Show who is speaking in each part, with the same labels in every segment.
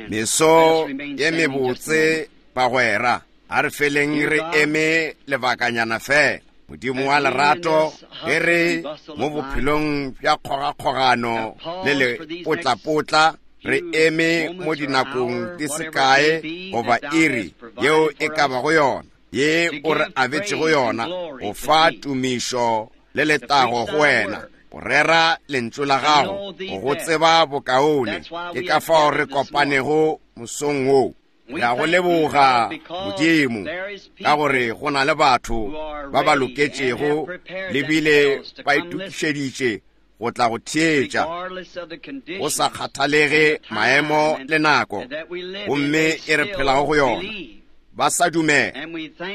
Speaker 1: Meso ye mebotse, bagwera. A re feleng re eme lebakanyana fela. Modimo wa lerato, ge re mo bophelong bja kgogakgogano le lepotlapotla, re eme mo dinakong di se kae goba iri yeo e ka bago yona, ye o re abetšego yona, go fa tumišo le letago go wena, go rera lentšu la gago, go go tseba bokaone. Ke ka fao re kopanego mosong wo. Re a go leboga, Modimo, ka gore go na le batho ba ba loketšego le bile ba itokišeditše go tla go theetša, go sa kgathalege maemo le nako gomme e re phelago go yona, ba sa dumela,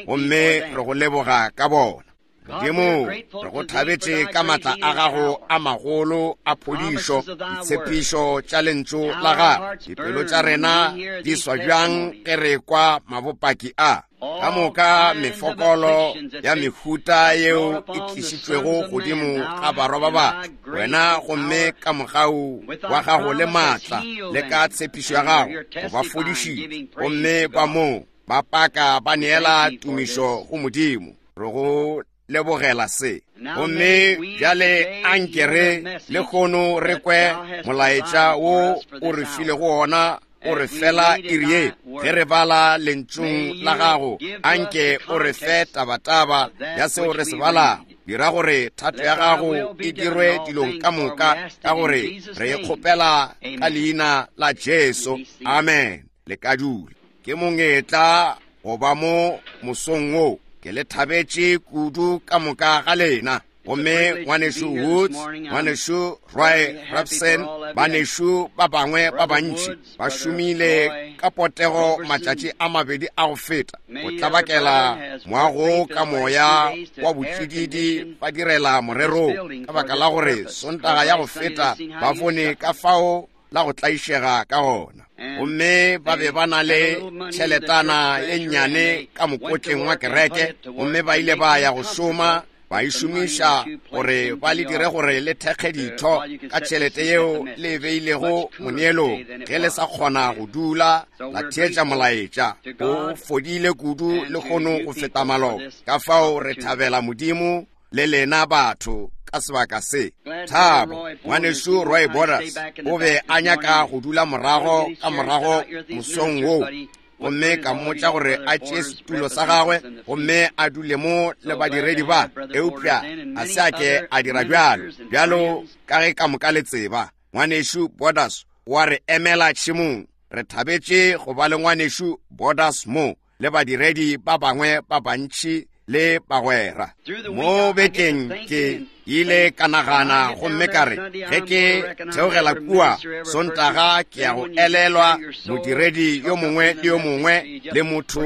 Speaker 1: gomme re go leboga ka bona. Modimo, re go thabetše ka matla a gago a magolo a phodišo, ditshepišo tša lentšu la gago. Dipelo tša rena di swa bjang ge re kwa mabopaki a? Ka moka mefokolo ya mehuta yeo e tlišitšwego godimo ga barwa ba batho, wena gomme ka mogau wa gago le maatla le ka tshepišo ya gago o ba fodišitše, gomme ba moo ba paka ba neela tumišo go Modimo. Re go lebogela se. Gomme bjale anke re lehono re kwe molaetša wo o re filego wona o re fela iri ye ge re bala lentšung la gago. Anke o re fe tabataba ya seo re se balago. Dira gore thato ya gago e dirwe dilong ka moka, ka gore re e kgopela ka leina la Jesu. Amen. Le ka dula. Ke mongetla go ba mo mosong wo. Ke le thabetše kudu ka moka ga lena. Gomme ngwanešu Woods, ngwanešu Roy Robson, banešu ba bangwe ba bantši ba šomile ka potego matšatši a mabedi a go feta go tlabakela moago ka moya wa botšididi ba direla morerong, ka baka la gore Sontaga ya go feta ba bone ka fao la go tlaišega ka gona. Gomme ba be ba na le tšheletana ye nnyane ka mokotleng wa kereke, gomme ba ile ba ya go šoma ba e šomiša gore ba le dire gore le thekge ditho ka tšhelete yeo le e beilego moneelong. Ge le sa kgona go dula la theetša molaetša, o fodile kudu lehono go feta maloba. Ka fao re thabela Modimo le lena batho ka sebaka se. Thabo, ngwanešu Roy Borders o be a nyaka go dula morago ka morago mosong wo, gomme ka mmotša gore a tšee setulo sa gagwe gomme a dule mo le badiredi ba, eupša a se a ke a dira bjalo. Bjalo ka ge ka moka le tseba, ngwanešu Borders o a re emela tšhemong. Re thabetše go ba le ngwanešu Borders mo le badiredi ba bangwe ba bantši le bagwera. Mo bekeng ke ile ka nagana gomme ka re, ge ke theogela kua Sontaga ke ya go elelwa modiredi yo mongwe le yo mongwe le motho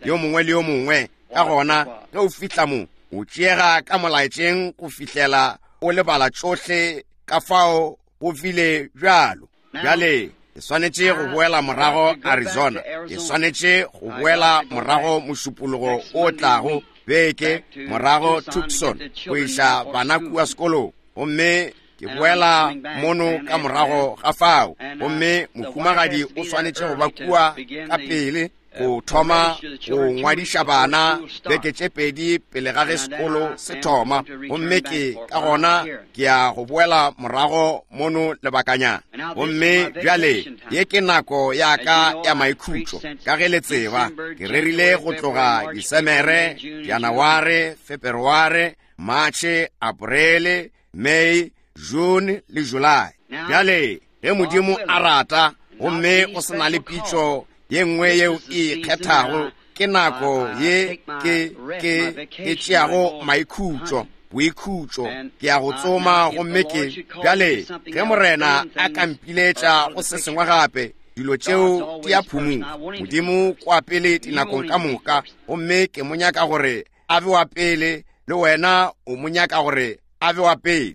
Speaker 1: yo mongwe le yo mongwe. Ka gona ge o fihla mo, o tšeega ka molaetšeng go fihlela o lebala tšohle ka fao go bile bjalo. Bjale ke swanetše go boela morago Arizona. Ke swanetše go boela morago Mošupologo o tlago beke, morago Tucson, go iša bana kua sekolong. Gomme ke boela mono ka morago ga fao. Gomme mohumagadi o swanetše go ba kua ka pele go thoma go ngwadiša bana beke tše pedi pele ga ge sekolo se thoma, gomme ke ka gona ke ya go boela morago mono lebakanyana. Gomme bjale ye ke nako ya ka ya maikhutšo. Ka ge le tseba, ke rerile go tloga Disemere, Janaware, Feperware, Matšhe, Aprele, May, June le July. Bjale ge Modimo a rata gomme go se na le pitšo ye nngwe yeo e ikgethago, ke nako ye ke, ke, ke tšeago maikhutšo, boikhutšo, ke ya go tsoma gomme ke, bjale ge Morena a ka mpiletša go se sengwe gape, dilo tšeo di a phumuga. Modimo kwa pele dinakong ka moka, gomme ke mo nyaka gore a be wa pele, le wena o mo nyaka gore a be wa pele.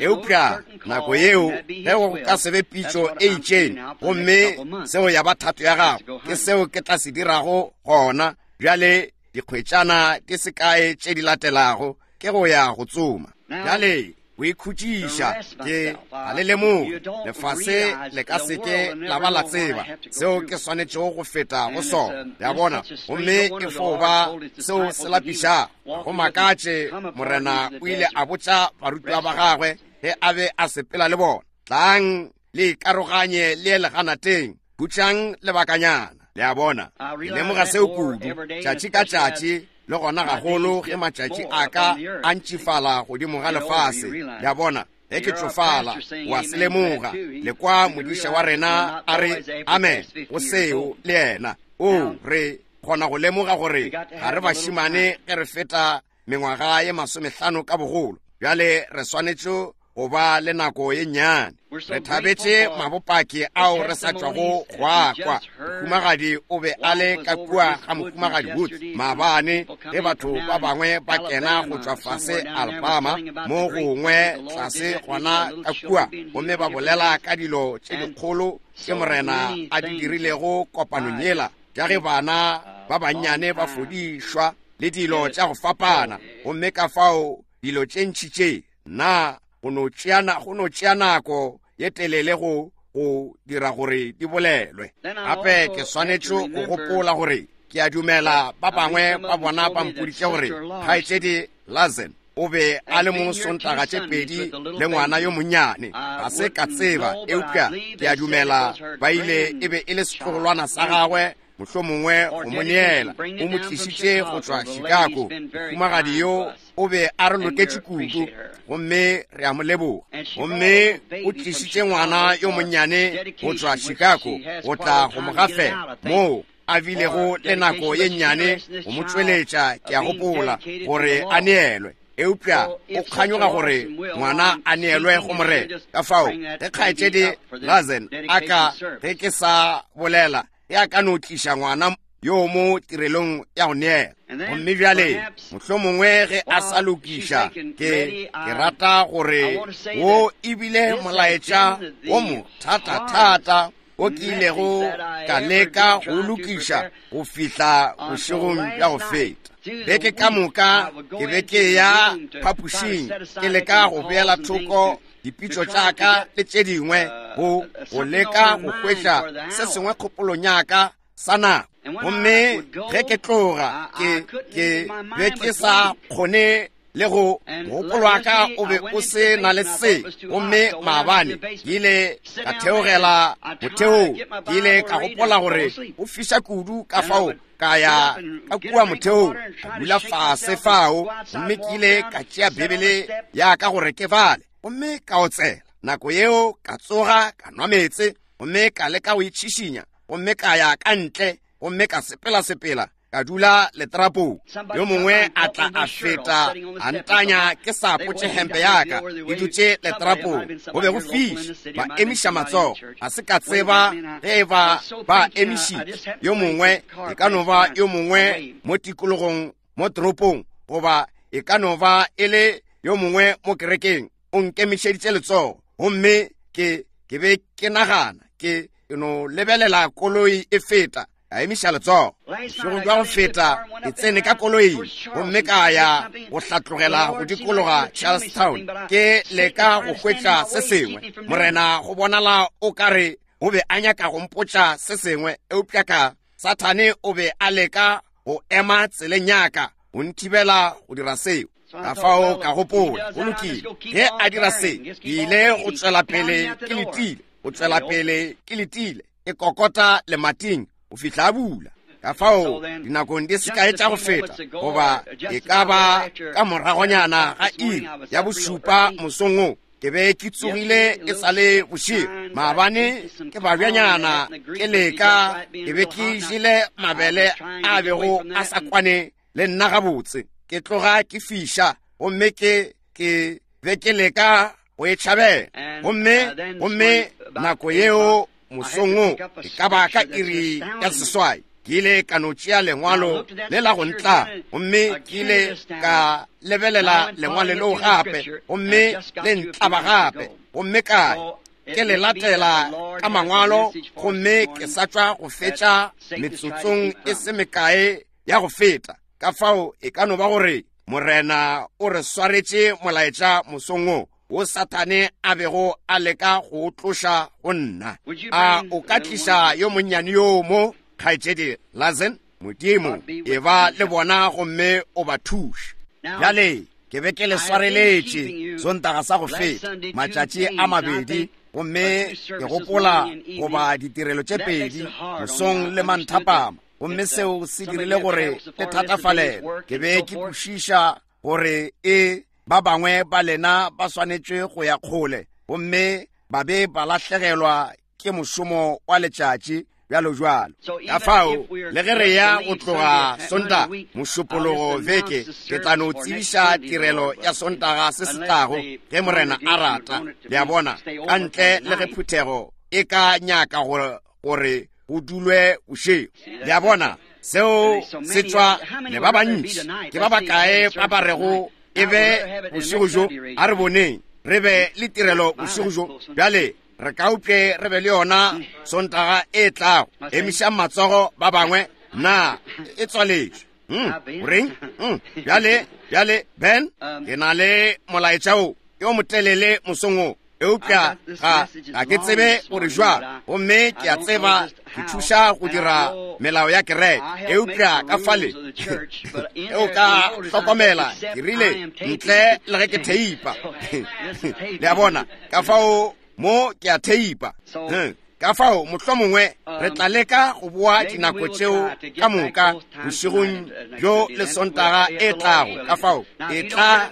Speaker 1: Eupša nako yeo ge go ka se be pitšo e itšeng, gomme seo ya ba thato ya gago, ke seo ke tla se dirago gona bjale dikgwetšana di se kae tše di latelago, ke go ya go tsoma. Bjale. go ikhutšiša. Ke ga le lemoge, lefase le ka seke la ba la tseba seo ke swanetšego go feta go sona. Le a bona? Gomme e fo ba seo se lapišago. Go makatše, Morena o ile a botša barutiwa ba gagwe ge a be a sepela le bona, Tlang le ikaroganye le ye leganateng, khutšang lebakanyana. Le a bona? Ke lemoga seo kudu, tšatši ka tšatši, le gona gagolo ge matšatši a ka a ntšifala godimo ga lefase. Le a bona? Ge ke tšofala, o a se lemoga. Le kwa modiša wa rena a re amen go seo, le yena. Oo, re kgona go lemoga gore ga re bašemane ge re feta mengwaga ye masomehlano ka bogolo. Bjale re swanetše go ba le nako ye nnyane. Re thabetše mabopaki ao re sa tšwago go a kwa. Mohumagadi o be a le ka kua ga Mohumagadi Woods maabane ge batho ba bangwe ba kena go tšwa fase Alabama, mo gongwe tlase gona ka kua, gomme ba bolela ka dilo tše dikgolo tše Morena a di dirilego kopanong yela, tša ge bana ba bannyane ba fodišwa le dilo tša go fapana. Gomme ka fao dilo tše ntši tše, na go no tšea, go no tšea nako ye telele go, go dira gore di bolelwe. Gape ke swanetše go gopola gore ke a dumela ba bangwe ba bona ba mpoditše gore Kgaetšedi Larson o be a le mo Sontaga tše pedi le ngwana yo monnyane. Ga se ka tseba, eupša ke a dumela ba ile, e be e le setlogolwana sa gagwe, mohlomongwe go mo neela. O mo tlišitše go tšwa Chicago. Mohumagadi yo o be a re loketše kudu, gomme re a mo leboga. Gomme o tlišitše ngwana yo monnyane go tšwa Chicago go tla go mo gafela, moo a bilego le nako ye nnyane go mo tšweletša, ke a gopola, gore a neelwe. Eupša o kganyoga gore ngwana a neelwe go Morena. Ka fao, ge Kgaetšedi Larson a ka, ge ke sa bolela, ge a ka no tliša ngwana yo mo tirelong ya go neela. Gomme bjale, mohlomongwe ge a sa lokiša, ke, ke rata gore wo e bile molaetša wo mothatathata wo ke ilego ka leka go lokiša go fihla bošegong bja go feta. Beke ka moka ke be ke ya phapošing ke leka go beela thoko dipitšo tša ka le tše dingwe, go, go leka go hwetša se sengwe kgopolong ya ka sa nako. Gomme ge ke tloga, ke, ke be ke sa kgone le go, mogopolo wa ka o be o se na le se. Gomme maabane ke ile ka theogela motheong, ke ile ka gopola gore go fiša kudu, ka fao ka ya ka kua motheong, ka dula fase fao, gomme ke ile ka tšea Bibele ya ka gore ke bale, gomme ka otsela. Nako yeo ka tsoga, ka nwa meetse, gomme ka leka go itšhišinya, gomme ka ya ka ntle, gomme ka sepela-sepela, ka dula letrapong. Yo mongwe a tla a feta, a ntanya ke sa apotše hempe ya ka, ke dutše letrapong. Go be go fiša, ba emiša matsogo. Ga se ka tseba ge e ba ba emišitše. Yo mongwe, e ka no ba yo mongwe mo tikologong, mo toropong, goba e ka no ba e le yo mongwe mo kerekeng, o nkemišeditše letsogo. Gomme ke, ke be ke nagana, ke, ke no lebelela koloi e feta, a emiša letsogo. Bošego bja go feta ke tsene ka koloing gomme ka ya go hlatlogela go dikologa Charlestown, ke leka go hwetša se sengwe. Morena, go bonala o ka re o be a nyaka go mpotša se sengwe, eupša ka Sathane o be a leka go ema tseleng ya ka go nthibela go dira seo. Ka fao ka gopola, go lokile, ge a dira se, ke ile go tšwela pele ke letile, go tšwela pele ke letile, ke kokota lemating go fihla a bula. Ka fao dinakong di se kae tša go feta, goba e ka ba ka moragonyana ga iri ya bošupa mosong wo, ke be ke tsogile e sa le bošego. Maabane ke babjanyana ke leka, ke be ke jele mabele a bego a sa kwane le nna gabotse, ke tloga ke fiša, gomme ke, ke be ke leka go e tšhabela. Gomme, gomme nako yeo mosong wo, e ka ba ka iri ya seswai, ke ile ka no tšea lengwalo le la go ntla, gomme ke ile ka lebelela lengwalo leo gape, gomme le ntlaba gape, gomme ka ke le latela ka mangwalo, gomme ke sa tšwa go fetša metsotsong e se mekae ya go feta. Ka fao e ka no ba gore Morena o re swaretše molaetša mosong wo. wo Sathane a bego a leka go o tloša go nna. A o ka tliša yo monnyane yo mo, Kgaetšedi Larson? Modimo, e ba le bona gomme o ba thuše. Bjale, ke be ke le swareletše Sontaga sa go feta, matšatši a mabedi, gomme ke gopola goba ditirelo tše pedi, mosong le manthapama, gomme seo se dirile gore le thatafalele. Ke be ke kwešiša gore e ba bangwe ba lena ba swanetše go ya kgole gomme ba be ba lahlegelwa ke mošomo wa letšatši bjalo bjalo. Ka fao le ge re ya go tloga Sontaga mošupologo veke, ke tla no tsebiša tirelo ya Sontaga se se tlago ge Morena a rata, le a bona, ka ntle le ge phuthego e ka nyaka gore go dulwe bošego. Le a bona, seo se tšwa le ba bantši. Ke ba bakae ba ba rego e be bošego bjo? A re boneng re be le tirelo bošego bjo. Bjale re ka upše re be le yona Sontaga e tlago. Emišang matsogo ba bangwe. Na e tswaletšwe? Goreng? Bjale, bjale, Ben, ke na le molaetša wo yo motelele mosong wo, eupša ga, ga ke tsebe gore jwang, gomme ke a tseba ke thuša go dira melao ya kereke, eupša ka fale ge o ka hlokomela, ke rile ntle le ge ke theipa. Le a bona, ka fao mo ke a theipa. Ka fao mohlomongwe re tla leka go boa dinako tšeo ka moka bošegong bjo le Sontaga e tlago. Ka fao e tla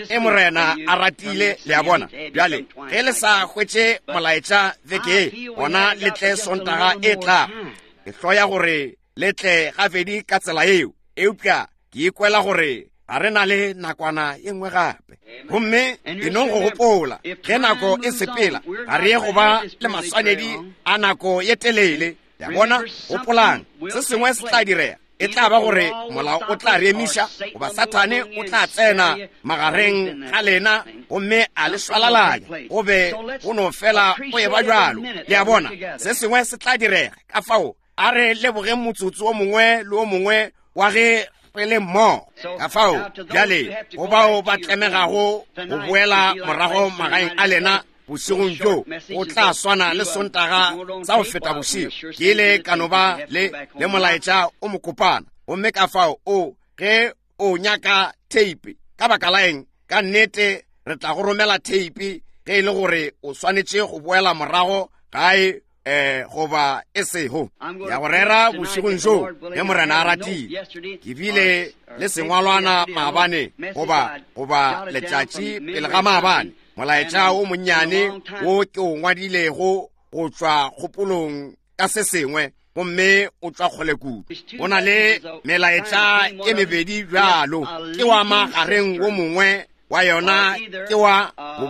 Speaker 1: e Morena a ratile, le a bona. Bjale ge le sa hwetše molaetša veke ye, gona le tle Sontaga e tlago. Ke hloya gore le tle gabedi ka tsela yeo, eupša ke ikwela gore ga re na le nakwana ye nngwe gape. Gomme e nong go gopola, ge nako e sepela, ga re ye go ba le maswanedi a nako ye telele. Le a bona? Gopolang, se sengwe se tla direga. E tla ba gore molao o tla re emiša, goba Sathane o tla tsena magareng ga lena gomme a le šwalalanya, go be go no fela go eba bjalo. Le a bona? Se sengwe se tla direga. Ka fao a re lebogeng motsotso o mongwe le o mongwe wa ge re le mmogo. Ka fao bjale go bao ba tlemegago go boela morago magaeng a lena bošegong bjo, go tla swana le Sontaga sa go feta bošego. Ke ile ka no ba le, le molaetša o mokopana, gomme ka fao o, ge o nyaka theipi, ka baka la eng, ka nnete re tla go romela theipi ge e le gore o swanetše go boela morago gae goba e sego ya go rera bošegong bjo ge Morena a ratile. Ke bile le sengwalwana maabane, goba, goba letšatši pele ga maabane, molaetša wo monnyane wo ke o ngwadilego go tšwa kgopolong ka se sengwe, gomme o tšwa kgole kudu. Go na le melaetša e mebedi bjalo, ke wa magareng wo mongwe wa yona ke wa go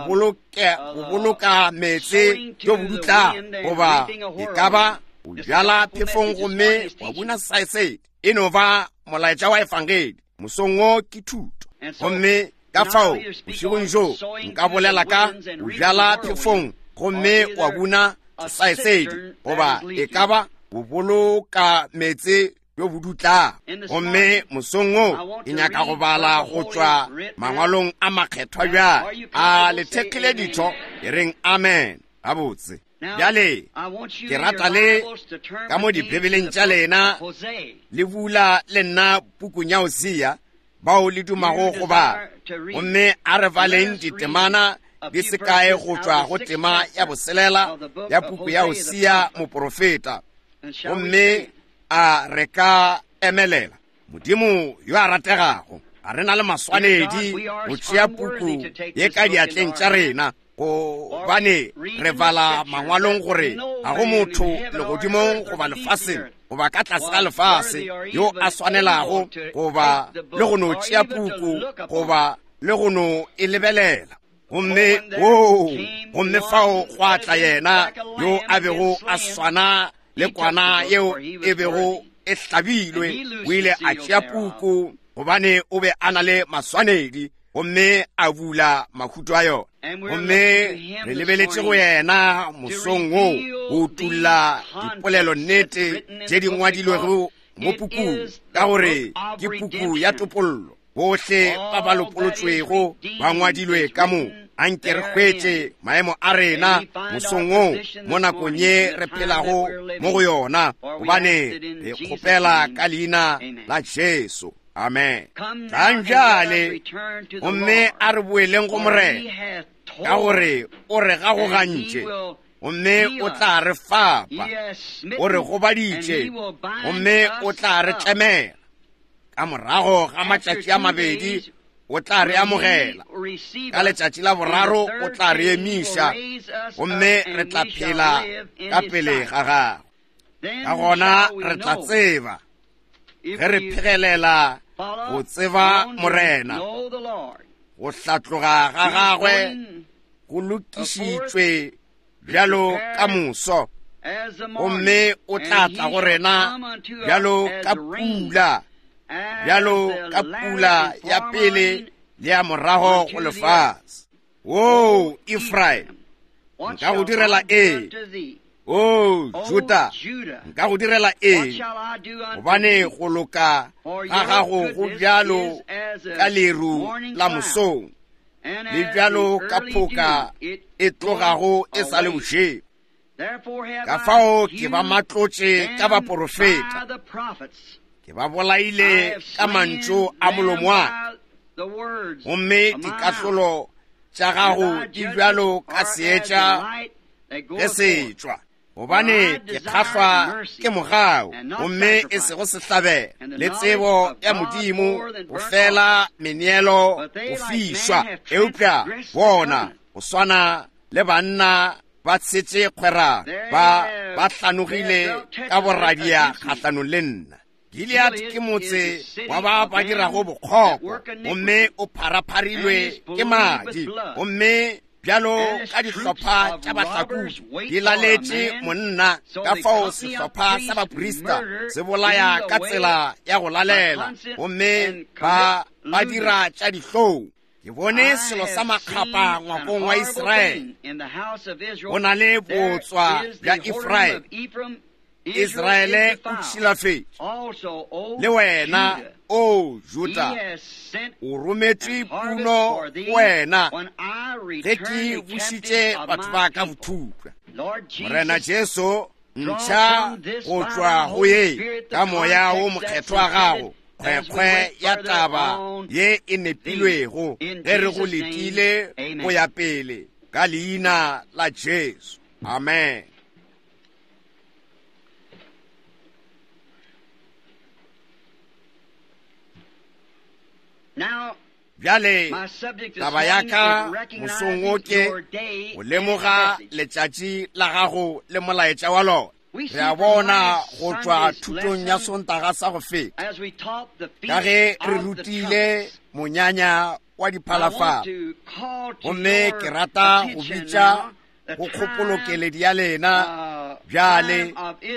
Speaker 1: boloka meetse jo bo dutlago, goba e ka ba o bjala phefong gomme wa buna saesedi. E no ba molaetša wa efangedi mosong wo ke thuto. Gomme ka fao bošegong bjo nka bolela ka o bjala phefong gomme wa buna saesedi, goba e ka ba go boloka meetse bjo bo dutlago. Gomme mosong wo ke nyaka go bala go tšwa mangwalong a makgethwa bjale. A le thekgile ditho? E reng amen. Gabotse. Bjale ke rata le ka mo dibibeleng tša lena le bula le nna pukung ya Hosea, bao le dumago go bala. Gomme a re baleng ditemana di se kae go tšwa go tema ya boselela ya puku ya Hosea moprofeta. Gomme a re ka emelela. Modimo yo a rategago, ga re na le maswanedi go tšea puku ye ka diatleng tša rena, gobane re bala mangwalong gore ga go motho legodimong goba lefaseng goba ka tlase ga lefase yo a swanelago goba le go no tšea puku goba le go no e lebelela. Gomme woo, gomme fao gwa tla yena yo a bego a swana le kwana yeo e bego e hlabilwe. O ile a tšea puku gobane o be a na le maswanedi, gomme a bula mahuto a yona. Gomme re lebeletše go yena mosong wo go utulla dipolelo nnete tše di ngwadilwego mo pukung, ka gore ke puku ya topollo. Bohle ba ba lopolotšwego ba ngwadilwe ka mo. Anke re hwetše maemo a rena mosong wo mo nakong ye re phelago mo go yona, gobane re kgopela ka leina la Jesu. Amen. Tlang bjale gomme a re boeleng go Morena, ka gore o re gagogantše gomme o tla re fapa, o re gobaditše gomme o tla re tlemela. Ka morago ga matšatši a mabedi o tla re amogela, ka letšatši la boraro o tla re emiša gomme re tla phela ka pele ga gagwe. Ka gona re tla tseba ge re phegelela go tseba Morena, go hlatloga ga gagwe go lokišitšwe bjalo ka moso, gomme o tla tla go rena bjalo ka pula, bjalo ka pula ya pele le ya morago go lefase. O Efraim, nka go direla eng? O Juda, nka go direla eng? Gobane go loka ga gago go bjalo ka leru la mosong, le bjalo ka phoka e tlogago e sa le bošego. Ka fao ke ba matlotše ka baporofeta, ke ba bolaile ka mantšu a molomo wa ka, gomme dikahlolo tša gago di bjalo ka seetša ge se tšwa. Gobane ke kgahlwa ke mogau, gomme e sego sehlabelo, le tsebo ya Modimo go fela meneelo go fišwa. Eupša bona go swana le banna ba tshetše kgwerano, ba hlanogile ka boradia kgahlanong le nna. Gilead ke motse wa ba ba dirago bokgopo, gomme o pharapharilwe ke madi, gomme bjalo ka dihlopha tša bahlakodi di laletše monna. Ka fao sehlopha sa baprista se bolaya ka tsela ya go lalela, gomme ba ba dira tša dihlong. Ke bone selo sa makgapa ngwakong wa Israele. Go na le botswa bja Efraim. Israele o tšhilafetše. Le wena, o Juda, o rometšwe puno go wena ge ke bušitše batho ba ka bothupša. Morena Jesu, ntšha go tšwa go ye ka moya wo mokgethwa wa gago kgwekgwe ya taba ye e nepilwego ge re go letile go ya pele ka leina la Jesu. Amen. Bjale taba ya ka mosong wo ke go lemoga letšatši la gago le molaetša wa lona. Re a bona go tšwa thutong ya Sontaga sa go feta, ka ge re rutile monyanya wa diphalafala, gomme ke rata go bitša go kgopolokeledi ya lena bjale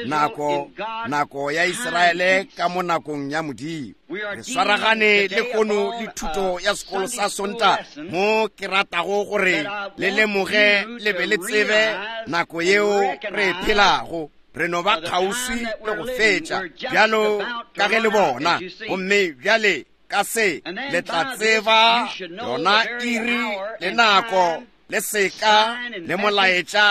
Speaker 1: nako nako ya Israele ka mo nakong ya Modimo. Re swaragane le kono le thuto ya sekolo sa Sontaga, mo ke ratago gore le lemoge le be le tsebe nako yeo re e phelago. Re no ba kgauswi le go fetša bjalo ka ge le bona, gomme bjale ka se le tla tseba yona iri le nako le seka le molaetša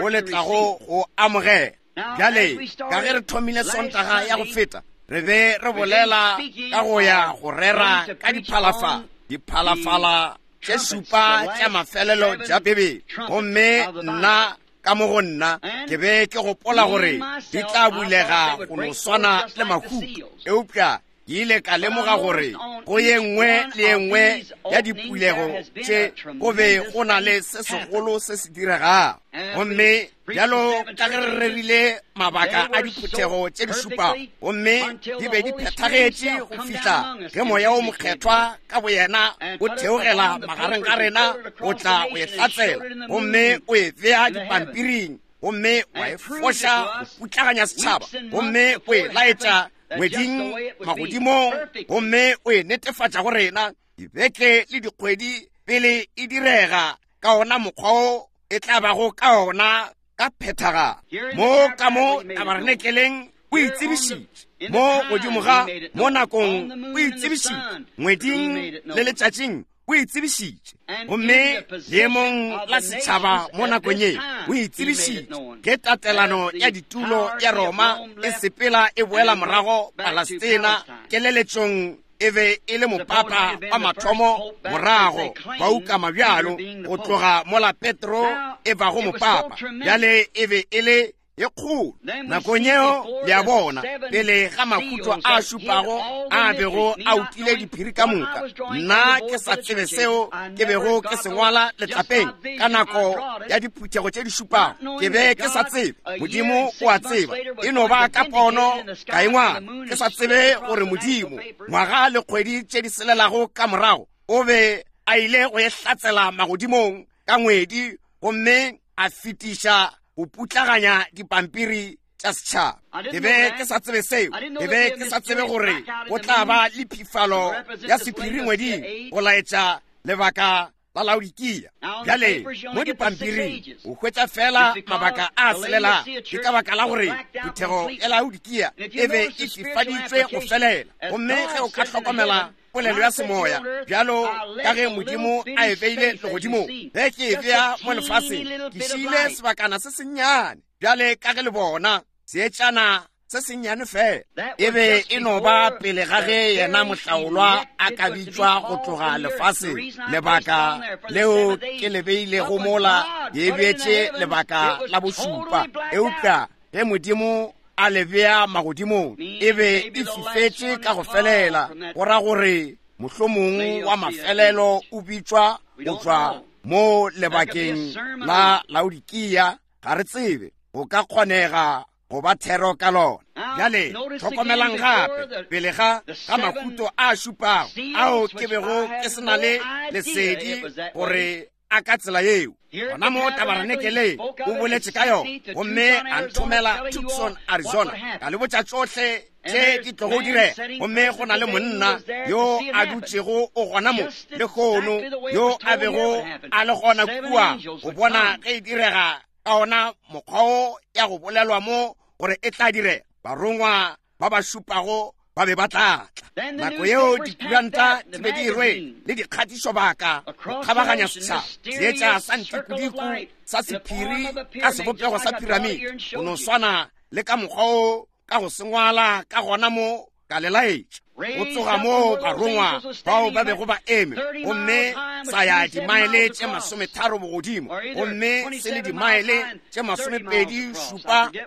Speaker 1: wo le tlago go amogela. Bjale ka ge re thomile Sontaga ya go feta, re be re bolela ka go ya go rera ka diphalafala, diphalafala tše šupa tša mafelelo tša Bibele. Gomme nna ka mo go nna ke be ke gopola gore di tla bulega go no swana le mahuto, eupša ke ile ka lemoga gore go ye nngwe le ye nngwe ya dipulego tše go be go na le se segolo se se diregago. Gomme bjalo ka ge re rerile mabaka a diphuthego tše di šupago, gomme di be di phethagetše go fihla ge moya wo mokgethwa ka boyena o theogela magareng ga rena go tla go e hlatsela, gomme o e bea dipampiring, gomme wa e foša go putlaganya setšhaba, gomme o e laetša ngweding magodimong, gomme o e netefatša go rena dibeke le dikgwedi pele e direga ka ona mokgwa o e tla bago ka ona ka phethagalo. Mo ka mo tabarenekeleng o itsebišitše, mo godimo ga mo nakong o itsebišitše, ngweding le letšatšing o O e tsebišitše. Gomme leemong la setšhaba mo nakong ye, o e tsebišitše. Ge tatelano ya ditulo ya Roma e sepela e boela morago Palestina, keleletšong e be e le mopapa wa mathomo morago ba ukama bjalo go tloga mola Petro e bago mopapa. Bjale e be e le ye kgolo nakong yeo, le a bona, pele ga mahuto a šupago a bego a utile diphiri ka moka. Nna ke sa tsebe seo ke bego ke se ngwala letlapeng ka nako ya diphuthego tše di šupago. Ke be ke sa tsebe. Modimo o a tseba. E no ba ka pono ka e ngwala, ke sa tsebe gore Modimo, ngwaga le kgwedi tše di selelago ka morago, o be a ile go e hlatsela magodimong ka ngwedi gomme a fetiša go putlaganya dipampiri tša setšhaba. Ke be ke sa tsebe seo. Ke be ke sa tsebe gore go tla ba le phifalo ya sephiri ngweding go laetša lebaka la Laodikia. Bjale mo dipampiring o hwetša fela mabaka a selelago. Ke ka baka la gore phuthego ya Laodikia e be e fifaditšwe go felela. Gomme ge o ka hlokomela polelo ya semoya bjalo ka ge Modimo a e beile legodimong, ge ke e bea mo lefaseng, ke šiile sebakana se sennyane bjale ka ge le bona seetšana se sennyane fela. E be e no ba pele ga ge yena mohlaolwa a ka bitšwa go tloga lefaseng. Lebaka leo ke le beilego mola, ke e beetše lebaka la bošupa. Eupša ge Modimo a le bea magodimong, e be e fifetše ka go felela, go ra gore mohlomong wa mafelelo o bitšwa go tšwa mo lebakeng la Laodikia. Ga re tsebe, go ka kgonega go ba thero ka lona. Bjale hlokomelang gape, pele ga ga mahuto a šupago ao ke bego ke se na le lesedi gore a ka tsela yeo, gona mo tabarenekeleng o boletše ka yona, gomme a nthomela Tucson, Arizona, ka le botša tšohle tše di tlogo direga. Gomme go na le monna yo a dutšego o gona mo lehono, yo a bego a le gona kua go bona ge e direga ka ona mokgwa wo ya go bolelwa mo gore e tla direga. Barongwa ba ba šupago ba be ba tla tla. Nako yeo dikuranta di be di rwele le dikgatišobaka go kgabaganya setšhaba, seetša sa ntikudiku sa sephiri ka sebopego sa piramide, go no swana le ka mokgwa wo ka go se ngwala ka gona mo ka le laetša. Go tsoga moo barongwa bao ba bego ba eme, gomme sa ya dimaele tše 30 bogodimo, gomme se le dimaele tše 27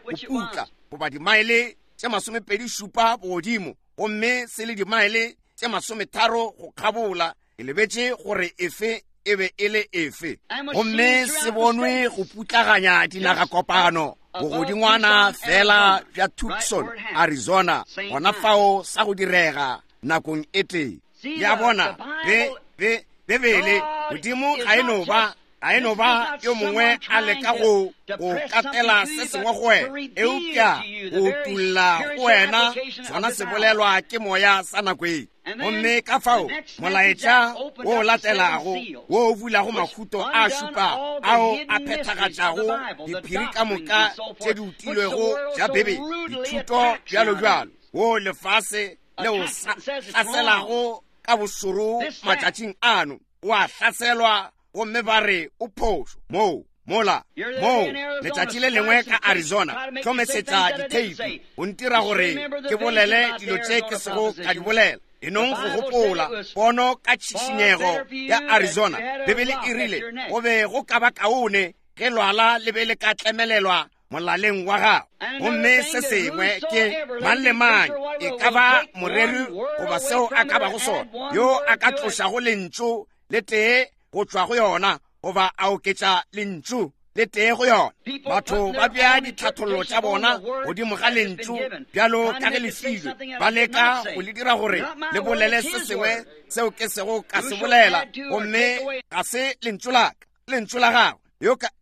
Speaker 1: go putla, goba dimaele tše 27 bogodimo, gomme se le dimaele tše 30 go kgabola. Ke lebetše gore efe e be e le efe. Gomme se bonwe go putlaganya dinagakopano bogodingwana fela bja Tucson, Arizona, gona fao sa go direga nakong e tee. Le a bona, be, be, Bibele, Modimo ga e no ba, ga e no ba yo mongwe a leka go, go katela se sengwe go wena, eupša go utulla go wena sona se bolelwa ke Moya sa nako e. Gomme ka fao molaetša wo o latelago wo o bulago mahuto a šupago ao a phethagatšago diphiri ka moka tše di utilwego tša Bibele, dithuto bjalo bjalo, wo lefase le o hlaselago ka bošoro matšatšing ano, o a hlaselwa gomme ba re o phošo moo mola moo. Letšatši le lengwe ka Arizona, hlomesetša ditheipi go ntira gore ke bolele dilo tše ke sego ka di bolela. E nong go gopola pono ka tšhišinyego ya Arizona. Bibele e rile go be go ka ba kaone ge lwala le be le ka tlemelelwa molaleng wa gago. Gomme se sengwe ke mang le mang, e ka ba moreri goba seo a ka bago sona, yo a ka tlošago lentšu le tee go tšwa go yona, goba a oketša lentšu le tee go yona. Batho ba bea ditlhathollo tša bona godimo ga lentšu bjalo ka ge le filwe, ba leka go le dira gore le bolele se sengwe seo ke sego ka se bolela, gomme ga se lentšu la ka, lentšu la gagwe,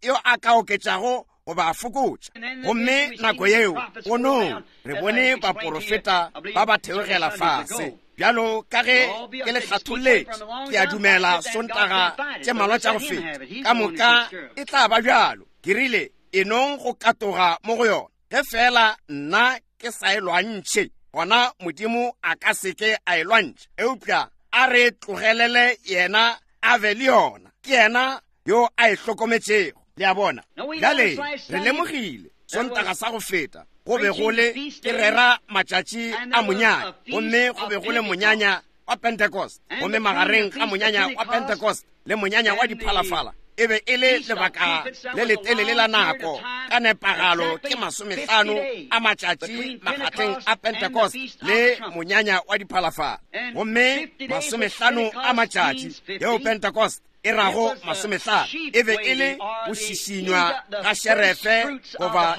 Speaker 1: yo a ka oketšago goba a fokotša. Gomme nako yeo ponong re bone baporofeta ba ba theogela fase bjalo ka ge ke le hlatholletše, ke a dumela Sontaga tše malwa tša go feta, ka moka e tla ba bjalo. Ke rile, e nong go katoga mo go yona, ge fela nna ke sa e lwantšhe, gona Modimo a ka se ke a e lwantšha, eupša a re tlogelele yena. a be le yona. Ke yena yo a e hlokometšego. Le a bona? Bjale, re lemogile, Sontaga sa go feta, go be go le, ke rera matšatši a monyanya, gomme go be go le monyanya wa Pentecost. Gomme magareng ga monyanya wa Pentecost le monyanya wa diphalafala e be e le lebaka le letelele la nako, ka nepagalo ke masomehlano a matšatši makgatheng a Pentecost le monyanya wa diphalafala. Gomme masomehlano a matšatši yeo Pentecost e rago masomehlano e be e le go šišinywa ga šerefe goba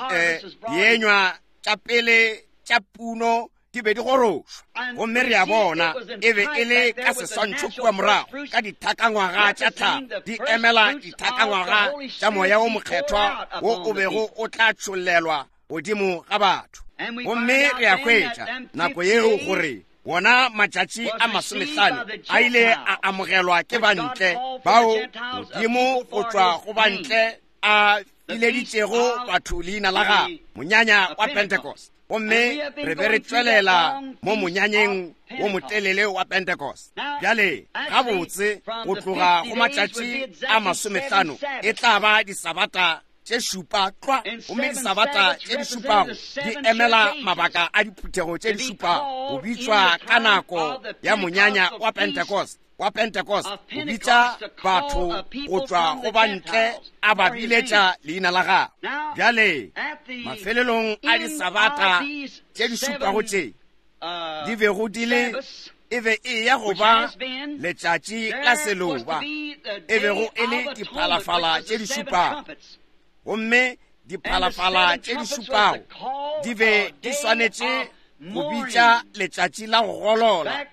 Speaker 1: dienywa tša pele tša puno di be di gorošwa. Gomme re a bona e be e le ka seswantšho kua morago ka dithakangwaga tša tlhago, di emela dithakangwaga tša Moya wo Mokgethwa wo o bego o tla tšhollelwa godimo ga batho. Gomme re a hwetša nako yeo gore wona matšatši a masomehlano a ile a amogelwa ke bantle bao Modimo go tšwa go bantle a bileditšego batho leina la gagwe, monyanya wa Pentecost. Gomme re be re tšwelela mo monyanyeng wo motelele wa Pentecost. Bjale, gabotse, go tloga go matšatši a masomehlano e tla ba disabata tše šupa tlwa, gomme disabata tše di šupago di emela mabaka a diphuthego tše di šupago, go bitšwa ka nako ya monyanya wa Pentecost, wa Pentecost, go bitša batho go tšwa go ba ntle a ba biletša leina la gagwe. Bjale, mafelelong a disabata tše di šupago tše di bego di le, e be e ya go ba letšatši la seloba, e bego e le diphalafala tše di šupago. Gomme diphalafala tše di šupago di be di swanetše go bitša letšatši la go golola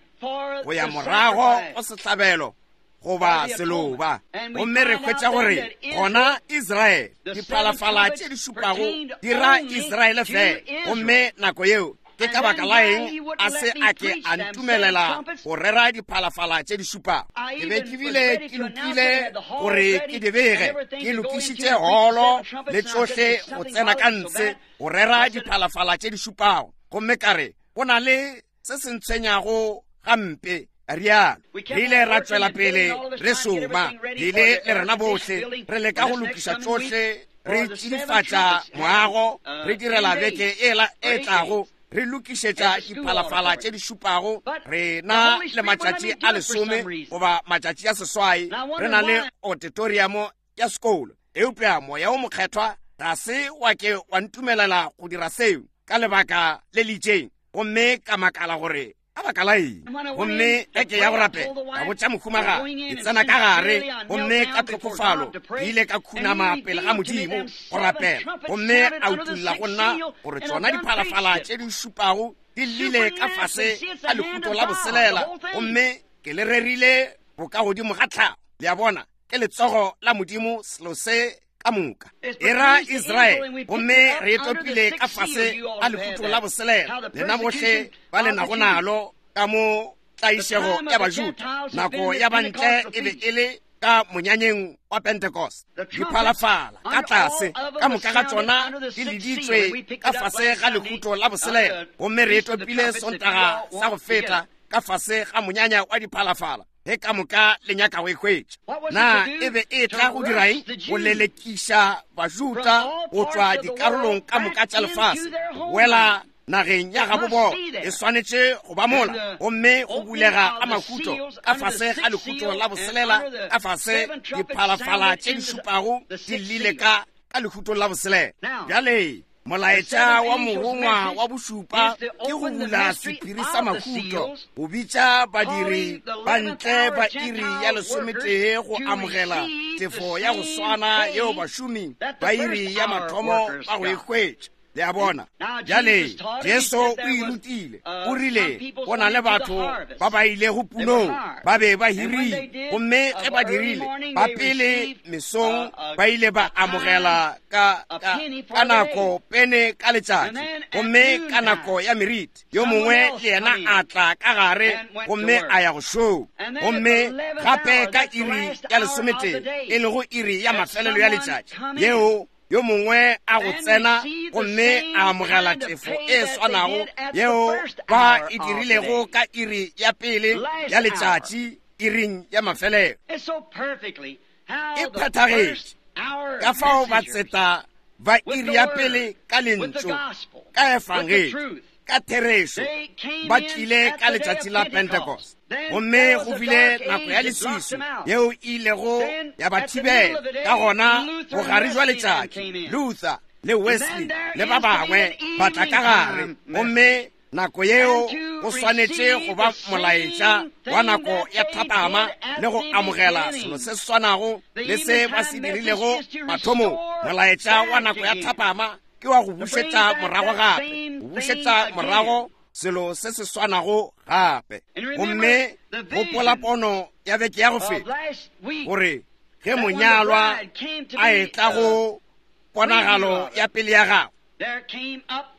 Speaker 1: go ya morago go sehlabelo goba seloba. Gomme re hwetša gore gona Israele, diphalafala tše di šupago di ra Israele fela. Gomme nako yeo ke ka baka la eng a se a ke a ntumelela go rera diphalafala tše di šupago? Ke be ke bile ke lokile gore ke di bege, ke lokišitše holo le tšohle go tsena ka ntshe go rera diphalafala tše di šupago. Gomme ka re, go na le se se ntshwenyago gampe, rialo. Re ile ra tšwela pele re šoma, re ile le rena bohle re leka go lokiša tšohle, re tšidifatša moago, re direla beke e tlago, re lokišetša diphalafala tše di šupago. Re na le matšatši a lesome goba matšatši a seswai, re na le auditorium ya sekolo. Eupša Moya wo Mokgethwa ga se wa ke wa ntumelela go dira seo ka lebaka le le itšeng, gomme ka makala gore ka baka la eng. Gomme ge ke ya go rapela, ka botša mohumagadi, ke tsena ka gare, gomme ka tlhokofalo ke ile ka khunama pele ga Modimo go rapela, gomme a utulla go nna gore tšona diphalafala tše di šupago di llile ka fase ga lehuto la boselela, gomme ke le rerile bokagodimo ga tlhago. Le a bona, ke letsogo la Modimo selo se ka moka. E ra Israele, gomme re e topile ka fase ga lehuto la boselela. Lena bohle ba le nago nalo ka mo tlaišego ya Bajuda, nako ya bantle e be e le ka monyanyeng wa Pentecost. Diphalafala ka tlase ka moka ga tšona di leditswe ka fase ga lehuto la boselela, gomme re e topile Sontaga sa go feta ka fase ga monyanya wa diphalafala. Ge ka moka le nyaka go e hwetša, na e be e tla go dira eng? Go lelekiša Bajuda go tšwa dikarolong ka moka tša lefase, go boela nageng ya gabo bona. E swanetše go ba mola, gomme go bulega ga mahuto ka fase ga lehuto la boselela, ka fase diphalafala tše di šupago di llile ka lehutong la boselela. Bjale molaetša wa morongwa wa bošupa ke go bula sephiri sa mahuto, go bitša badiri ba ntle ba iri ya lesometee go amogela tefo ya go swana yeo bašomi ba iri ya mathomo ba go e hwetša. Le a bona? Bjale Jesu o e rutile, o rile go na le batho ba ba ilego punong, ba be ba hirile, gomme ge ba dirile, ba pele mesong ba ile ba amogela ka nako pene ka letšatši, gomme ka nako ya meriti yo mongwe le yena a tla ka gare gomme a ya go šoma. Gomme gape ka iri ya lesometee, e lego iri ya mafelelo ya letšatši, yeo yo mongwe a go tsena gomme a amogela tefo e swanago yeo ba e dirilego ka iri ya pele ya letšatši, iring ya mafelelo. E phethagetše. Ka fao batseta ba iri ya pele ka Lentšu, ka Efangedi, ka therešo, ba tlile ka letšatši la Pentecost. Gomme go bile nako ya leswiswi yeo e ilego ya ba thibela. Ka gona bogare jwa letšatši, Luther le Wesley le ba bangwe ba tla ka gare, gomme nako yeo go swanetše go ba molaetša wa nako ya thapama le go amogela selo se swanago le se ba se dirilego mathomong. Molaetša wa nako ya thapama ke wa go bušetša morago gape, go bušetša morago selo se se swanago gape. Gomme gopola pono ya beke ya go feta, gore ge monyalwa a etla go ponagalo ya pele ya gagwe,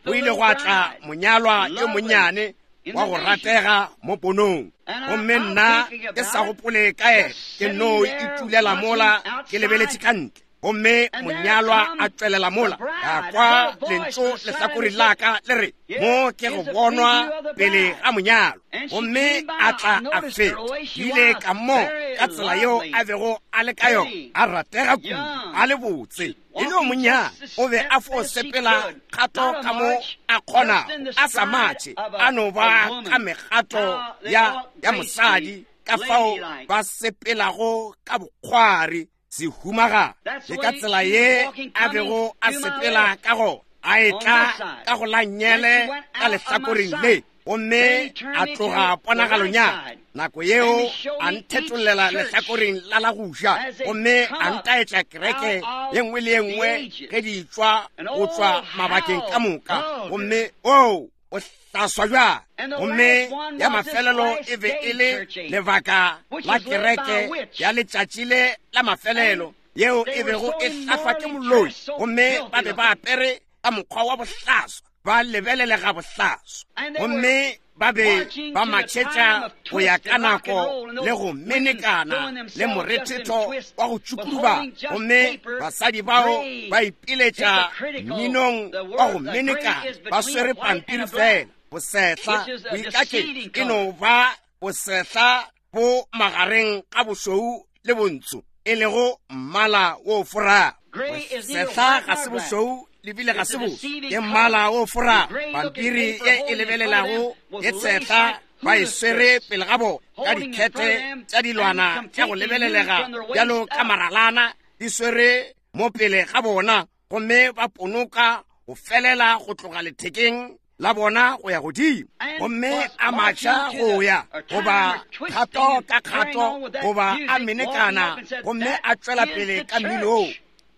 Speaker 1: go ile gwa tla monyalwa yo monnyane wa go ratega mo ponong. Gomme nna ke sa gopole ka yena, ke no itulela mola ke lebeletše ka ntle, gomme monyalwa a tšwelela mola. Ka kwa lentšu lehlakoreng la ka le re, Mo ke go bonwa pele ga monyalo. Gomme a tla a feta. Ke ile ka mo ka tsela yeo a bego a le ka yona, a ratega kudu, a le botse, e le yo monnyane. O be a fo sepela kgato ka mo a kgonago, a sa matše, a no ba ka megato ya, ya mosadi, ka fao ba sepelago ka bokgwari, sehumagadi. Le ka tsela ye a bego a sepela ka gona, a etla ka go la nnyele ka lehlakoreng le, gomme a tloga ponagalong ya ka. Nako yeo a nthetollela lehlakoreng la la go ja, gomme a ntaetša kereke ye nngwe le ye nngwe ge di tšwa go tšwa mabakeng ka moka. Gomme oo, o hlaswa bjang! Gomme ya mafelelo e be e le lebaka la kereke ya letšatši le la mafelelo, yeo e bego e hlahlwa ke moloi, gomme ba be ba apere ka mokgwa wa bohlaswa, ba lebelelega bohlaswa, gomme ba be ba matšhetša go ya ka nako le go menekana le morethetho wa go tšukuduba, gomme basadi bao ba ipiletša mminong wa go menekana ba swere pampiri fela. Bosehla boikaketši e no ba bosehla bo magareng ga bošweu le bontsho, e lego mmala wo forago. Bosehla ga se bošweu le bile ga se boso, ke mmala wo forago. Pampiri ye e lebelelago ye tshehla ba e swere pele ga bona ka dikhete tša dilwana tša go lebelelega bjalo ka maralana di swere mo pele ga bona, gomme ba ponoka go felela go tloga lethekeng la bona go ya godimo, gomme a matšha go ya goba kgato ka kgato goba a menekana, gomme a tšwela pele ka mmino,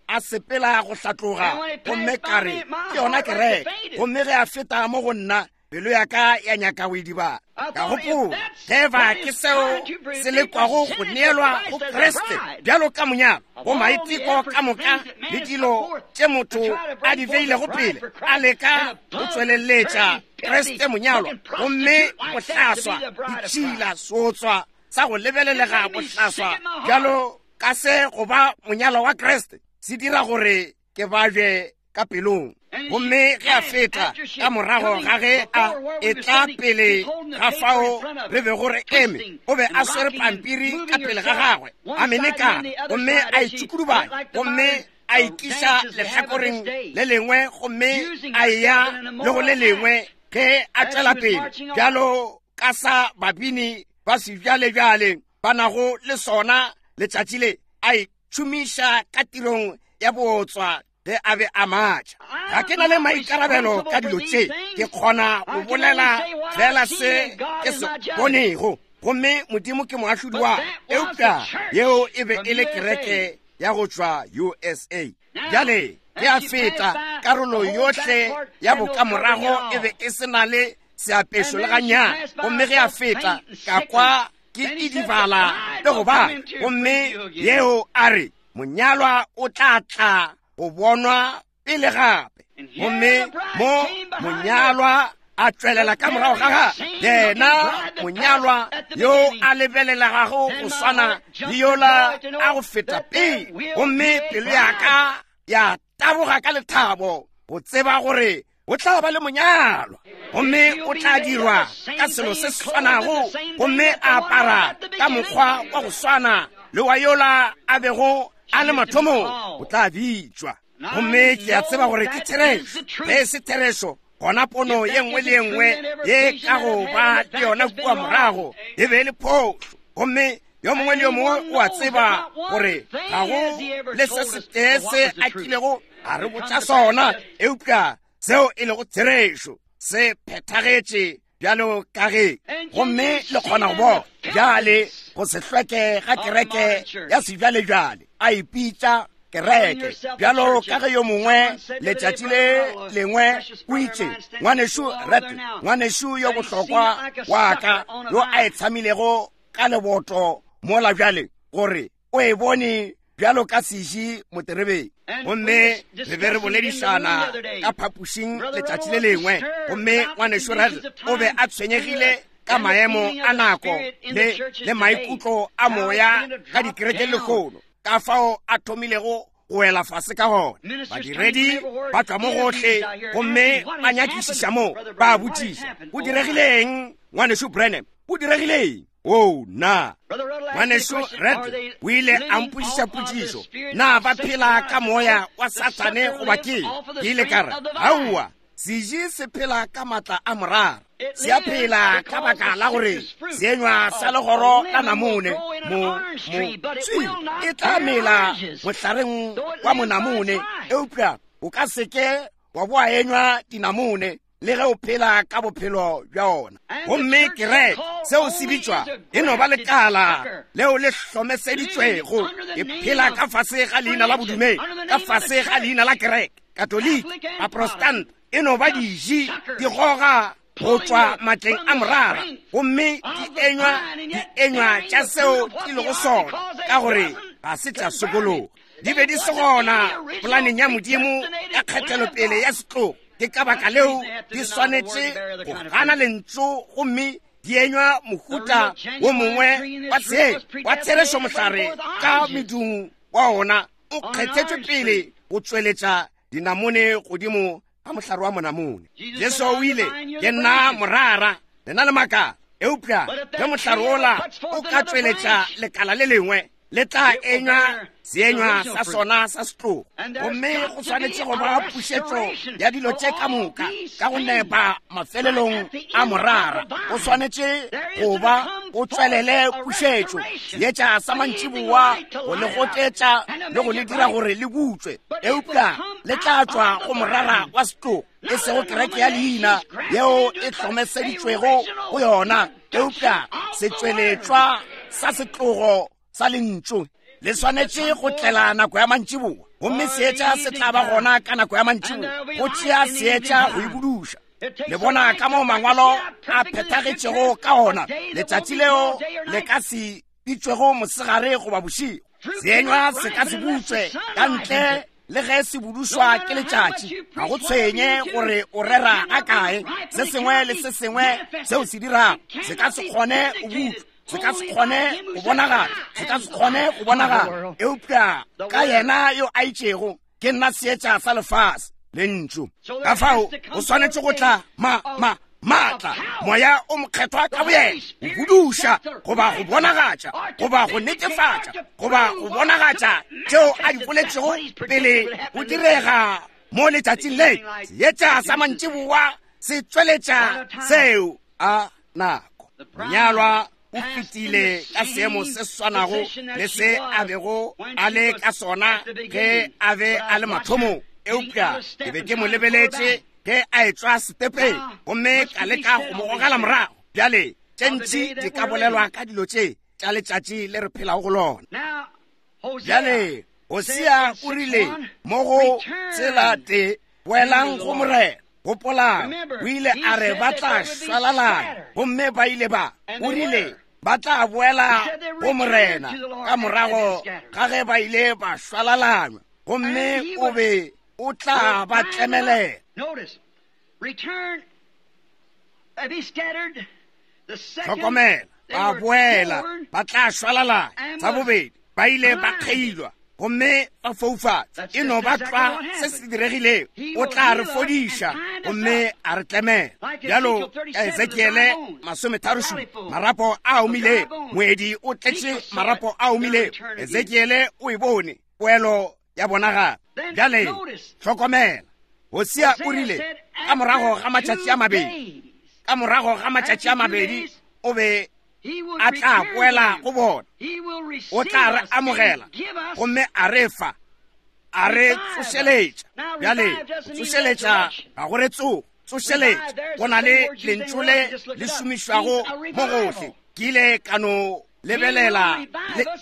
Speaker 1: a sepela go hlatloga. Gomme ka re, ke yona kereke. Gomme ge a feta mo go nna, pelo ya ka ya nyaka go idibala. Ka gopola, ge eba ke seo se lekwago go neelwa go Kriste bjalo ka monyalo, go maiteko ka moka le dilo tše motho a di beilego pele, a leka go tšweleletša Kriste monyalwa, gomme bohlaswa, ditšhila, seotswa sa go lebelelega bohlaswa bjalo ka se go ba monyalwa wa Kriste, se dira gore ke babje ka pelong. Gomme ge a feta ka morago ga ge a etla pele ga fao re bego re eme, o be a swere pampiri ka pele ga gagwe, a menekana, gomme a itšukulubanya, gomme a ikiša lehlakoreng le lengwe, gomme a eya le go le lengwe ge a tšwela pele, bjalo ka sa babini ba sebjalebjale ba nago le sona letšatši le, a itšhomiša ka tirong ya bootswa ge a be a matša. Ga ke na le maikarabelo ka dilo tše, ke kgona go bolela fela se ke se bonego, gomme Modimo ke moahlodi wa. Eupša yeo e be e le kereke ya go tšwa USA. Bjale ge a feta, karolo yohle ya bokamorago e be e se na le seapešo le gannyane. Gomme ge a feta, ka kwa ke idibala le go ba, gomme yeo a re, monyalwa o tla tla go bonwa pele gape. Gomme mo monyalwa a tšwelela ka morago ga gagwe, yena monyalwa yo a lebelelegago go swana le yola a go feta pele. Gomme pelo ya ka ya taboga ka lethabo go tseba gore O tla ba le monyalwa, gomme o tla dirwa ka selo se se swanago, gomme a apara ka mokgwa wa go swana le wa yola a bego a le mathomong. O tla bitšwa. Gomme ke a tseba gore ke therešo. Ge e se therešo, gona pono ye nngwe le ye nngwe ye ka go ba le yona kua morago e be e le phošo. Gomme yo mongwe le yo mongwe o a tseba gore ga go le se setee se a kilego a re botša sona, eupša seo e lego therešo se phethagetše bjalo ka ge. Gomme le kgona go bona bjale go se hlweke ga kereke ya sebjalebjale, a ipitša kereke bjalo ka ge yo mongwe letšatši le lengwe o itše, ngwanešu Rattle, ngwanešu yo bohlokwa wa ka yo a e tshamilego ka leboto mola bjale, gore o e bone bjalo ka seši moterebeng. Gomme re be re boledišana ka phapošing letšatši le lengwe, gomme ngwanešu Rattle o be a tshwenyegile ka maemo a nako le maikutlo a moya ka dikerekeng lehono, ka fao a thomilego go wela fase ka gona. Badiredi ba tšwa mo gohle gomme ba nyakišiša mo, ba botšiša, go diregileng ngwanešu Branham? Go diregileng? O na ngwanešu Red o ile a mpošiša potšišo, na ba phela ka moya wa Sathane goba ke? Ke ile ka re, aowa, seji se phela ka maatla a morara. Se a phela ka baka la gore seenywa sa legoro la namone mo tswi e tla mela mohlareng wa monamone, eupša o ka seke wa boa enywa dinamone le ge o phela ka bophelo bja ona. Gomme kereke, seo se bitšwa, e no ba lekala leo le hlomeseditšwego, e phela ka fase ga leina la bodumedi, ka fase ga leina la kereke, Katoliki, Baprotestant, e no ba diji di goga go tšwa matleng a morara, gomme di enywa tša seo di lego sona, ka gore ga se tša sokologa. Di be di se gona polaneng ya Modimo ya kgethelopele ya setlogo. Ke ka baka leo di swanetše go gana lentšu gomme di enywa mohuta wo mongwe wa tshelo wa therešo. Mohlare ka medung wa ona o kgethetšwe pele go tšweletša dinamone godimo ga mohlare wa monamone. Jesu o ile, ke nna morara, lena le makala. Eupša ge mohlare wola o ka tšweletša lekala le lengwe, le tla enywa seenywa sa sona sa setlogo. Gomme go swanetše go ba pušetšo ya dilo tše ka moka ka go nepa mafelelong a morara. Go swanetše go ba go tšwelele pušetšo, seetša sa mantšiboa go le gotetša le go le dira gore le butšwe, eupša le tla tšwa go morara wa setlogo, e sego kereke ya leina yeo e hlomeseditšwego go yona, eupša setšweletšwa sa setlogo sa lentšu. Le swanetše go tlela nako ya mantšiboa, gomme seetša se tla ba gona ka nako ya mantšiboa, go tšea seetša go e buduša. Le bona ka moo mangwalo a phethagetšego ka gona, letšatši leo le ka se bitšwego mosegare goba bošego. Seenywa se ka se butšwe ka ntle le ge se budušwa ke letšatši. Ga go tshwenye gore o rera ga kae, se sengwe le se sengwe seo se dirago se ka se kgone go butšwa, se ka se kgone go bonagala, se ka se kgone go bonagala, eupša ka yena yo a itšego, ke nna seetša sa lefase, lentšu. Ka fao o swanetše go tla ma ma maatla, moya o mokgethwa ka boyena, go buduša goba go bonagatša goba go netefatša goba go bonagatša tšeo a di boletšego pele go direga mo letšatšing le. Seetša sa mantšiboa se tšweletša seo a nako. Monyalwa o fetile ka seemo se swanago le se a bego a le ka sona ge a be a le mathomong, eupša ke be ke mo lebeletše ge a etšwa setepeng gomme ka leka go mo gogela morago. Bjale tše ntši di ka bolelwa ka dilo tše tša letšatši le re phelago go lona. Bjale Hosea o rile mo go tsela te, boelang go Morena. Gopolang, o ile a re ba tla šwalalana, gomme ba ile ba. O rile ba tla boela go Morena ka morago ga ge ba ile ba šwalalanywa, gomme o be o tla ba tlemelela. Hlokomela, ba boela, ba tla šwalalana. Sa bobedi, ba ile ba kgeilwa. gomme ba foufatšwa. E no ba tlwa se se diregilego. O tla re fodiša gomme a re tlemela. Bjalo ka Ezekiele 37, marapo a omilego, moedi o tletše marapo a omilego. Ezekiele o e bone, poelo ya bona gape. Bjale hlokomela, Hosea o rile, ka morago ga matšatši a mabedi, ka morago ga matšatši a mabedi o be a tla boela go bona, o tla re amogela gomme a re fa, a re tsošeletša. Bjale tsošeletša ga go re tsogo, tsošeletša go na le lentšu le le šomišwago mo gohle. Ke ile ka no lebelela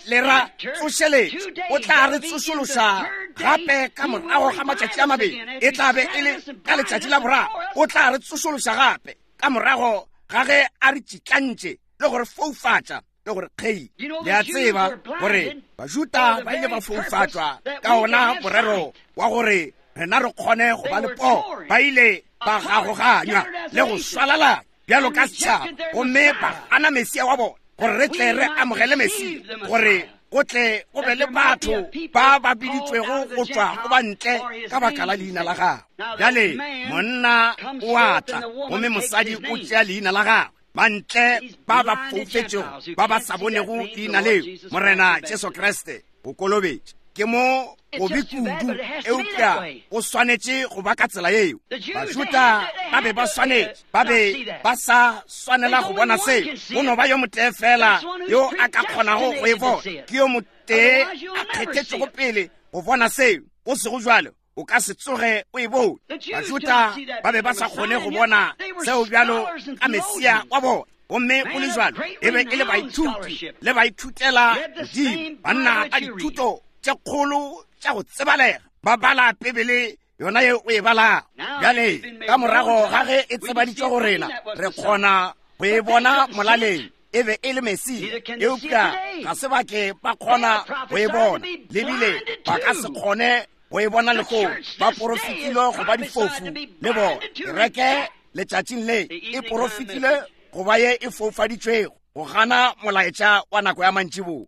Speaker 1: le ra tsošeletša. O tla re tsošološa gape ka morago ga matšatši a mabedi, e tla be e le ka letšatši la boraro. O tla re tsošološa gape ka morago ga ge a re tšitlantše le go re foufatša le gore kgei. Le a tseba gore Bajuda ba ile ba foufatšwa ka ona morero wa gore rena re kgone go ba le poo. Ba ile ba gagoganywa le go swalalana bjalo ka setšhaba gomme ba gana Mesia wa bona, gore re tle re amogele Mesia, gore go tle go be le batho ba ba biditšwego go tšwa go ba ntle ka baka la leina la gagwe. Bjale monna o a tla gomme mosadi o tšea leina la gagwe. Bantle ba ba foufetšego ba ba sa bonego leina leo, Morena Jesu Kriste, go kolobetša ke mo gobe kudu, eupša o swanetše go ba ka tsela yeo. Bajuda ba be ba swanetše, ba be ba sa swanela go bona seo. Go no ba yo motee fela yo a ka kgonago go e bona, ke yo motee a kgethetšego pele go bona seo. Go sego jwalo o ka se tsoge o e bone. Bajuda ba be ba sa kgone go bona seo bjalo ka Mesia wa bona, gomme go le jwalo e be e le baithuti le baithutela godimo, banna ba dithuto tše kgolo tša go tsebalega, ba bala Bibele yona ye o e balago. Bjale ka morago ga ge e tsebaditšwe go rena, re kgona go e bona molaleng e be e le Mesia, eupša ga se ba ke ba kgona go e bona, le bile ba ka se kgone go e bona lehono. Ba porofetilwe go ba difofu le bona. Kereke letšatšing le e porofetilwe go ba ye e foufaditšwego go gana molaetša wa nako ya mantšiboa.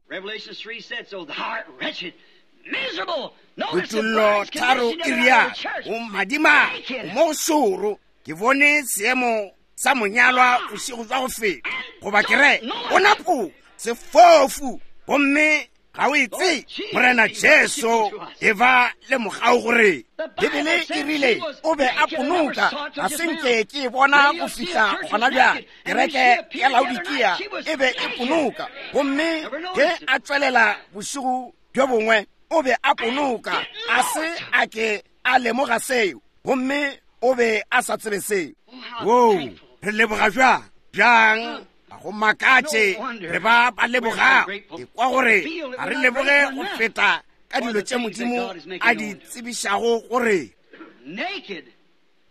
Speaker 1: Kutollo 3 e rialo, o madimabe, o mo šoro. Ke bone seemo sa monyalwa bošego jwa go feta, goba kereke, o napola sefofu gomme ga o e tsebe. Morena Jesu, e ba le mogau gore Bibele e rile o be a ponoka, ga se nke ke e bona go fihla gona bjale. Kereke ya Laodikia e be e ponoka, gomme ge a tšwelela bošego bjo bongwe o be a ponoka, a se a ke a lemoga seo, gomme o be a sa tsebe seo. Woo, re leboga bjang bjang, ga go makatše re ba ba lebogago. Ke kwa gore ga re leboge go feta ka dilo tše Modimo a di tsebišago gore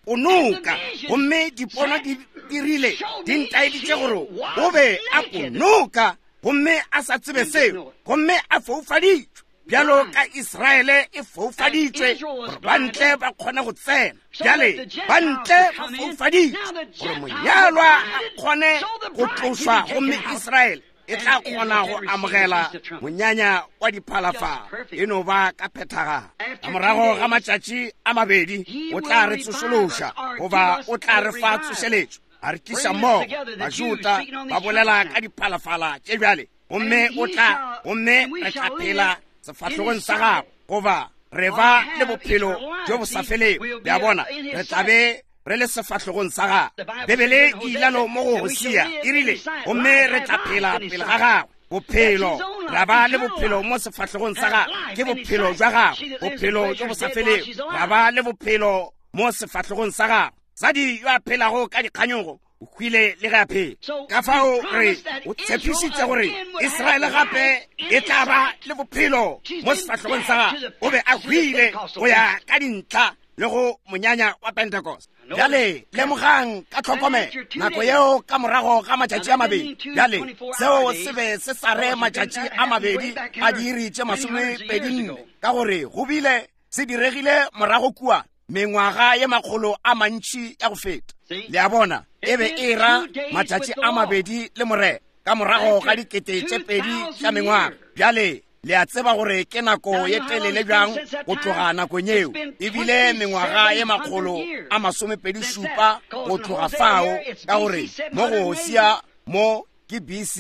Speaker 1: ponoka, gomme dipono di dirile di ntaeditše gore o be a ponoka gomme a sa tsebe seo, gomme a foufaditšwe bjalo ka Israele e foufaditšwe gore ba ntle ba kgone go tsena. Bjale ba ntle ba foufaditšwe gore monyalwa a kgone go tlošwa, gomme Israele e tla kgona go amogela monyanya wa diphalafala. E no ba ka phethagalo. Ka morago ga matšatši a mabedi o tla re tsošološa, goba o tla re fa tsošeletšo, a re tliša mmogo. Bajuda ba bolela ka diphalafala tše bjale, gomme o tla, gomme re tla phela sefahlogong sa gagwe, goba re ba le bophelo bjo bo sa felego. Le a bona, re tla be re le sefahlogong sa gagwe. Bibele e ilalo mo go Hosea, e rile, gomme re tla phela pele ga gagwe. Bophelo, ra ba le bophelo mo sefahlogong sa gagwe, ke bophelo jwa gagwe, bophelo bjo bo sa felego. Ra ba le bophelo mo sefahlogong sa gagwe. Mosadi yo a phelago ka dikganyogo o hwile le ge a phela. Ka fao re o tshepišitše gore Israele gape e tla ba le bophelo mo sefahlogong sa gagwe. O be a hwile go ya ka dintlha le go monyanya wa Pentecost. Bjale lemogang ka tlhokomelo nako yeo ka morago ga matšatši a mabedi. Bjale seo se be se sa re matšatši a mabedi a diiri tše 24, ka gore go bile se diregile morago kua mengwaga ye makgolo a mantši ya go feta. Le a bona, e be e ra matšatši a mabedi le Morena ka morago ga 2000 tša mengwaga. Bjale Le a tseba gore ke nako ye telele bjang go tloga nakong yeo. E bile mengwaga ye 127 go tloga fao, ka gore mo go Hosea mo ke BC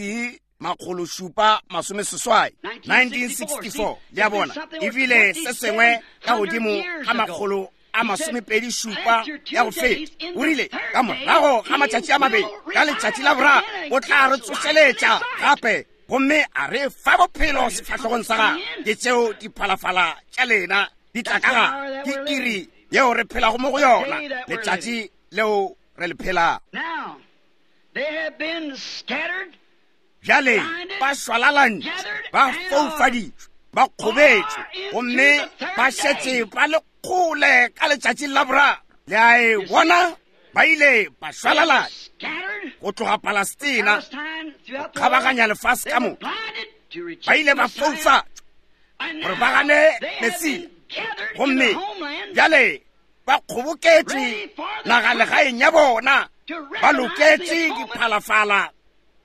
Speaker 1: 780, 1964. Le a bona, e bile se sengwe ka godimo ga 127 ya go feta. O rile, ka morago ga matšatši a mabedi, ka letšatši la boraro, o tla re tsošeletša gape gomme a re fa bophelo sefahlogong sa gagwe. Ke tšeo diphalafala tša lena di tla ka gare. Ke iri yeo re phelago mo go yona, letšatši leo re le phelago. Bjale ba šwalalantšwe, ba foufaditšwe, ba kgobetšwe, gomme ba šetše ba le kgole ka letšatšing la boraro. Le a e bona? Ba ile ba šwalalantšwe go tloga Palestina go kgabaganya lefase ka moka. Ba ile ba foufatšwa gore ba gane Mesia, gomme bjale ba kgoboketše nagalegaeng ya bona, ba loketše diphalafala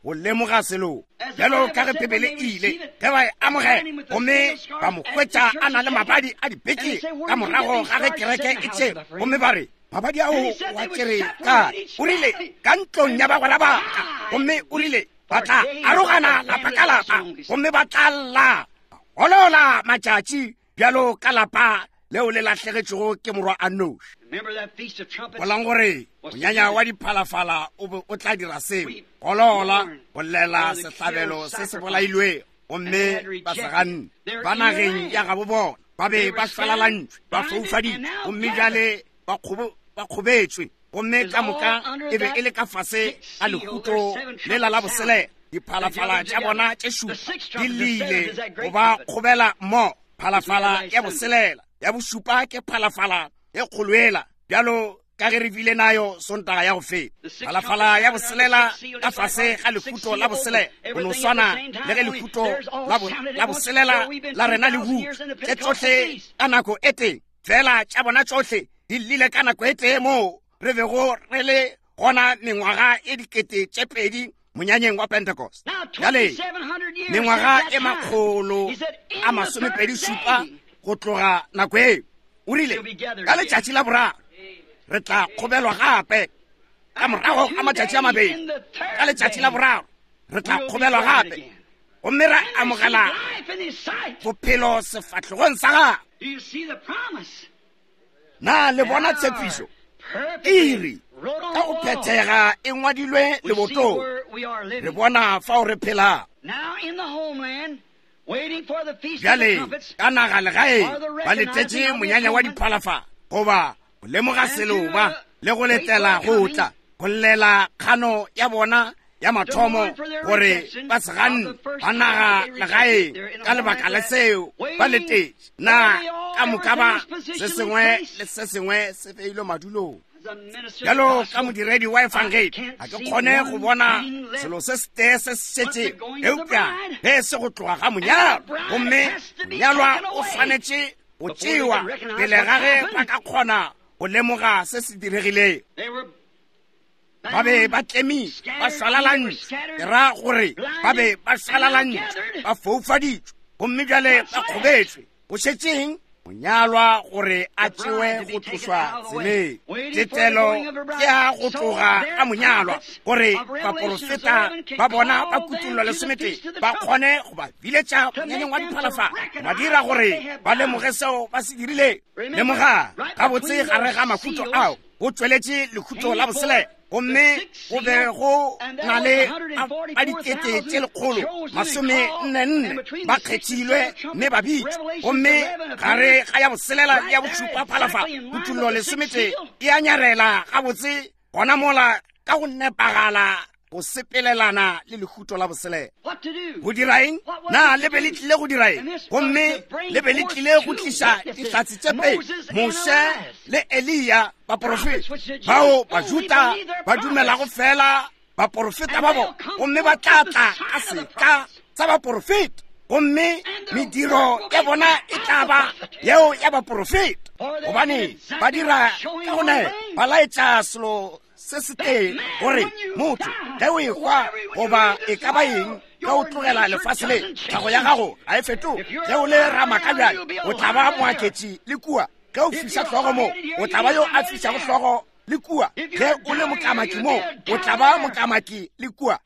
Speaker 1: go lemoga selo. Bjalo ka ge Bibele e ile, ge ba e amogela gomme ba mo hwetša a na le mabadi a dipeke ka morago ga ge kereke e tšere, gomme ba re, mabadi ao wa tšere kae? O rile, ka ntlong ya bagwera ba ka. Gomme o rile, ba tla arogana lapa ka lapa, gomme ba tla lla golola matšatši bjalo ka lapa leo le lahlegetšego ke morwa a noši. Golang gore monyanya wa diphalafala o be o tla dira seo, golola go llela sehlabelo se se bolailwego, gomme ba se ganne. Ba nageng ya gabo bona ba be ba šwalalantšwe, ba foufaditšwe, gomme bjale ba kgobetšwe, gomme ka moka e be e le ka fase ga lehuto lela la boselela. Diphalafala tša bona tše šupa di llile go ba kgobela mmogo. Phalafala ya boselela, ya bošupa ke phalafala e kgoloela, bjalo ka ge re bile nayo Sontaga ya go feta. Phalafala ya boselela ka fase ga lehuto la boselela, go no swana le ge lehuto la boselela la rena le hutšwe, tše tšohle ka nako e tee fela, tša bona tšohle di llile ka nako e tee moo re bego re le gona mengwaga e 2000 monyanyeng wa Pentecost. Bjale mengwaga e 127 go tloga nako eo, o rile ka letšatši la boraro re tla kgobelwa gape. Ka morago ga matšatši a mabedi, ka letšatši la boraro re tla kgobelwa gape, gomme ra amogela bophelo sefahlogong sa gagwe. Na le bona tshepišo? Iri ka go phethega e ngwadilwe lebotong. Re bona fao re phelago bjale ka naga legaeng, ba letetše monyanya wa diphalafala, goba go lemoga seloba le go letela go tla, go llela kgano ya bona ya mathomo gore ba se ganne ba naga legaeng ka lebaka la seo ba letetše. Na ka moka ba se sengwe le se sengwe se beilwe madulong? Bjalo ka modiredi wa efangedi, ga ke kgone go bona selo se setee se se šetšego eupša ge se go tloga ga monyalwa, gomme monyalwa o swanetše go tšewa pele ga ge ba ka kgona go lemoga se se diregilego. Ba be ba tlemile, ba šwalalantšwe, ke ra gore ba be ba šwalalantšwe, ba foufaditšwe, gomme bjale ba kgobetšwe. Go šetšeng monyalwa gore a tšewe go tlošwa tseleng. Tetelo ke ya go tloga ga monyalwa, gore baporofeta ba bona ba kutollo lesometee ba kgone go ba biletša monyanyeng wa diphalafala, ba dira gore ba lemoge seo ba se dirilego. Lemoga gabotse gare ga mahuto ao go tšweletše lehuto la boselela, gomme go be go na le ba 144,000 ba kgethilwe mme ba bitšwa. Gomme gare ga ya boselela le ya bošupa phalafala, kutollo lesometee e a nyarela gabotse gona mola ka go nepagala go sepelelana le lehuto la boselela. Go dira eng? Na le be le tlile go dira eng? Gomme le be le tlile go tliša dihlatse tše pedi, Moshe le Eliya, baporofeta bao Bajuda ba dumelago fela baporofeta ba bona, gomme ba tla tla ka seka sa baporofeta, gomme mediro ya bona e tla ba yeo ya baporofeta, gobane ba dira ka go nepa, ba laetša selo se se tee, gore motho ge o ehwa goba e ka ba eng Ge o tlogela lefase le, tlhago ya gago ga e fetoge. Ge o le ramaka bjale, o tla ba moaketši le kua. Ge o fiša hlogo mo, o tla ba yo a fišago hlogo le kua. Ge o le mokamaki mo, o tla ba mokamaki le kua.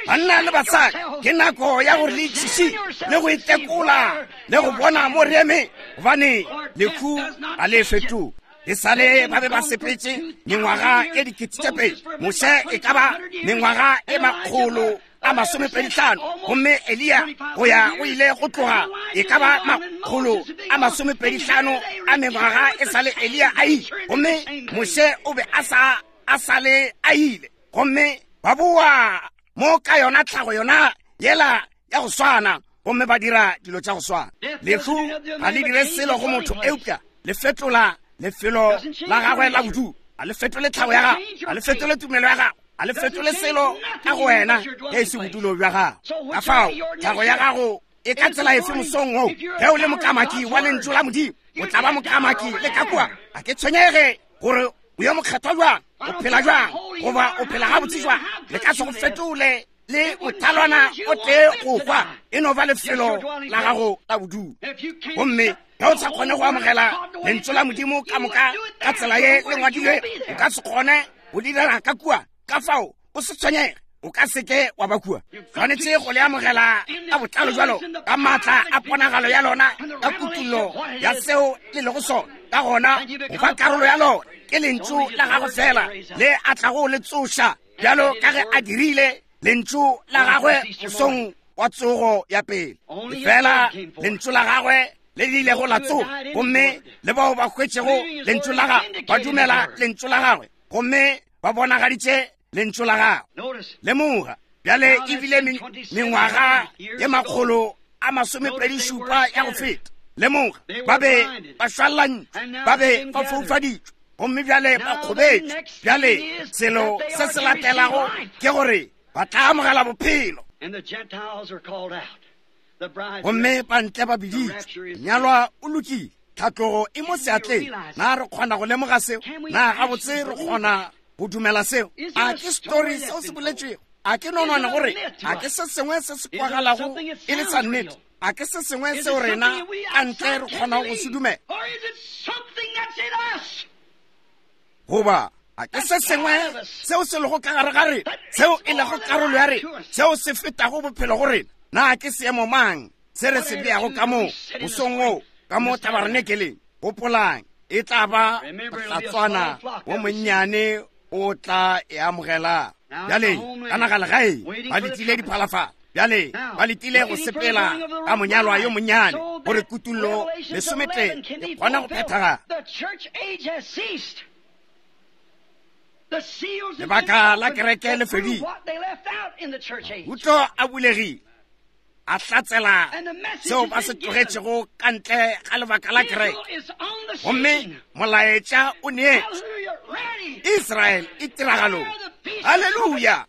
Speaker 1: Banna le basadi, ke nako ya gore le itšhiši le go itekola le go bona mo re eme, gobane lehu ga le fetoge. E sa le ba be ba sepetše mengwaga e 2000, Moshe e ka ba mengwaga e 125, gomme Eliya go ya go ile go tloga e ka ba 125 a mengwaga e sa le Eliya a ile, gomme Moshe o be a sa a sa le a ile, gomme ba boa mo ka yona tlhago yona yela ya go swana, gomme ba dira dilo tša go swana. Lehu ga le dire selo go motho, eupša le fetola lefelo la gagwe la bodulo. Ga le fetole tlhago ya gago, ga le fetole tumelo ya gago, ga le fetole selo ka go wena ge e se bodulo bja gago. Ka fao tlhago ya gago e ka tsela efe mosong wo? Ge o le mokamaki wa lentšu la Modimo, o tla ba mokamaki le ka kua. Ga ke tshwenyege gore o yo mokgethwa jwang, o phela jwang, goba o phela gabotse jwang, le ka se go fetole le mothalwana o tee go hwa. E no ba lefelo la gago la bodulo. Gomme ge o sa kgone go amogela lentšu la Modimo ka moka ka tsela ye le ngwadilwe, o ka se kgone go direla ka kua. Ka fao o se tshwenyege, o ka seke wa ba kua. Tshwanetse go le amogela ka botlalo jwalo ka maatla a ponagalo ya lona, ka kutullo ya seo le lego sona. Ka gona go ba karolo ya lona ke lentšu la gago fela le a tlago le tsoša, bjalo ka ge a dirile lentšu la gagwe mosong wa tsogo ya pele. Fela lentšu la gagwe le le ilego la tsoga, gomme le bao ba hwetšego lentšu la gagwe ba dumela lentšu la gagwe, gomme ba bonagaditše lentšu la gagwe. Lemoga bjale e bile mengwaga ye 127 ya go feta. Lemoga, ba be ba šwalantšwe, ba be ba foufaditšwe, gomme bjale ba kgobetšwe. Bjale selo se se latelago ke gore ba tla amogela bophelo. Gomme bantle ba biditšwe, nyalwa o lokile, tlhatlogo e mo seatleng. Na re kgona go lemoga seo? Na gabotse re kgona go dumela seo? A ke story seo se boletšwego? A ke nonwane gore a ke se sengwe se se kwagalago e le sa nnete? A ke se sengwe seo rena ka ntle re kgonago go se dumela? Goba a ke se sengwe seo se lego ka gare ga rena, seo e lego karolo ya rena, seo se fetago bophelo go rena? Na ke seemo mang se re se beago ka mo mosong wo ka mo tabarenekeleng? Gopolang, e tla ba mohlatswana wo monnyane o tla e amogela. Bjale ka naga legae ba letile diphalafala, bjale ba letile go sepela ka monyalwa yo monnyane gore kutullo 13 e kgone go phethagala. Lebaka la kereke le fedile, Mahuto a bulegile, a hlatsela seo ba se tlogetšego ka ntle ga lebaka la kereke, gomme molaetša o neetšwe. Israel e tiragalong. Haleluya!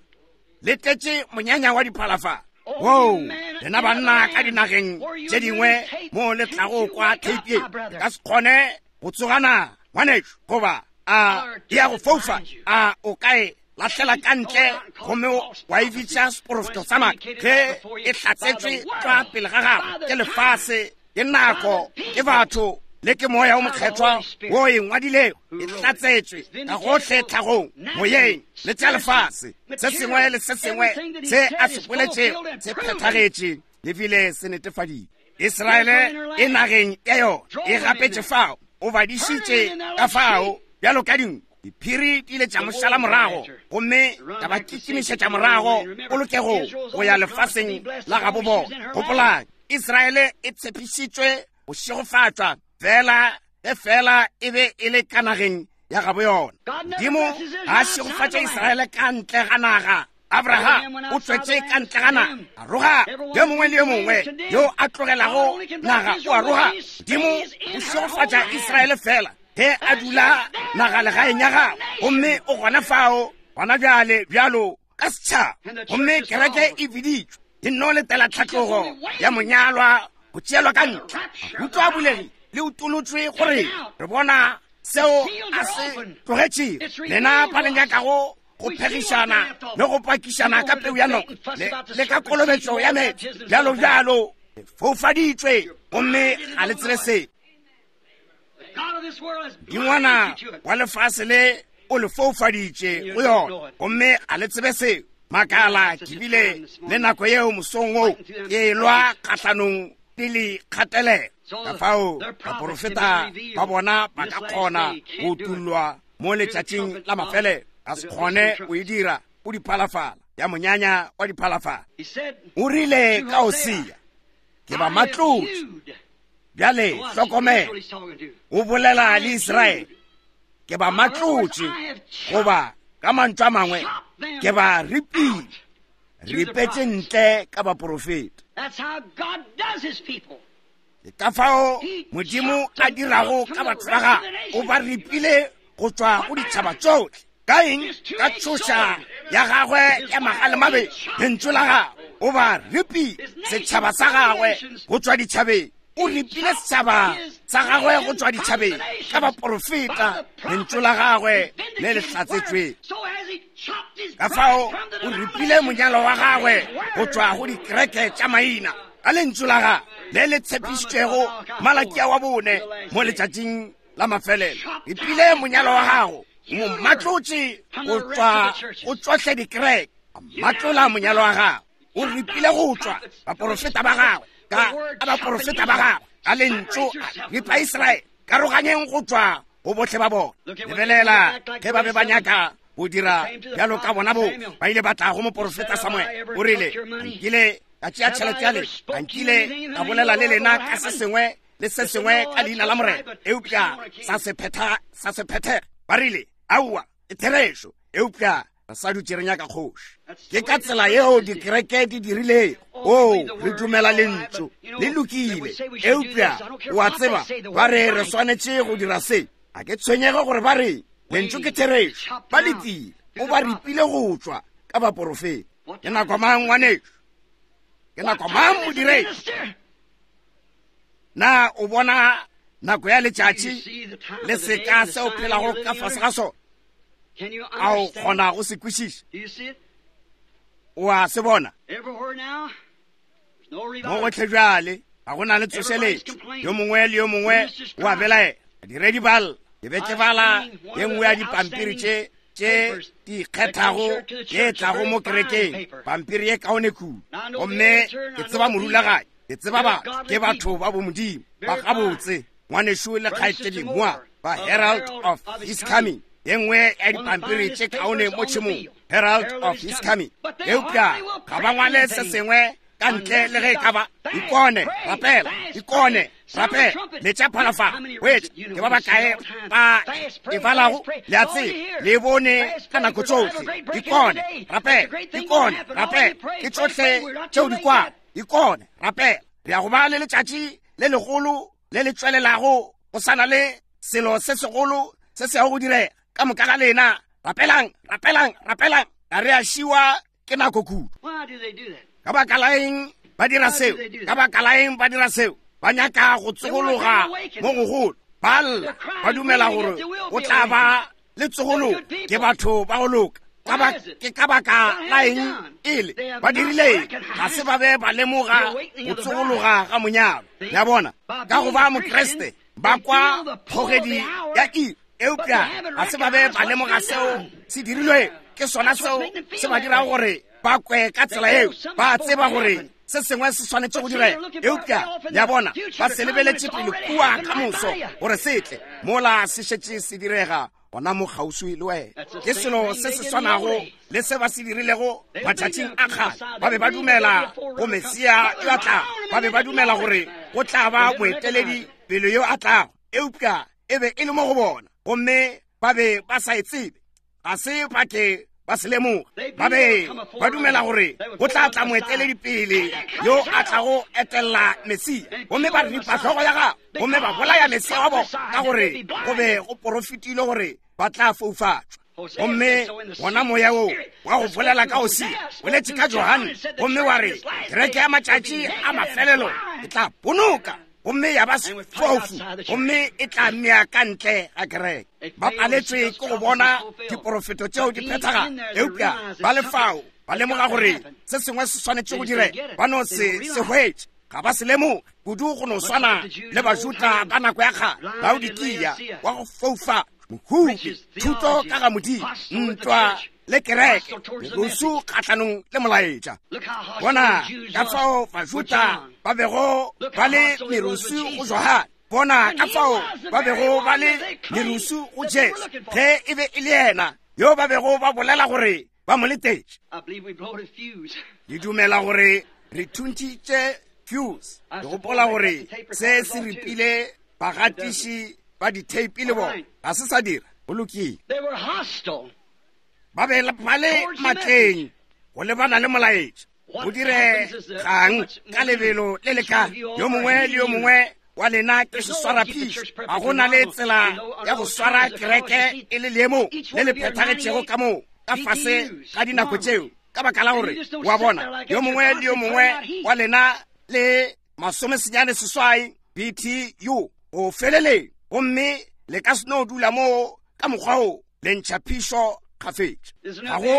Speaker 1: Le tletše monyanya wa diphalafala. Woo, lena banna ka dinageng tše dingwe mo le tlago kwa theipi ye, le ka se kgone go tsogana, ngwanešu, goba a e ya go foufa, a o ka e lahlela ka ntle gomme wa e bitša seporofeto sa maaka, ge e hlatsetšwe tlwa pele ga gago ke lefase, ke nako, ke batho, le ke Moya o Mokgethwa wo e ngwadilego. E hlatsetšwe ka gohle tlhagong, moyeng, le tša lefase. Se sengwe le se sengwe se a se boletšego se phethagetše le bile se netefaditšwe. Israele e nageng ya yona, e gapetše fao, o ba dišitše ka fao bjalo ka dinku. Diphiri di ile tša mo šala morago gomme tša ba kitimišetša morago polokego go ya lefaseng la gabo bona. Gopolang, Israele e tshepišitšwe go šegofatšwa fela ge fela e be e le ka nageng ya gabo yona. Modimo ga a šegofatše Israele ka ntle ga naga. Abraham o tšwetše ka ntle ga naga, a roga. Yo mongwe le yo mongwe yo a tlogelago naga o a roga. Modimo o šegofatša Israele fela ge a dula naga legaeng ya gagwe, gomme o gona fao gona bjale bjalo ka setšhaba. Gomme kereke e biditšwe e nno letela tlhatlogo ya monyalwa go tšeelwa ka ntle. Mahuto a bulegile le utolotšwe gore re bona seo a se tlogetšego. Lena ba le nyakago go phegišana le go pakišana ka peu ya noka le ka kolobetšo ya meetse bjalo bjalo foufaditšwe gomme ga le tsebe se dingwana wa lefase le o le foufaditše go yona gomme ga le tsebe seo makala ke bile le nako yeo mosong wo ke lwa kgahlanong pele kgatelelo ka fao baporofeta ba bona ba ka kgona go utullwa mo letšatšing la mafelelo a se kgone go e dira o diphalafala ya monyanya wa diphalafala o rile ka Hosea ke ba matlotše bjale hlokomela o bolela le Israele ke ba matlotše goba ka mantšu a mangwe ke ba ripile ripetše ntle ka baporofeta ke ka fao modimo a dirago ka batho ba gagwe o ba ripile go tšwa go ditšhaba tšohle ka eng ka tšhoša ya gagwe ya magalemabe lentšu la gagwe o ba ripile setšhaba sa gagwe go tšwa ditšhabeng o ripile setšhaba sa gagwe go tšwa ditšhabeng ka baporofeta lentšu la gagwe le le hlatsetšweng ka fao o ripile monyalo wa gagwe go tšwa go dikereke tša maina ka lentšu la gagwe le le tshepišitšwego Malakia wa bone mo letšatšing la mafelelo ripile monyalo wa gago mo matlotše go tšwa go tšohle dikereke matlola monyalo wa gagwe o ripile go tšwa baporofeta ba gagwe ka a baporofeta ba gagwe ka lentšu ripa Israele karoganyeng go tšwa go bohle ba bona lebelela ge ba be ba nyaka go dira bjalo ka bona bo ba ile ba tla go moporofeta Samuel o rile nkile ka tšea tšhelete ya lena a nkile ka bolela le lena ka se sengwe le se sengwe ka leina la Morena eupša sa se phetha sa se phethege ba rile aowa ke therešo eupša re sa dutše re nyaka kgoši ke ka tsela yeo dikereke di dirilego o re dumela lentšu le lokile eupša o a tseba ba re re swanetše go dira se a ke tshwenyege gore ba re lentšu ke therešo ba letile o ba ripile go tšwa ka baporofeta ke nako mang ngwanešu ke nako mang modiredi na o bona nako ya letšatši le seka se o phelago ka fase ga sona a o kgona go se kwešiša o a se bona mo gotlhe bjale ga go na le tsošeletšo yo mongwe le yo mongwe o a belaela badiredi ba lla ke be ke bala ye nngwe ya dipampiri tše tše di ikgethago ye tlago mo kerekeng pampiri ye kaone kudu gomme ke tseba morulaganyi ke tseba batho ke batho ba bomodimo ba gabotse ngwanešu le kgaetšedi moa ba Herald of His Coming ye nngwe ya dipampiri tše kaone mo tšhemong Herald of His Coming eupša ga ba ngwale se sengwe ka ntle le ge e ka ba ikone rapela ikone rapela letša phalafala wetša ke ba bakae ba e balago le a tseba le bone ka nako tšohle ikone rapela ikone rapela ke tšohle tšeo di kwago ikone rapela re ya go ba le letšatši le legolo le le tšwelelago go sana le selo se segolo se se yago go direga ka moka ga lena rapelang rapelang rapelang ga re a šiwa ke nako kudu ka baka la eng ba dira seo ka baka la eng ba dira seo ba nyaka go tsogologa mo gogolo ba lla ba dumela gore go tla ba le tsogologo ke batho ba go loka ke ka baka la eng ele ba dirile ga se ba be ba lemoga go tsogologa ga monyalo ya bona ka go ba mokreste ba kwa kgogedi ya iri eupša ga se ba be ba lemoga seo se dirilwe ke sona seo se ba dirago gore ba kwe ka tsela eo ba tseba gore se sengwe se swanetše go direga eupša ya bona ba se lebeletše pele kua ka moso gore se tle mola se šetše se direga gona mo kgauswi le wena ke selo se se swanago le se ba se dirilego matšatšing a kgale ba be ba dumela go mesia yo a tlago ba be ba dumela gore go tla ba moeteledi pele yo a tlago eupša e be e le mo go bona gomme ba be ba sa e tsebe ga se ba ke ba se lemoga ba be ba dumela gore go tla tla moeteledi pele yo a tlago etelela mesia gomme ba ripa hlogo ya gagwe gomme ba bolaya mesia wa bona ka gore go be go porofetile gore ba tla foufatšwa gomme gona moya wo wa go bolela ka Hosea boletše ka Johane gomme wa re kereke ya matšatši a mafelelo e tla ponoka gomme ya ba sefofu gomme e tla mmea ka ntle ga kereke. Ba paletšwe ke go bona diporofeto tšeo di phethagala, eupša ba le fao ba lemoga gore se sengwe se swanetše go direga, ba no se se hwetše. Ga ba se lemoge kudu go no swana le Bajuda ba nako ya kgale, Laodikia wa go foufa, mohubi, thuto ka ga Modimo, ntwa le kereke, merusu kgahlanong le molaetša. Bona ka fao Bajuda ba bego ba le merusu go Johane, bona ka fao ba bego ba le merusu go Jesu, ge e be e le yena yo ba bego ba bolela gore ba mo letetše. Ke dumela gore re thuntšitše fuse. Ke gopola gore se se ripile bagatiši ba ditheipi le bona. Ga se sa dira. Go lokile. Ba be ba le matleng go lebana le molaetša. Go diregang ka lebelo le le ka yo mongwe le yo mongwe wa lena ke seswaraphišo. Ga go na le tsela ya go swara kereke e le leemo le le phethagetšego ka moo ka fase ga dinako tšeo, ka baka la gore wa bona yo mongwe le yo mongwe wa lena le 98 BTU go feleleng, gomme le ka se no dula moo ka mokgwa wo le ntšha phišo kgafetša. Ga go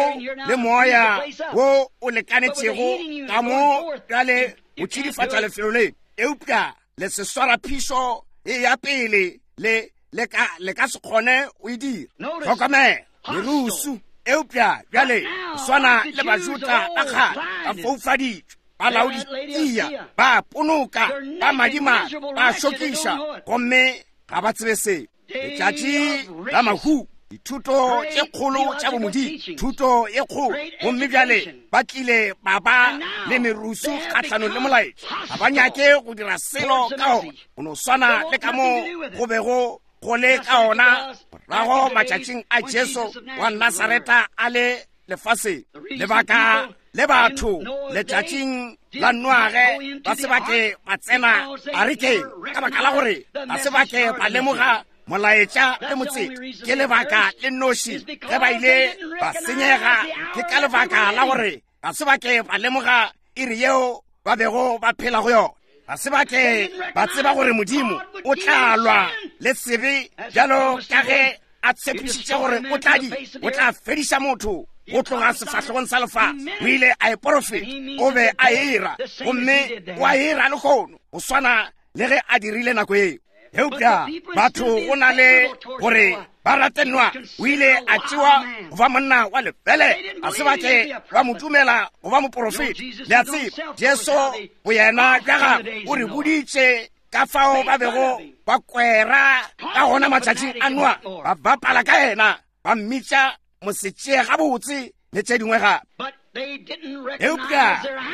Speaker 1: le moya wo o lekanetšego ka mo bjale go tšidifatša lefelo le, eupša le se swara phišo e ya pele, le, le ka, le ka se kgone go e dira. Hlokomela, merusu. Eupša bjale swana le Bajuda ba kgale, ba foufaditšwe, ba Laodikia, ba ponoka, ba madimabe, ba šokiša, gomme ga ba tsebe seo. Letšatši la mahu, dithuto tše kgolo tša bomodimo, thuto ye kgolo, gomme bjale ba tlile ba ba le merusu kgahlanong le molaetša. Ga ba nyake go dira selo ka ona, go no swana le ka mo go bego go le ka ona morago matšatšing a Jesu wa Nasareta a le lefaseng. Lebaka le batho letšatšing la Noage ba se ba ke ba tsena arekeng, ka baka la gore ba se ba ke ba lemoga molaetša le motseta. Ke lebaka le nnoši ge ba ile ba senyega, ke ka lebaka la gore ga se ba ke ba lemoga iri yeo ba bego ba phela go yona. Ga se ba ke ba tseba gore Modimo o tla lwa le sebe bjalo ka ge a tshepišitše gore o tla di, o tla fediša motho go tloga sefahlegong sa lefase. O ile a e porofeta, o be a era, gomme o a era lehono go swana le ge a dirile nako eo. Eupša batho go na le gore ba rate Noa, o ile a tšewa go ba monna wa lefele, ga se ba ke ba mo dumela go ba moporofeta. Le a tseba, Jesu boyena bja gagwe o re boditše ka fao ba bego ba kwera ka gona matšatšing a Noa, ba bapala ka yena, ba mmitša mosetšee gabotse le tše dingwe gape. Eupša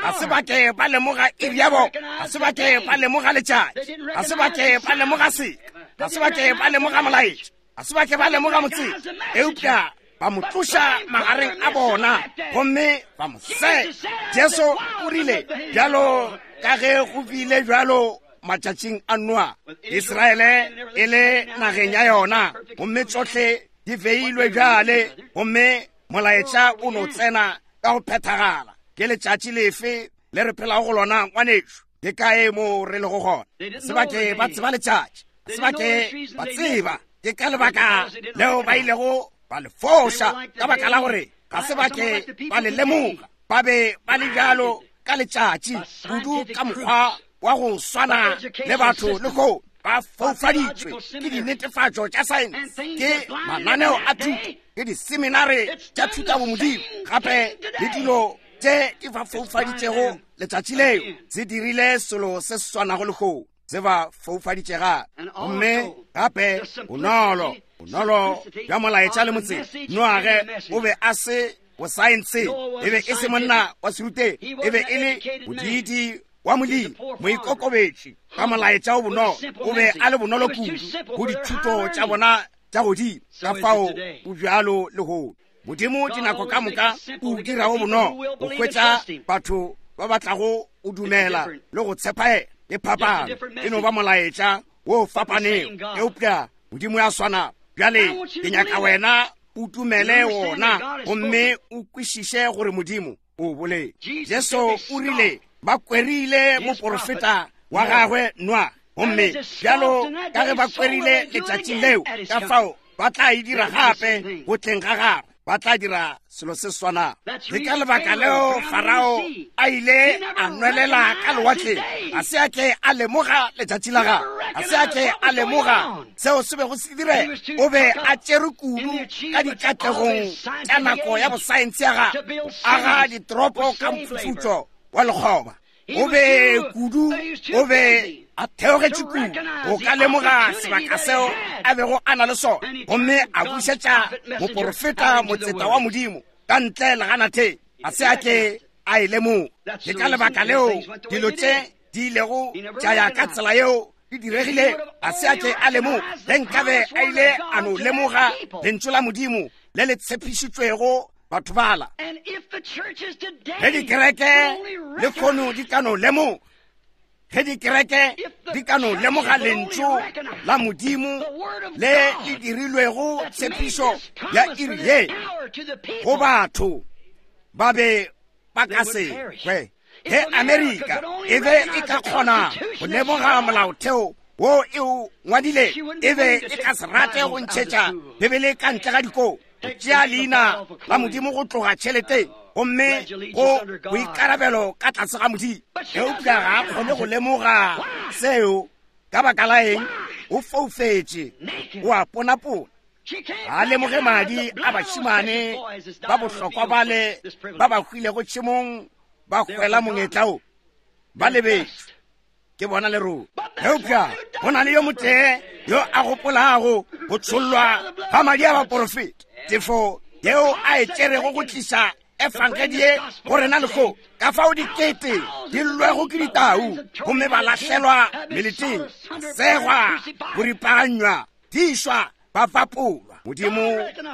Speaker 1: ga se ba ke ba lemoga iri ya bona, ga se ba ke ba lemoga letšatši, ga se ba ke ba lemoga seka, ga se ba ke ba lemoga molaetša, ga se ba ke ba lemoga motseta, eupša ba mo tloša magareng a bona gomme ba mo sega. Jesu o rile, bjalo ka ge go bile bjalo matšatšing a Noa, Israele e le nageng ya yona, gomme tšohle di beilwe bjale, gomme molaetša o no tsena ka go phethagala. Ke letšatši lefe le re phelago go lona, ngwanešu? Ke kae mo re lego gona? Se ba ke ba tseba letšatši, se ba ke ba tseba. Ke ka lebaka leo ba ilego ba le foša, ka baka la gore ga se ba ke ba le lemoga. Ba be ba le bjalo ka letšatši kudu ka mokgwa wa go swana le batho lehono, ba foufaditšwe ke dinetefatšo tša saense, ke mananeo a thuto, ke diseminare tša thutabomodimo, gape le dilo tše di ba foufaditšego letšatši leo. Se dirile selo se se swanago lehono, se ba foufaditše gape. Gomme gape bonolo, bonolo bja molaetša le motseta. Noage o be a se bosaense, e be e se monna wa serutegi, e be e le modiidi wa molemi, moikokobetši, ka molaetša o bonolo. O be a le bonolo kudu go dithuto tša bona tša godimo. Ka fao o bjalo lehono. Modimo dinako ka moka o dira o bonolo go hwetša batho ba ba tlago o dumela le go tshepa yena. Ke phapano, e no ba molaetša wo fapanego, eupša Modimo ya swana. Bjale ke nyaka wena o dumele wona gomme o kwešiše gore Modimo o boletše. Jesu o rile ba kwerile moporofeta wa gagwe Noa. Gomme bjalo ka ge ba kwerile letšatšing leo, ka fao ba tla e dira gape go tleng ga gagwe. Ba tla dira selo se swanago. Ke ka lebaka leo Farao a ile a nwelela ka lewatleng. Ga se a ke a lemoga letšatši la gagwe. Ga se a ke a lemoga seo se bego se direga. O be a tšerwe kudu ka dikatlegong tša nako ya bosaense ya gagwe, go aga ditoropo ka mphufutšo wa lekgoba. O be kudu, o be a theogetše kudu go ka lemoga sebaka seo a bego a na le sona, gomme a bušetša moporofeta motseta wa Modimo ka ntle leganateng. Ga se a ke a e lemoga. Ke ka lebaka leo dilo tše di ilego tša ya ka tsela yeo di diregile. Ga se a ke a lemoga. Ge nkabe a ile a no lemoga lentšu la Modimo le le tshepišitšwego batho bala, ge dikereke le kgono di ka no lemoga, ge dikereke di ka no lemoga lentšu la Modimo le le dirilwego tshepišo ya iri ye go batho, ba be ba ka se kwe. Ge Amerika e be e ka kgona go lemoga molaotheo wo e o ngwadile, e be e ka se rate go ntšhetša Bibele ka ntle ga dikolo, go tšea leina la Modimo go tloga tšheleteng, gomme go boikarabelo ka tlase ga Modimo. Eupša ga a kgone go lemoga seo. Ka baka la eng? O foufetše, o a ponapona. Ga a lemoge madi a bašemane ba bohlokwa bale ba ba hwilego tšhemong ba hwela mongetla wo, ba lebetšwe ke bona lerole. Eupša go na le yo motee yo a gopolago go tšhollwa ga madi a baporofeta, tefo yeo a e tšerego go tliša efangedi ye go rena lehono, ka fao dikete di llwego ke ditau gomme ba lahlelwa meleteng, segwa, go ripaganywa, tišwa, ba fapolwa. Modimo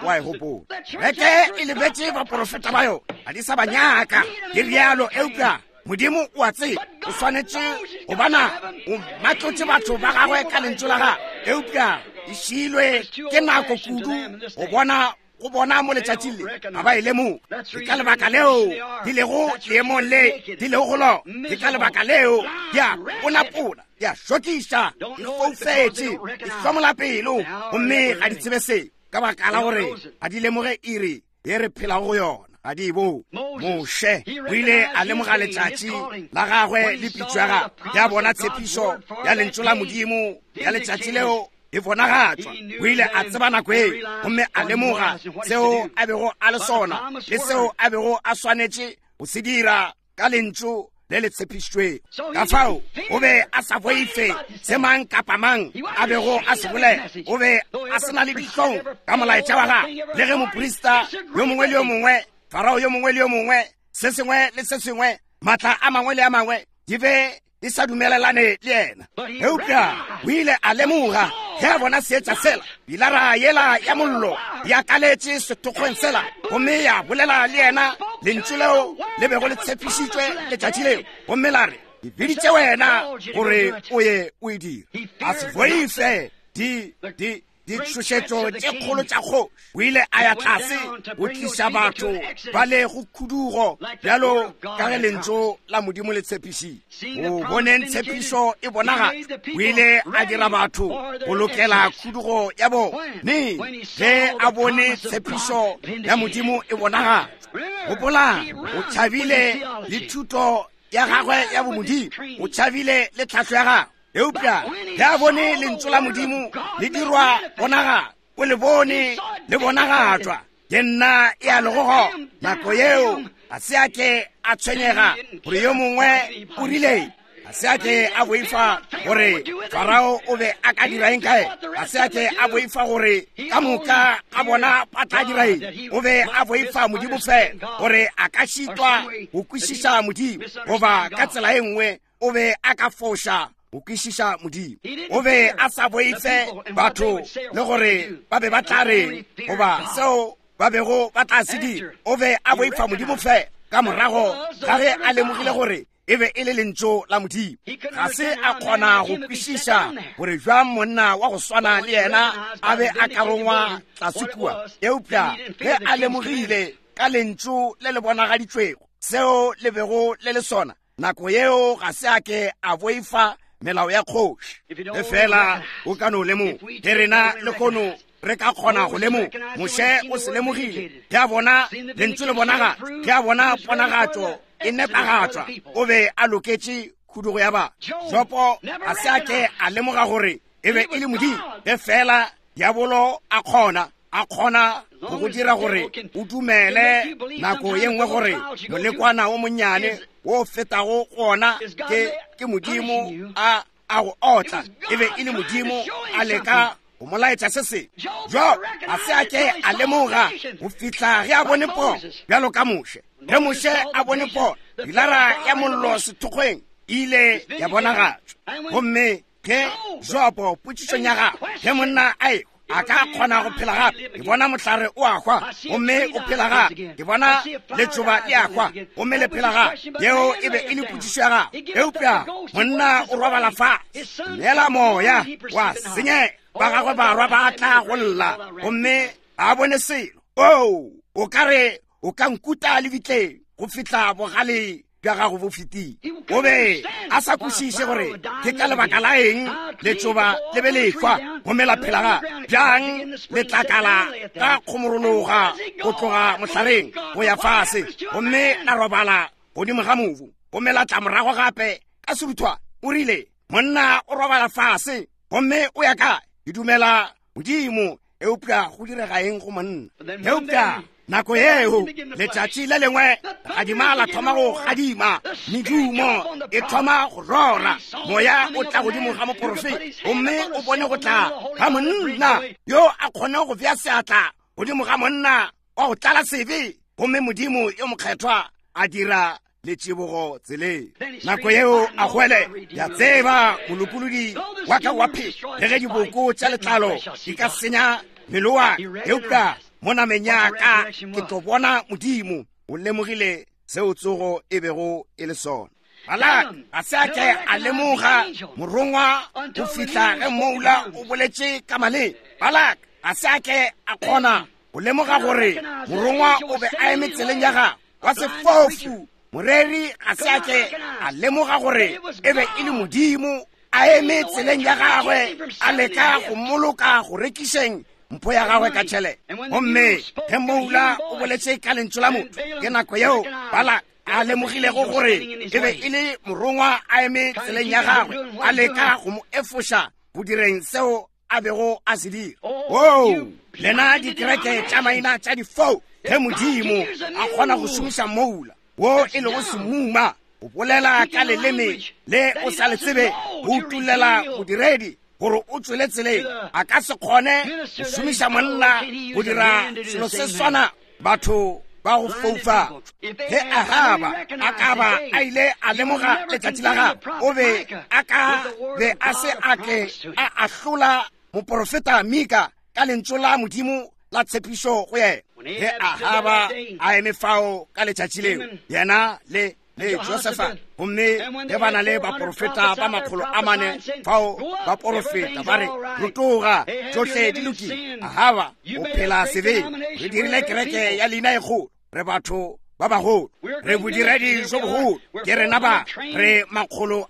Speaker 1: wa e gopola. Kereke e lebetše baporofeta ba yona, ga di sa ba nyaka, ke rialo. Eupša Modimo o a tseba, o swanetše go bana o matlotše batho ba gagwe ka lentšu la gagwe. Eupša e šiilwe ke nako kudu go bona, go bona mo letšatšing le, ga ba e lemoge. Ke ka lebaka leo di lego leemong le di lego go lona. Ke ka lebaka leo di a ponapola, di a šokiša, di foufetše, di hlomola pelo, gomme ga di tsebe seo, ka baka la gore ga di lemoge iri ye re phelago go yona. Ga di e bone. Moshe o ile a lemoga letšatši la gagwe le pitšo ya gagwe, ya bona tshepišo ya lentšu la Modimo ya letšatši leo e bonagatšwa. O ile a tseba nako eo, gomme a lemoga seo a bego a le sona le seo a bego a swanetše go se dira ka lentšu le le tshepišitšwego. Ka fao o be a sa boife se mang kapa mang a bego a se bolela. O be a se na le dihlong ka molaetša wa gagwe, le ge moprista yo mongwe le yo mongwe, Farao yo mongwe le yo mongwe, se sengwe le se sengwe, maatla a mangwe le a mangwe, di be di sa dumelelane le yena. Eupša o ile a lemoga ge a bona seetša sela, pilara yela ya mollo ya kaletše sethokgweng sela, gomme ya bolela le yena lentšu leo le bego le tshepišitšwe letšatši leo, gomme la re, Ke biditše wena gore o ye o e dire. A se boife di, di, ditšhošetšo tše kgolo tša kgoši. O ile a ya tlase go tliša batho ba le go khudugo, bjalo ka ge lentšu la Modimo le tshepišitše. Go boneng tshepišo e bonagatšwa, o ile a dira batho go lokela khudugo ya bona. Neng? Ge a bone tshepišo ya Modimo e bonagatšwa. Gopolang, o tšhabile le thuto ya gagwe ya bomodimo, o tšhabile le tlhahlo ya gagwe. Eupša ge a bone lentšu la Modimo le dirwa bonagatšwa, o le bone le bonagatšwa, ke nna e a lego gona. Nako yeo ga se a ke a tshwenyega gore yo mongwe o rile, ga se a ke a boifa gore Farao o be a ka dira eng kae, ga se a ke a boifa gore ka moka ga bona ba tla dira eng. O be a boifa Modimo fela, gore a ka šitwa go kwešiša Modimo, goba ka tsela e nngwe o be a ka foša go kwešiša Modimo. O be a sa boife batho le gore ba be ba tla reng goba seo ba bego ba tla se dira. O be a boifa Modimo fela ka morago ga ge a lemogile gore e be e le lentšu la Modimo. Ga se a kgona go kwešiša gore bjang monna wa go swana le yena a be a ka rongwa tlase kua, eupša ge a lemogile ka lentšu le le bonagaditšwego seo le bego le le sona, nako yeo ga se a ke a boifa melao ya kgoši. Ge feela o ka no lemoga, ge rena lehono re ka kgona go lemoga. Moshe o se lemogile ge a bona Lentšu le bonagatšwa, ge a bona ponagatšo e nepagatšwa, o be a loketše khudugo ya batho. Jopo ga se a ke a lemoga gore e be e le Modimo. Ge feela diabolo a kgona, a kgona go go dira gore o dumele nako ye nngwe gore molekwana o monnyane wo o fetago gona ke, ke Modimo a, a go otla. E be e le Modimo a leka go mo laetša se sengwe. Jo ga se a ke a lemoga go fihla ge a bone pono, bjalo ka Moshe. Ge Moshe a bone pono, pilara ya mollo sethokgweng e ile ya bonagatšwa. Gomme ge Jobo, potšišong ya gagwe, ge monna a ehwa, a ka kgona go phela gape? Ke bona mohlare o a hwa gomme o phela gape. Ke bona letšoba le a hwa gomme le phela gape. Yeo e be e le potšišo ya gagwe. Eupša monna o robala fase, neela moya wa senyega, ba gagwe barwa ba tla go lla gomme ba bone selo. Oo, o ka re o ka nkuta lebitleng go fihla bogale bja gago bo fetile. O be a sa kwešiše gore ke ka lebaka la eng letšoba le be le hwa gomme la phela ga bjang letlakala ka kgomorologa go tloga mohlareng go ya fase gomme la robala godimo ga mobu gomme la tla morago gape ka seruthwane. O rile, monna o robala fase gomme o ya kae? Ke dumela Modimo, eupša go direga eng go monna? Eupša nako yeo letšatši le lengwe gadima la thoma go gadima, medumo e thoma go rora, moya o tla godimo ga moporofeta gomme o bone go tla ga monna yo a kgone go bea seatla godimo ga monna wa go tlala sebe, gomme Modimo yo mokgethwa a dira le tšibogo tseleng. Nako yeo a goele, ya tseba molopolodi wa ka wa phela, le ge diboko tša letlalo di ka senya mmele wa ka, eupša mo nameng ya ka ke tlo bona Modimo. O lemogile seo tsogo e bego e le sona. Balak ga se a ke a lemoga morongwa go fihla ge moula o boletše ka maleng. Balak ga se a ke a kgona go lemoga gore morongwa o be a eme tseleng ya gagwe. Wa sefofu moreri ga se a ke a lemoga gore e be e le Modimo a eme tseleng ya gagwe a leka go mmoloka go rekišeng mpho ya gagwe ka tšhelete. Gomme ge moula o boletše ka lentšu la motho, ke nako yeo Balak a lemogilego gore e be e le morongwa a eme tseleng ya gagwe a leka go mo efoša go direng seo a bego a se dira. Oo, lena dikereke tša maina tša difou, ge Modimo a kgona go šomiša moula wo e lego semuma go bolela ka leleme le o sa le tsebe, go utollela modiredi gore o tšwele tseleng, a ka se kgone go šomiša monna go dira selo se swana. Batho ba go foufa. Ge Ahaba a ka ba a ile a lemoga letšatši la gagwe, o be a ka be a se a ke a ahlola moporofeta Mika ka lentšu la Modimo la tshepišo go yena. Ge Ahaba a eme fao ka letšatši leo, yena le le Josefa, gomme ge ba na le baporofeta ba 400 fao ba porofeta ba re, rotoga, tšohle di lokile. Ahaba o phela sebeng. Re dirile kereke ya leina e kgolo, re batho ba bagolo, re bodiredi jo bogolo, ke rena ba re 400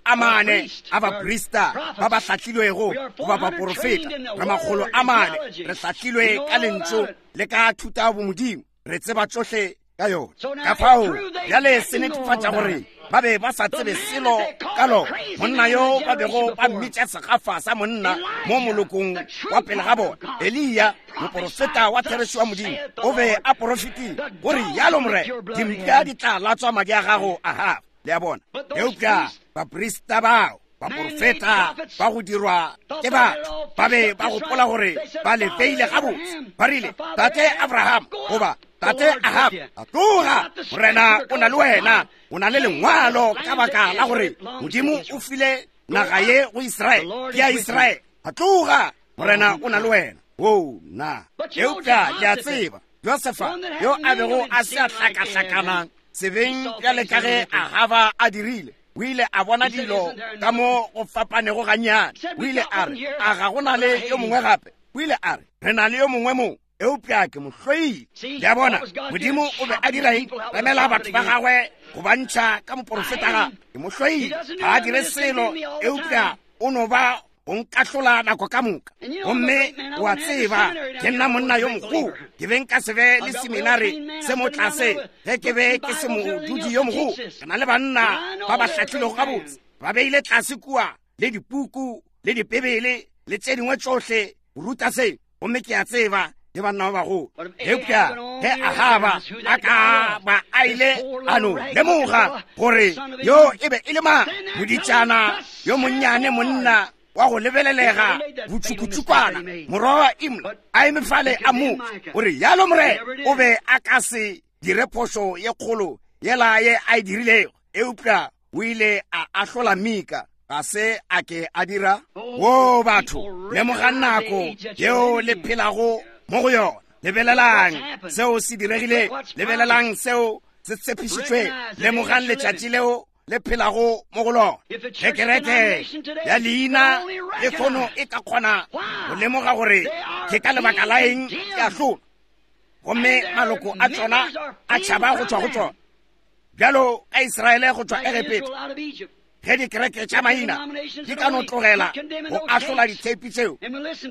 Speaker 1: a baprista ba ba hlahlilwego goba baporofeta, re 400 re hlahlilwe ka lentšu le ka thuta bomodimo, re tseba tšohle ka yona. Ka fao bjale se netefatša gore ba be ba sa tsebe selo ka lona. Monna yo ba bego ba mmitša segafa sa monna mo molokong wa pele ga bona, Eliya, moporofeta wa therešo wa Modimo, o be a porofetile gore yalo Morena, dimpša di tla latswa madi a gago a gago. Le a bona? Eupša baprista bao, baporofeta ba go dirwa ke batho, ba be ba gopola gore ba le beile gabotse. Ba rile, Tate Abraham goba Tate Ahab, a tloga, Morena o na le wena, o na le lengwalo ka baka la gore Modimo o file naga ye go Israele, ke ya Israele. A tloga, Morena o na le wena. Oo, na. Eupša le a tseba, Josefa, yo a bego a se a hlakahlakana sebeng bjale ka ge Ahaba a dirile, o ile a bona dilo ka mo go fapanego gannyane. O ile a re, a ga go na le yo mongwe gape? O ile a re, re na le yo mongwe mo. Eupša ke mo hloile. Le a bona, Modimo o be a dira eng? Remela batho ba gagwe go ba ntšha ka moporofeta gape. Ke mo hloile. Ga a dire selo, eupša o no ba go nkahlola nako ka moka. Gomme o a tseba, ke nna monna yo mogolo. Ke be nka se be le seminari se mo tlase ge ke be ke se modudi yo mogolo. Ke na le banna ba ba hlahlilego gabotse, ba beile tlase kua le dipuku le dipebele le tše dingwe tšohle go ruta se. Gomme ke a tseba ke banna ba bagolo. Eupša ge Ahaba a ka ba a ile a no lemoga gore yo e be e le mang, moditšana yo monnyane, monna wa go lebelelega botšukutšukwana, morwa wa Imla, a eme fale a mo gore yalo Morena, o be a ka se dire phošo ye kgolo yela ye a e dirilego. Eupša o ile a ahlola Mika, ga se a ke a dira. Wo batho, lemogang nako yeo le phelago mo go yona. Lebelelang seo se diregile, lebelelang seo se tshepišitšwe, lemogang letšatši leo le phelago mo go lona. Ge kereke ya leina le kgono e ka kgona go lemoga gore ke ka lebaka la eng ke ahlolwa, gomme maloko a tšona a tšhaba go tšwa go tšona, bjalo ka Israele go tšwa Egepeta, ge dikereke tša maina di ka no tlogela go ahlola ditheipi tšeo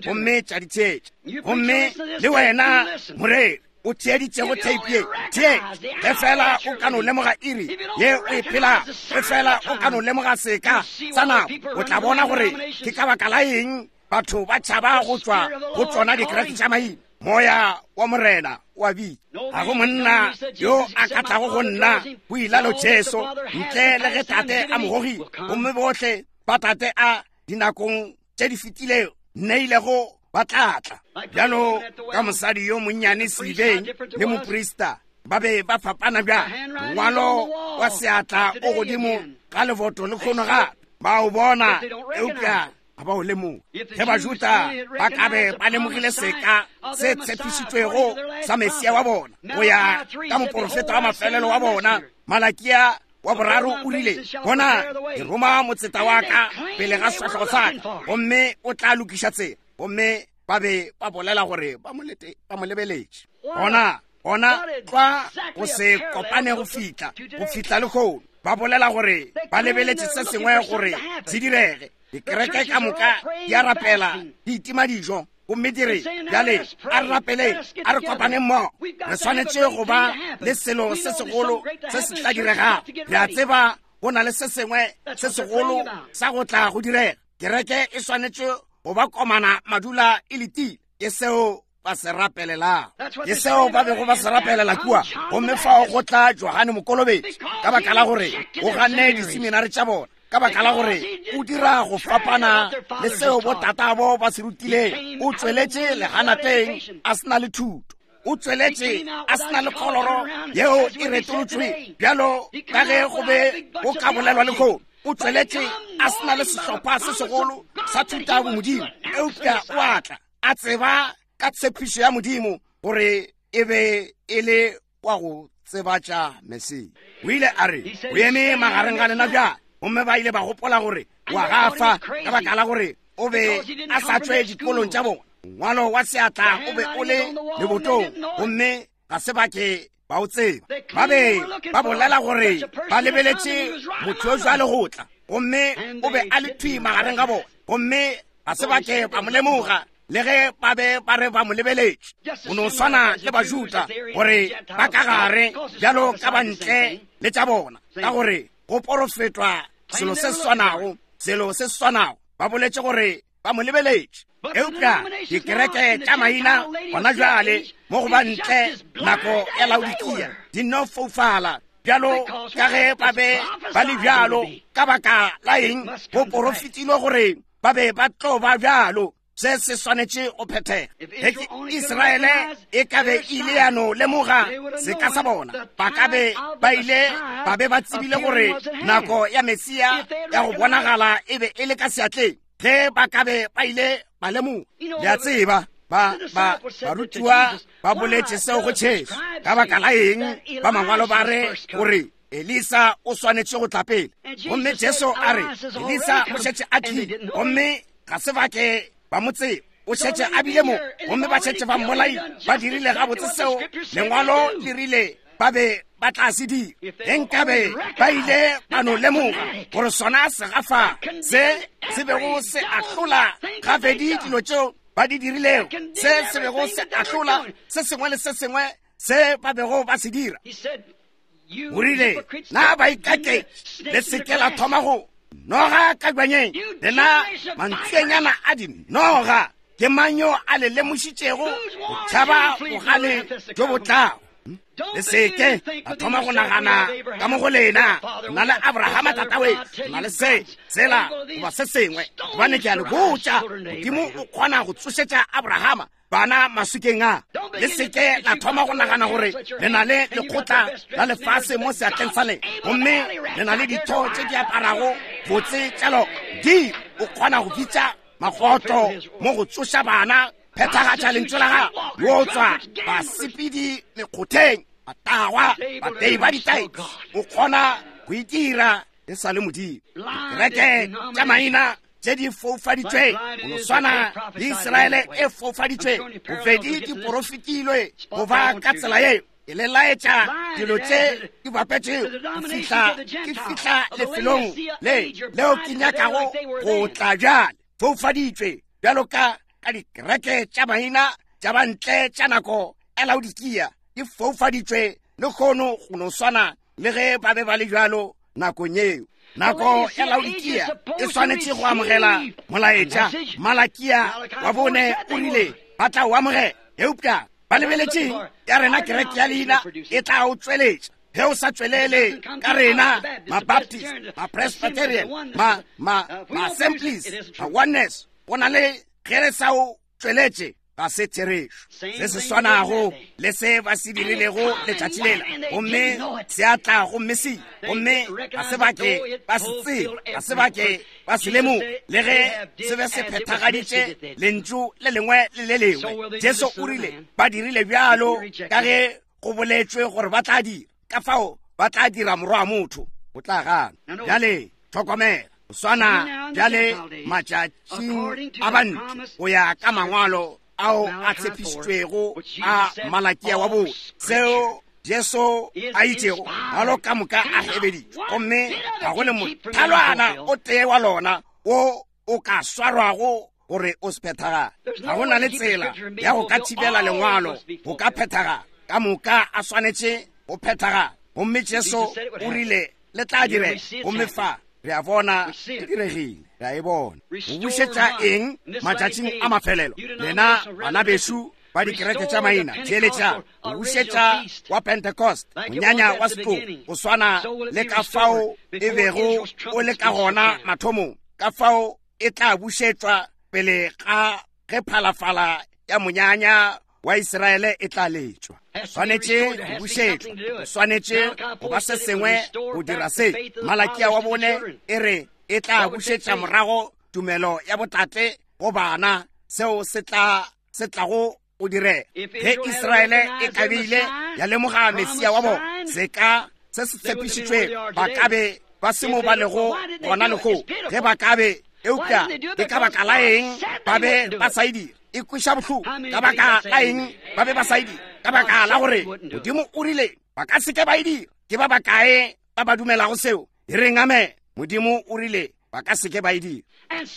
Speaker 1: gomme tša di theetša. Gomme le wena moreri o theeditšego theipi ye, theetša. Ge fela o ka no lemoga iri ye o e phelago, ge fela o ka no lemoga seka sa nako, o tla bona gore ke ka baka la eng batho ba tšhaba go tšwa go tšona dikereke tša maina. Moya wa Morena o a bitša. Ga go monna yo a ka tlago go nna, go ilalo Jesu, ntle le ge Tate a mo gogile. Gomme bohle ba Tate a dinakong tše di fetilego nneilego ba tla tla. Bjalo ka mosadi yo monnyane sedibeng le moprista ba be ba fapana bjang. Mongwalo wa seatla o godimo ga leboto le kgono gape ba o bona, eupša ga ba o lemoge. Ge Bajuda ba ka be ba lemogile seka se tshepišitšwego sa Mesia wa bona go ya ka moporofeta wa mafelelo wa bona, Malakia wa boraro o rile, Bona, ke roma motseta wa ka pele ga sefahlogo sa ka, gomme o tla lokiša tsela. Gomme ba be ba bolela gore ba mo lebeletše. Gona, gona tlwa go se kopane go fihla, go fihla lehono. Ba bolela gore ba lebeletše se sengwe gore se direge. Dikereke ka moka di a rapela, di itima dijo, gomme di re, Bjale a re rapeleng, a re kopaneng mmogo. Re swanetše go ba le selo se segolo se se tla diregago. Re a tseba go na le se sengwe se segolo sa go tla go direga. Kereke e swanetše go ba komana madula e letile. Ke seo ba se rapelelago, ke seo ba bego ba se rapelela kua. Gomme fao go tla Johane Mokolobetši, ka baka la gore o ganne diseminari tša bona, ka baka la gore o dira go fapana le seo botatabo ba se rutileng. O tsweletše leganateng a se na le thuto, o tsweletše a se na le kgoloro yeo e retolotšwe bjalo ka ge go be go ka bolelwa lehono. O tsweletše a se na le sehlopha se segolo sa thuta ya bomodimo, eupša o a tla a tseba ka tshepišo ya Modimo gore e be e le wa go tsebatša Mesia. O ile a re, O eme magareng ga lena bjale. Gomme ba ile ba gopola gore wa gafa ka baka la gore o be a sa tšwe dikolong tša bona. Mongwalo wa seatla o be o le lebotong, gomme ga se ba ke ba o tseba. Ba be ba bolela gore ba lebeletše motho yo jwale go tla, gomme o be a le thwi magareng ga bona, gomme ga se ba ke ba mo lemoga, le ge ba be ba re ba mo lebeletše. Go no swana le Bajuda, gore ba ka gare bjalo ka ba ntle le tša bona, ka gore go porofetwa selo se swanago, selo se swanago. Ba boletše gore ba mo lebeletše. Eupša dikereke tša maina gona bjale mo go ba ntle nako ya Laodikia di no foufala bjalo ka ge ba be ba le bjalo. Ka baka la eng? Go porofetilwe gore ba be ba tlo ba bjalo. Se se swanetše go phethega. Ge ke Israele e ka be ile ya no lemoga seka sa bona, ba ka be ba ile ba be ba tsebile gore nako ya Mesia ya go bonagala e be e le ka seatleng. Ge ba ka be ba ile ba lemoga, le a tseba, ba ba barutiwa ba boletše seo go Jesu. Ka baka la eng ba mangwalo ba re gore Elisa o swanetše go tla pele? Gomme Jesu a re Elisa o šetše a tlile, gomme ga se ba ke ba mo tseba. O šetše a bile mo, gomme ba šetše ba mmolaile. Ba dirile gabotse seo Lengwalo le rile ba be ba tla se dira. Ge nkabe ba ile ba no lemoga gore sona segafa se se bego se ahlola gabedi dilo tšeo ba di dirilego, se se bego se ahlola se sengwe le se sengwe se ba bego ba se dira. O rile, Na baikaketši le se ke la thoma go noga ka bjanyeng, lena mantswenyana a dinoga. Ke mang yo a le lemošitšego go tšhaba bogale bjo bo tlago? Le se ke la thoma go nagana ka mo go lena, na le Abrahama tatawe, na le se, sela, goba se sengwe. Gobane ke a le botša, Modimo o kgona go tsošetša Abrahama bana maswikeng a. Le seke la thoma go nagana gore le na le lekgotla la lefase mo seatleng sa lena, gomme le na le ditho tše di aparago botse tša lona. Di o kgona go bitša magotlo mo go tsoša bana, phethagatša lentšu la gago, yo tswa basepedi mekgotheng, batagwa, batei ba ditaetsi. O kgona go itira e sa le Modimo. Dikereke tša maina tše di foufaditšwe go no swana le Israele e foufaditšwe, bobedi di porofetilwe go ba ka tsela yeo. Ke le laetša dilo tše di bapetšego go fihla ke fihla lefelong le leo ke nyakago go tla bjale. Foufaditšwe bjalo ka ka dikereke tša maina tša bantle tša nako ya Laodikia, di foufaditšwe lehono go no swana le ge ba be ba le bjalo nakong yeo. Nako ya Laodikia e swanetše go amogela molaetša. Malakia wa bone o rile ba tla o amogela, eupša ba lebeletše ya rena kereke ya leina e tla o tšweletša. Ge o sa tšwelele ka rena, ma-Baptist, ma-Presbyterian, ma-Assemblies, ma-Oneness, go na le ge re sa o tšweletše, ga se therešo. Se se swanago le se ba se dirilego letšatši lela, gomme se a tla gomme se, gomme ga se ba ke ba se tsebe, ga se ba ke ba se lemoge, le ge se be se phethagaditše lentšu le lengwe le le lengwe. Jesu o rile ba dirile bjalo ka ge go boletšwe gore ba tla dira, ka fao ba tla dira Morwa wa motho o tla gana. Bjale hlokomela, go swana bjale matšatšing a bantle go ya ka mangwalo ao a tshepišitšwego a Malakia wa bone, seo Jesu a itšego, mangwalo ka moka a hebeditšwe, gomme ga go le mothalwana o tee wa lona wo o ka swarwago gore o se phethagale. Ga go na le tsela ya go ka thibela lengwalo go ka phethagala. Ka moka a swanetše go phethagala. Gomme Jesu o rile le tla direga, gomme fa re a bona e diregile, re a e bona. Go bušetša eng matšatšing a mafelelo? Lena bana bešo ba dikereke tša maina, theeletšang. Go bušetša wa Pentecost, monyanya wa setlogo, go swana le ka fao e bego o le ka gona mathomong, ka fao e tla bušetšwa pele ga ge phalafala ya monyanya wa Israele e tla letšwa. Swanetše go bušetšwa, go swanetše go ba se sengwe go dira se. Malakia wa bone e re e tla bušetša morago tumelo ya botate go bana, seo se tla se tlago go direga ge Israele e ka be ile ya lemoga Mesia wa bona, seka se se tshepišitšwego, ba ka be ba se mo ba lego gona lehono ge ba ka be. Eupša ke ka baka la eng ba be ba sa e dira? E kweša bohloko. Ka baka la eng ba be ba sa e dira? Ka baka la gore Modimo o rile ba ka se ke ba e dira. Ke ba bakae ba ba dumelago seo? E reng amen. Modimo o rile ba ka se ke ba e dira.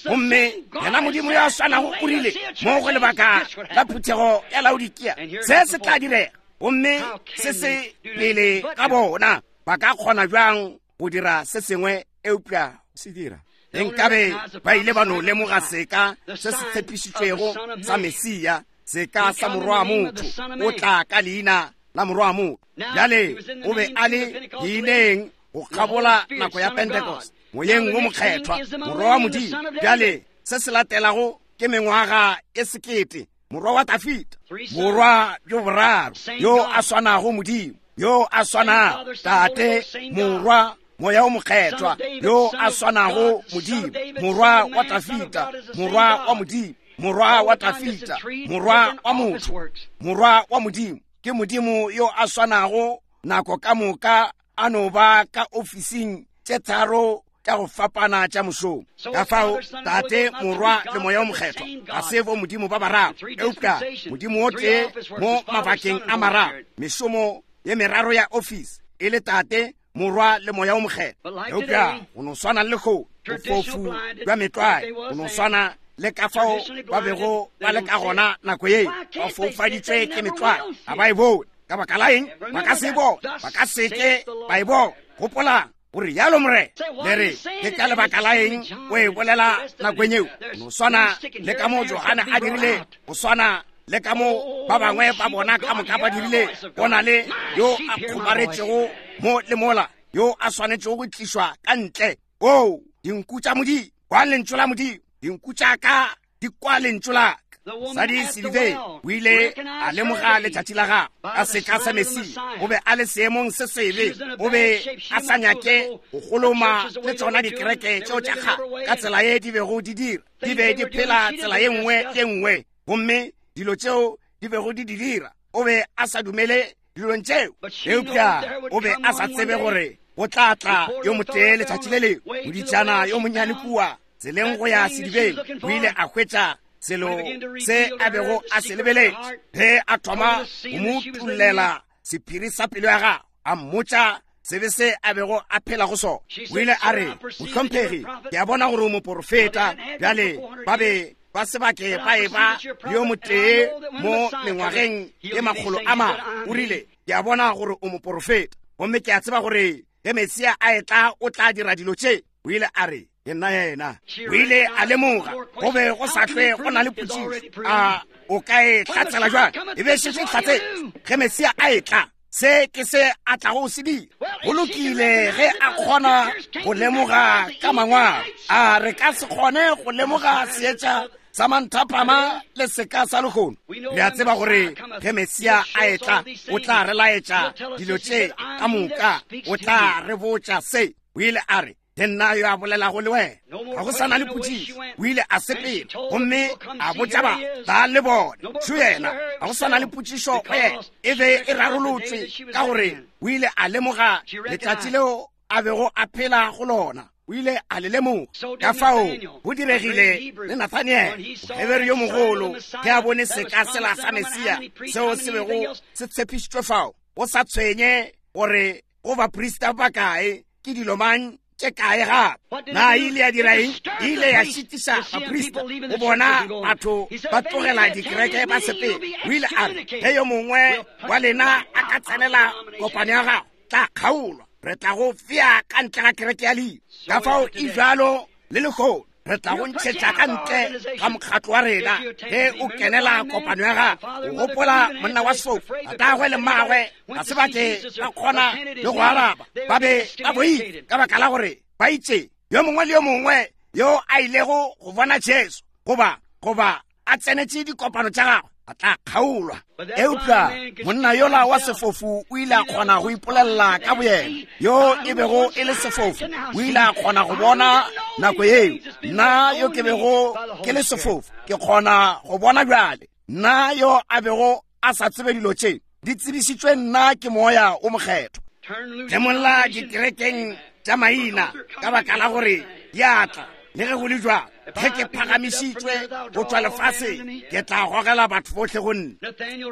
Speaker 1: Gomme yena Modimo yo a swanago o rile mo go lebaka la phuthego ya Laodikia se se tla direga, gomme se se pele ga bona. Ba ka kgona bjang go dira se sengwe eupša se dira? Ge nkabe ba ile ba no lemoga seka se se tshepišitšwego sa Mesia, seka sa Morwa wa motho, o tla ka leina la Morwa wa motho. Bjale o be a le leineng go kgabola nako ya Pentecost, Moyeng wo Mokgethwa, Morwa wa Modimo. Bjale se se latelago ke mengwaga e sekete, Morwa wa Dafida, morwa bjo boraro, yo a swanago Modimo, yo a swanago Tate, Morwa, Moya o Mokgethwa, yo a swanago Modimo, Morwa wa Dafida, Morwa wa Modimo, Morwa wa Dafida, Morwa wa motho, Morwa wa Modimo. Ke Modimo yo a swanago nako ka moka, a no ba ka ofising tše tharo. tša go fapana tša mošomo. Ka fao, Tate, Morwa le Moya o Mokgethwa ga se bo Modimo ba bararo, eupša Modimo o tee mo mabakeng a mararo, mešomo ye meraro ya ofisi e le Tate, Morwa le Moya o Mokgethwa. Eupša go no swana le lehono, bofofu bja metlwae, go no swana le ka fao ba bego ba le ka gona nako ye, ba foufaditšwe ke metlwae, ga ba e bone. Ka baka la eng? Ba ka se e bone, ba ka se ke ba e bone. Gopolang, o re yalo Morena. Le re, ke ka lebaka la eng o e bolela nakong yeo? No swana le ka mo Johane a dirile, go swana le ka mo ba bangwe ba bona ka moka ba dirile. Go na le yo a kgomaretšego mo le mola, yo a swanetšego go tlišwa ka ntle. Oo, dinku tša Modimo, kwa lentšu la Modimo. Dinku tša ka di kwa lentšu la ka. Mosadi Silivei o ile a lemoga letšatši la gagwe ka seka sa Mesia. O be a le seemong se sebe, o be a sa nyake go goloma le tšona dikereke tšeo tša kgale ka tsela ye di bego di dira. Di be di phela tsela ye nngwe ye nngwe, gomme dilo tšeo di bego di di dira, o be a sa dumele dilong tšeo. Eupša o be a sa tsebe gore go tla tla yo motee letšatši le lengwe. Moditšana yo monnyane kua tseleng go ya sedibeng o ile a hwetša selo se a bego a se lebeletše. Ge a thoma go mo utollela sephiri sa pelo ya gagwe, a mmotša sebe se a bego a phela go sona, o ile a re, Mohlomphegi, ke a bona gore o moporofeta. Bjale ba be ba se ba ke ba eba yo motee mo mengwageng ye makgolo a mane. O rile, Ke a bona gore o moporofeta, gomme ke a tseba gore ge Mesia a etla o tla dira dilo tše. O ile a re, Ke nna yena. O ile a lemoga go be go sa hlwe go na le potšišo. A o ka e hlatsela bjang? E be e šetše e hlatsetše. Ge Mesia a etla, se ke se a tlago go se dira. Go lokile ge a kgona go lemoga ka mangwalo. A re ka se kgone go lemoga seetša sa manthapama le seka sa lehono? Le a tseba gore ge Mesia a etla o tla re laetša dilo tše ka moka, o tla re botša se. O ile a re, Ke nna yo a bolelago le wena. Ga go sa na le potšišo. O ile a sepela gomme a botša ba ba le bone. Šo yena. Ga go sa na le potšišo go yena. E be e rarolotswe ka gore o ile a lemoga letšatši leo a bego a phela go lona. O ile a le lemoga. Ka fao go diregile le Nathaniele, Mohebere yo mogolo, ge a bone seka sela sa Mesia seo se bego se tshepišitšwe fao, go sa tshwenye gore go baprista ba kae, ke dilo mang tše kae gape. Na e ile ya dira eng? E ile ya šitiša baprista go bona batho ba tlogela dikereke ba sepela. O ile a re, ge yo mongwe wa lena a ka tsenela kopano ya gago, tla kgaolwa, re tla go fea ka ntle ga kereke ya leina. Ka fao e bjalo le lehono. Re tla go ntšhetša ka ntle ga mokgatlo wa rena ge o kenela kopano ya gago. O gopola monna wa sefofu, tatagwe le mmagwe ga se ba ke ba kgona le go araba, ba be ba boifa ka baka la gore ba itše yo mongwe le yo mongwe yo a ilego go bona Jesu goba goba a tsenetše dikopano tša gagwe a tla kgaolwa. Eupša monna yola wa sefofu o ile a kgona go ipolelela ka boyena, yo e bego e le sefofu o ile a kgona go bona nako yeo. Nna yo ke bego ke le sefofu ke kgona go bona bjale. Nna yo a bego a sa tsebe dilo tše di tsebišitšwe nna ke Moya o Mokgethwa. Tlemolla dikerekeng tša maina ka baka la gore di a tla. Le ge go le bjalo, ge ke phagamišitšwe go tšwa lefaseng, ke tla gogela batho bohle go nna.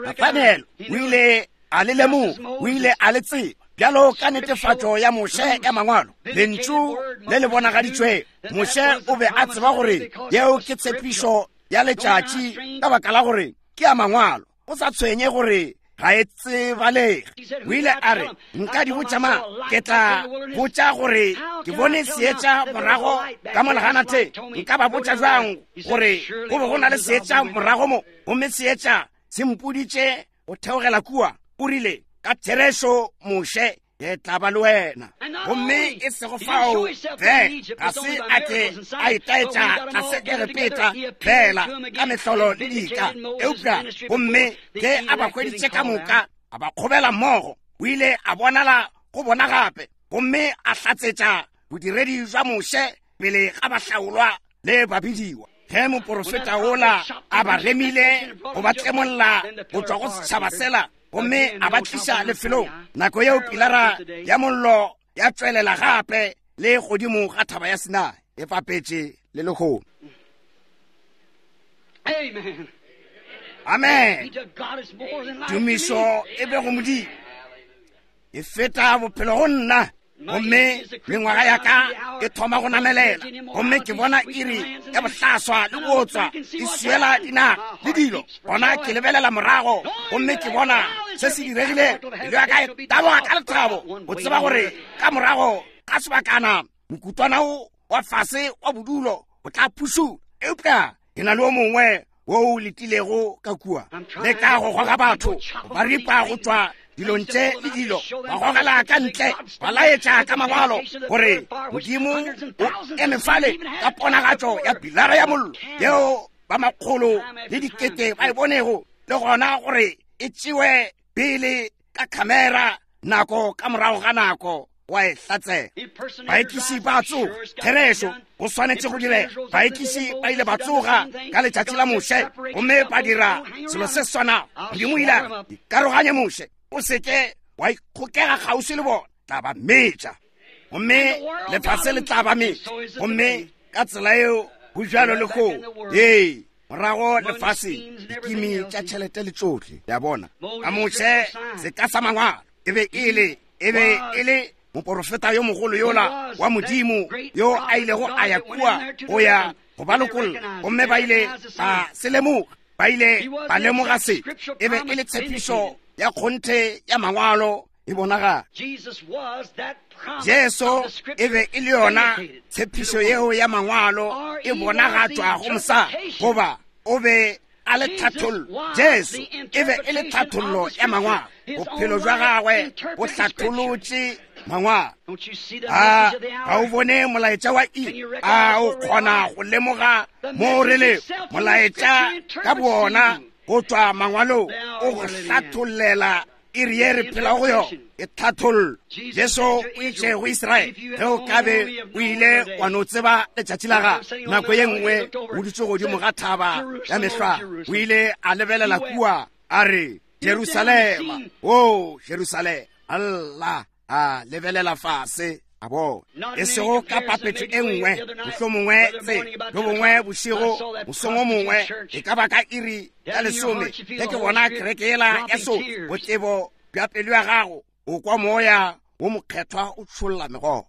Speaker 1: Nathaniel o ile a le lemoga, o ile a le tseba bjalo ka netefatšo ya Moshe ya Mangwalo, lentšu le le bonagaditšwego. Moshe o be a tseba gore yeo ke tshepišo ya letšatši ka baka la gore ke ya Mangwalo. Go sa tshwenye gore ga e tsebalege, o ile a re, Nka di botša mang? Ke tla botša gore ke bone seetša morago ka mo leganateng. Nka ba botša bjang gore go be go na le seetša morago mo, gomme seetša se mpoditše go theogela kua? O rile, Ka therešo, Moshe, ke tla ba le wena. Gomme e sego fao fela, ga se a ke a itaetša tlase Egepeta fela ka mehlolo le dika, eupša gomme ge a ba hweditše ka moka, a ba kgobela mmogo, o ile a bonala go bona gape, gomme a hlatsetša bodiredi bja Moshe pele ga bahlaolwa le babidiwa. Ge moporofeta wola a ba remile go ba tlemolla go tšwa go setšhaba sela, gomme a ba tliša lefelong, nako yeo pilara ya mollo ya tšwelela gape le godimo ga thaba ya Sinai, e fapetše le lehono.
Speaker 2: Amen.
Speaker 1: Amen.
Speaker 2: Be to God is more than life to
Speaker 1: Tumišo
Speaker 2: me.
Speaker 1: e be go Modimo, e feta bophelo go nna. Gomme mengwaga ya ka e thoma go namelela, gomme ke bona iri ya bohlaswa le bootswa e swiela dinaga le dilo. Gona ke lebelela morago gomme ke bona se se diregile. Pelo ya ka e taboga ka lethabo go tseba gore ka morago ga sebakana mokutwana o wa fase wa bodulo o tla phušula, eupša ke na le o mongwe wo o letilego ka kua. Le ka go goga batho ba ripa go tšwa dilong tše le dilo, ba gogela ka ntle, ba laetša ka mangwalo gore Modimo o eme fale ka ponagatšo ya pilara ya mollo yeo ba makgolo le dikete ba e bonego, le gona gore e tšewe pele ka khamera nako ka morago ga nako wa e hlatsela. Baekiši ba tsoga, therešo go swanetše go direga. Baekiši ba ile ba tsoga ka letšatši la Moshe gomme ba dira selo se swanago. Modimo o ile a re, Ikaroganye Moshe, o se ke wa ikgokega kgauswi le bona, tla ba metša, gomme lefase le tla ba metša. Gomme ka tsela yeo go bjalo le go ee morago lefase, dikimi tša tšhelete le tšohle. Le a bona, ka Moshe seka sa mangwalo e be e le, e be e le moporofeta yo mogolo yola wa Modimo yo a ilego a ya kua go ya go ba lokolla, gomme ba ile ba se lemoga. Ba ile ba lemoga se e be e le tshepišo ya kgonthe ya mangwalo e bonagala. Jesu e be e le yona tshepišo yeo ya mangwalo e bonagatšwago mosadi, goba o be a le tlhathollo. Jesu e be e le tlhathollo ya mangwalo. Bophelo bja gagwe bo hlatholotše mangwalo. A ga o bone molaetša wa iri? A o kgona go lemoga mo re lego? Molaetša ka boona go tšwa mangwalong o go hlathollela iri ye re phelago go yona. E tlhathollo. Jesu o itše go Israele, ge o ka be o ile wa no tseba letšatši la gago. Nako ye nngwe o dutše godimo ga thaba ya mehlwa, o ile a lebelela kua a re, Jerusalema, o Jerusalema. Alla, a lebelela fase a bona, e sego ka papetšo e nngwe, mohlomongwe tse bjo bongwe bošego, mosong o mongwe, e ka ba ka iri ya lesome, ge ke bona kereke yela ya so botebo bja pelo ya gago, o kwa moya wo mokgethwa o tšholla megokgo.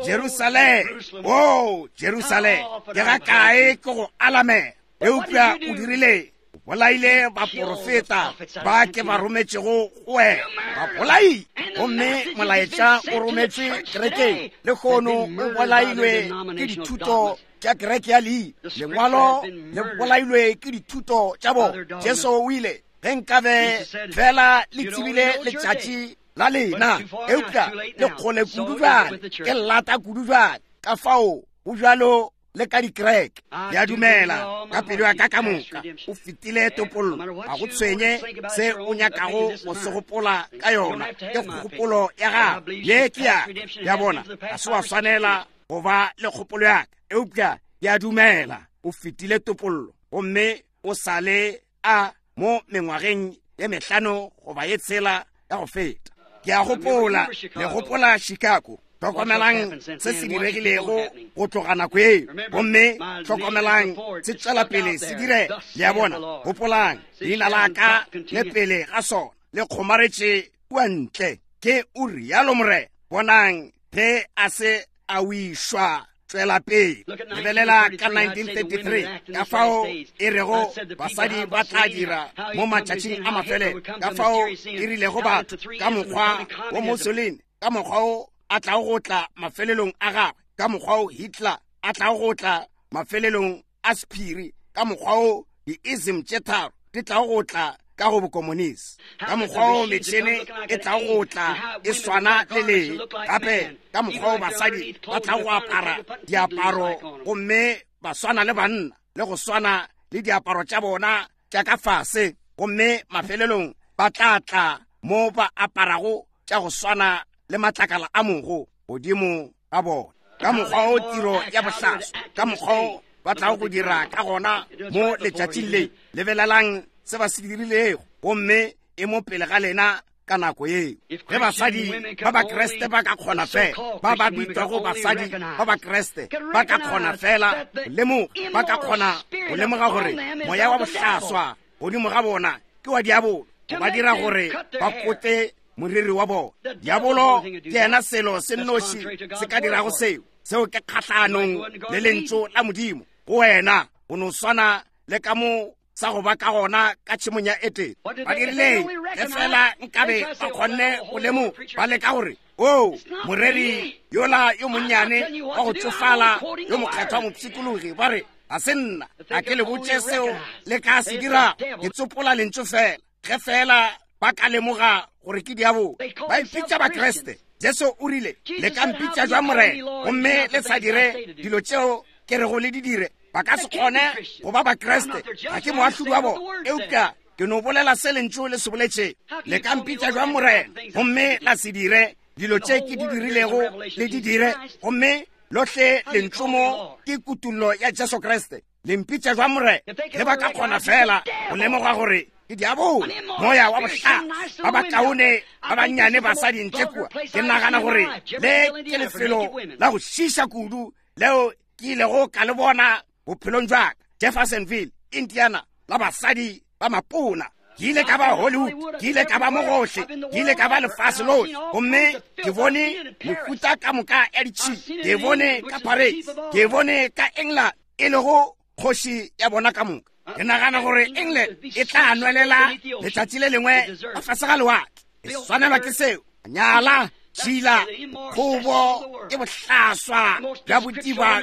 Speaker 1: Jerusalema, o Jerusalema, ke ga kae ke go alamela, eupša o dirile, o bolaile baporofeta ba ke ba rometšego go wena, ba bolaile. Gomme molaetša o rometšwe kerekeng lehono, o bolailwe ke dithuto tša kereke ya leina. Lengwalo le bolailwe ke dithuto tša bona. Jesu o ile, ge nkabe fela le tsebile letšatši la lena, eupša le kgole kudu bjale, ke lata kudu bjale. Ka fao go bjalo le ka dikereke. Ke a dumela ka pelo ya ka ka moka o fetile topollo. Ga go tshwenye se o nyakago go se gopola ka yona, ke kgopolo ya gago, ye ke ya ka. Ya bona, ga se wa swanela go ba le kgopolo ya ka, eupša ke a dumela o fetile topollo, gomme o sa le a mo mengwageng ye mehlano goba ye tshela ya go feta. Ke a gopola, le gopola Chicago. Hlokomelang se se diregilego go tloga nako eo, gomme hlokomelang se tšwela pele se direga. Le a bona? Gopolang, leina la ka le pele ga sona le kgomaretše kua ntle, ke o rialo Morena. Bonang ge a se a wišwa tšwela pele. Lebelela ka 1933, ka fao e rego basadi ba tla dira mo matšatšing a mafelelo, ka fao e rilego batho ka mokgwa wo Mussolini, ka mokgwa wo a tlago go tla mafelelong a gagwe, ka mokgwa wo Hitler a tlago go tla mafelelong a sephiri, ka mokgwa wo di-ism tše tharo di tlago go tla ka go bokomonisi, ka mokgwa wo metšhene e tlago go tla e swana le lee, gape ka mokgwa wo basadi ba tlago go apara diaparo gomme ba swana le banna, le go swana le diaparo tša bona tša ka fase, gomme mafelelong ba tla tla mo ba aparago tša go swana le matlakala a mogo godimo ga bona. Ka mokgwa wo tiro ya bohlaswa, ka mokgwa wo ba tlago go dira ka gona mo letšatšing le. Lebelelang se ba se dirilego, gomme e mo pele ga lena. ka nako yeo. Ge basadi ba Bakriste ba ka kgona fela, ba ba bitšwago basadi ba Bakriste ba ka kgona fela go lemoga, ba ka kgona go lemoga gore moya wa bohlaswa godimo ga bona ke wa diabolo, ba dira gore ba kote moriri wa bona. Diabolo ke yena selo se nnoši se ka dirago seo. Seo ke kgahlanong le lentšu la Modimo go wena, go no swana le ka mo sa go ba ka gona ka tšhemong ya Edene. Ba dirileng? Ge fela nkabe ba kgonne go lemoga, ba leka gore, O, moreri yola yo monnyane wa go tsofala yo mokgethwa mopshikologi, ba re, ga se nna, a ke le botše seo le ka se dira, ke tsopola lentšu fela. Ge fela ba ka lemoga gore ke diabolo, ba ipitša Bakriste. Jesu o rile, le ka mpitša jwa Morena, gomme le sa dire dilo tšeo ke rego le di dire? Ba ka se kgone go ba Bakriste. Ga ke moahlodi wa bona, eupša ke no bolela se lentšu le se boletše. Le ka mpitša jwa Morena, gomme la se dire dilo tše ke di dirilego le di dire, gomme lohle lentšu mo ke kutullo ya Jesu Kriste. Le mpitša jwa Morena? Ge ba ka kgona fela go lemoga gore ke diabolo, moya wa bohlaswa, ba bakaone ba bannyane basadi ntle kua. Ke nagana gore le ke lefelo la go šiša kudu leo ke ilego ka le bona bophelong jwa ka, Jeffersonville, Indiana, la basadi ba mapona. Ke ile ka ba Hollywood, ke ile ka ba mo gohle, ke ile ka ba lefase lohle, gomme ke bone mehuta ka moka ya ditšhila. Ke bone ka Paris, ke bone ka England, e lego kgoši ya bona ka moka. Ke nagana gore England e tla nwelela letšatši le lengwe ka fase ga lewatle. E swanelwa ke seo. Nyala, tšhila, kgobo ke bohlaswa bja botiba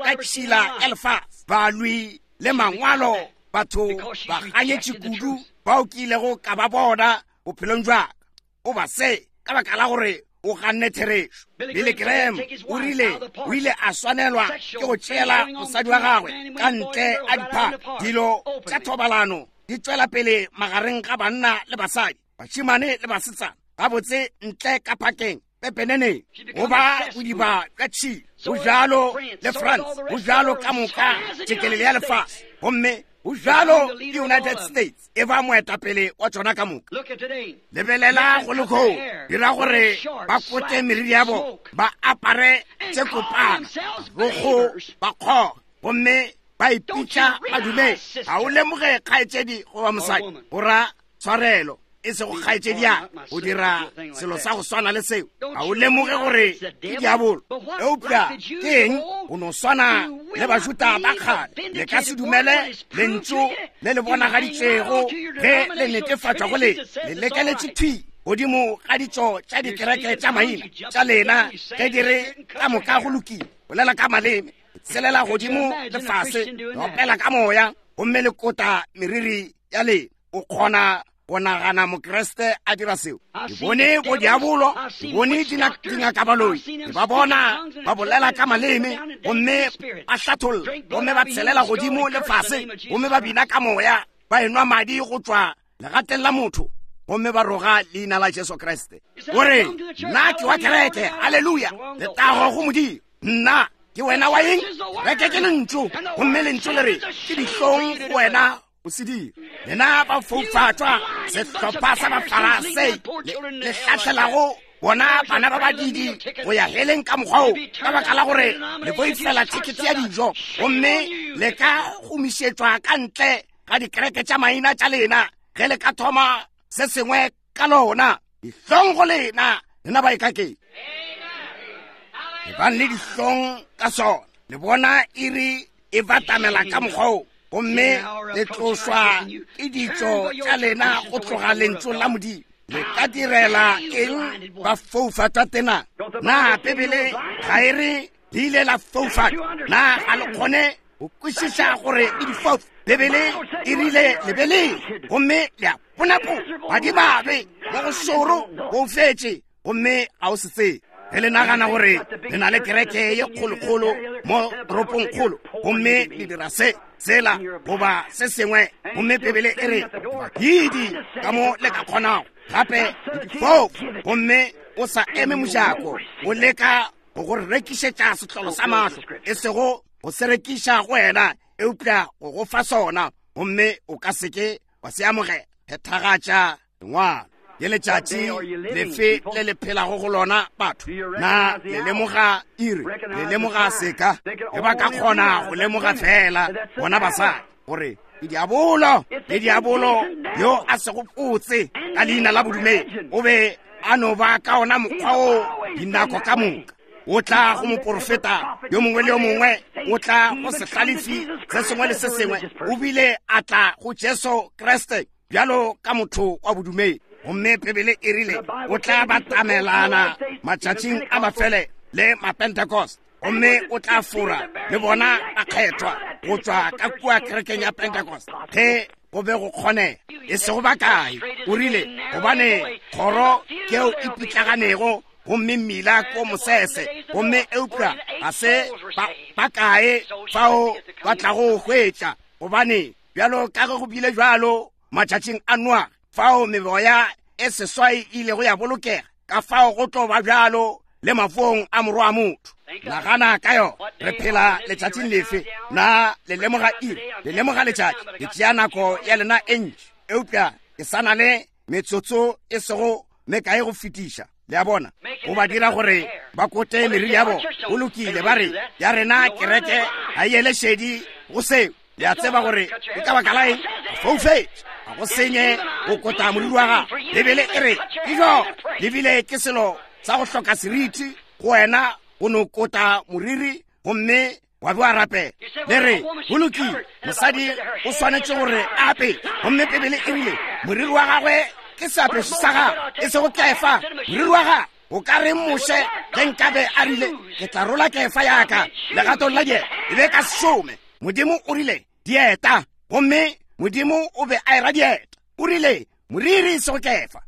Speaker 1: ka tšhila ya lefase. Balwi le mangwalo, batho ba ganyetše kudu bao ke ilego ka ba bona bophelong jwa ka. O ba se ka baka la gore o ganne therešo. Billy Graham o rile o ile a swanelwa ke go tšeela mosadi wa gagwe ka ntle a diphaka. Dilo tša thobalano di tšwela pele magareng ga banna le basadi, bašemane le basetsana, gabotse ntle ka phakeng, pepeneneng, go ba bodiba bja tšhila. Go bjalo le France, go bjalo ka moka tšekelele ya lefase, gomme go bjalo le United States e ba moetapele wa tšona ka moka. Lebelela go lehono, dira gore ba kote meriri ya bona, ba apare tše kopana, rogo ba kgoga, gomme ba ipitša badumedi. Ga o lemoge kgaetšedi goba mosadi, go ra tshwarelo, e sego kgaetšedi ya go dira selo sa go swana le seo. Ga o lemoge gore ke diabolo. Eupša ke eng? Go no swana le Bajuda ba kgale, le ka se dumele lentšu le le bonagaditšwego ge le netefatšwa go le. Le lekeletše thwi godimo ga ditšo tša dikereke tša maina tša lena ge di re ka moka go lokile. Bolela ka maleme, selela godimo le fase, opela ka moya, gomme le kota meriri ya lena. O kgona go nagana Mokriste a dira seo? Ke bone bodiabolo, ke bone dingakabaloi, ke ba bona ba bolela ka maleme, gomme ba hlatholla, gomme ba tshelela godimo le fase, gomme ba bina ka moya, ba enwa madi go tšwa legateng la motho, gomme ba roga leina la Jesu Kriste. O re, nna ke wa kereke, haleluya, letago go Modimo. Nna ke wena wa eng? Kereke ke lentšu, gomme lentšu le re ke dihlong go wena o se dira. Lena ba foufatšwa, sehlopha sa Bafarasei le hlahlelago bona bana ba badidi go ya heleng ka mokgwa wo, ka baka la gore le boifela thekete ya dijo, gomme le ka gomišetšwa ka ntle ga dikereke tša maina tša lena ge le ka thoma se sengwe ka lona. Dihlong go lena, lena baikaketši. Ebang le dihlong ka sona. Le bona iri e batamela ka mokgwa wo, gomme le tlošwa ke ditšo tša lena go tloga lentšung la Modimo. Le ka direla eng ba foufatšwa tena? Na Bibele ga e re le ile la foufatšwa? Na ga le kgone go kwešiša gore le difofu? Bibele e rile le be le, gomme le a ponapo, madimabe mo go šoro go fetše, gomme ga o se tsebe. Ge le nagana gore le na le kereke ye kgolokgolo mo toropongkgolo, gomme le dira se, sela, goba se sengwe, gomme Bibele e re badidi ka mo le ka kgonago, gape le difofu, gomme o sa eme mojako o leka go go rekišetša sehlolo sa mahlo, e sego go se rekiša go wena, eupša go go fa sona, gomme o ka se ke wa se amogela. Phethagatša lengwalo. Ke letšatši lefe le le phelago go lona, batho? Na le lemoga iri? Le lemoga seka? Ge ba ka kgona go lemoga fela bona basadi gore ke diabolo, ke diabolo yo a sego potse ka leina la bodumedi. O be a no ba ka ona mokgwa o dinako ka moka. O tla go moporofeta yo mongwe le yo mongwe, o tla go sehlalefi se sengwe le se sengwe, o bile a tla go Jesu Kriste bjalo ka motho wa bodumedi. Gomme Bibele e rile o tla batamelana matšatšing a mafele le Mapentecost, gomme o tla fora le bona bakgethwa go tšwa ka kua kerekeng ya Pentecost ge go be go kgonega. E sego bakae, o rile, gobane kgoro keo e pitlaganego gomme mmila ko mosese, gomme eupša ga se bakae fao ba tlago hwetša, gobane bjalo ka ge go bile bjalo matšatšing a Noa, fao meboya e seswai e ilego ya bolokega, ka fao go tlo ba bjalo le mafong a morwa wa motho. Nagana ka yona. Re phela letšatšing lefe? Na le lemoga iri? Le lemoga letšatši? Le tšea nako ya lena e ntši, eupša ke sa na le metsotso e sego mekae go fetiša. Le a bona? Go ba dira gore ba kote meriri ya bona. Go lokile, ba re, ya rena kereke ga e ele šedi go seo. Le a tseba gore ke ka baka la eng? Foufetše. Ga go senye go kota moriri wa gago. Bibele e re, ke jo, le bile ke selo sa go hloka seriti go wena go no kota moriri gomme wa be wa rapela. Le re, go lokile, mosadi o swanetše gore a ape. Gomme Bibele e rile, moriri wa gagwe ke seapeso sa gagwe, e sego kefa. Moriri wa gagwe. O ka reng Moshe ge nkabe a rile, ke tla rola kefa ya ka legatong la dieta, e be ka se šome. Modimo o rile, dieta, gomme Modimo o be a era dieta. O rile, moriri e sego kefa.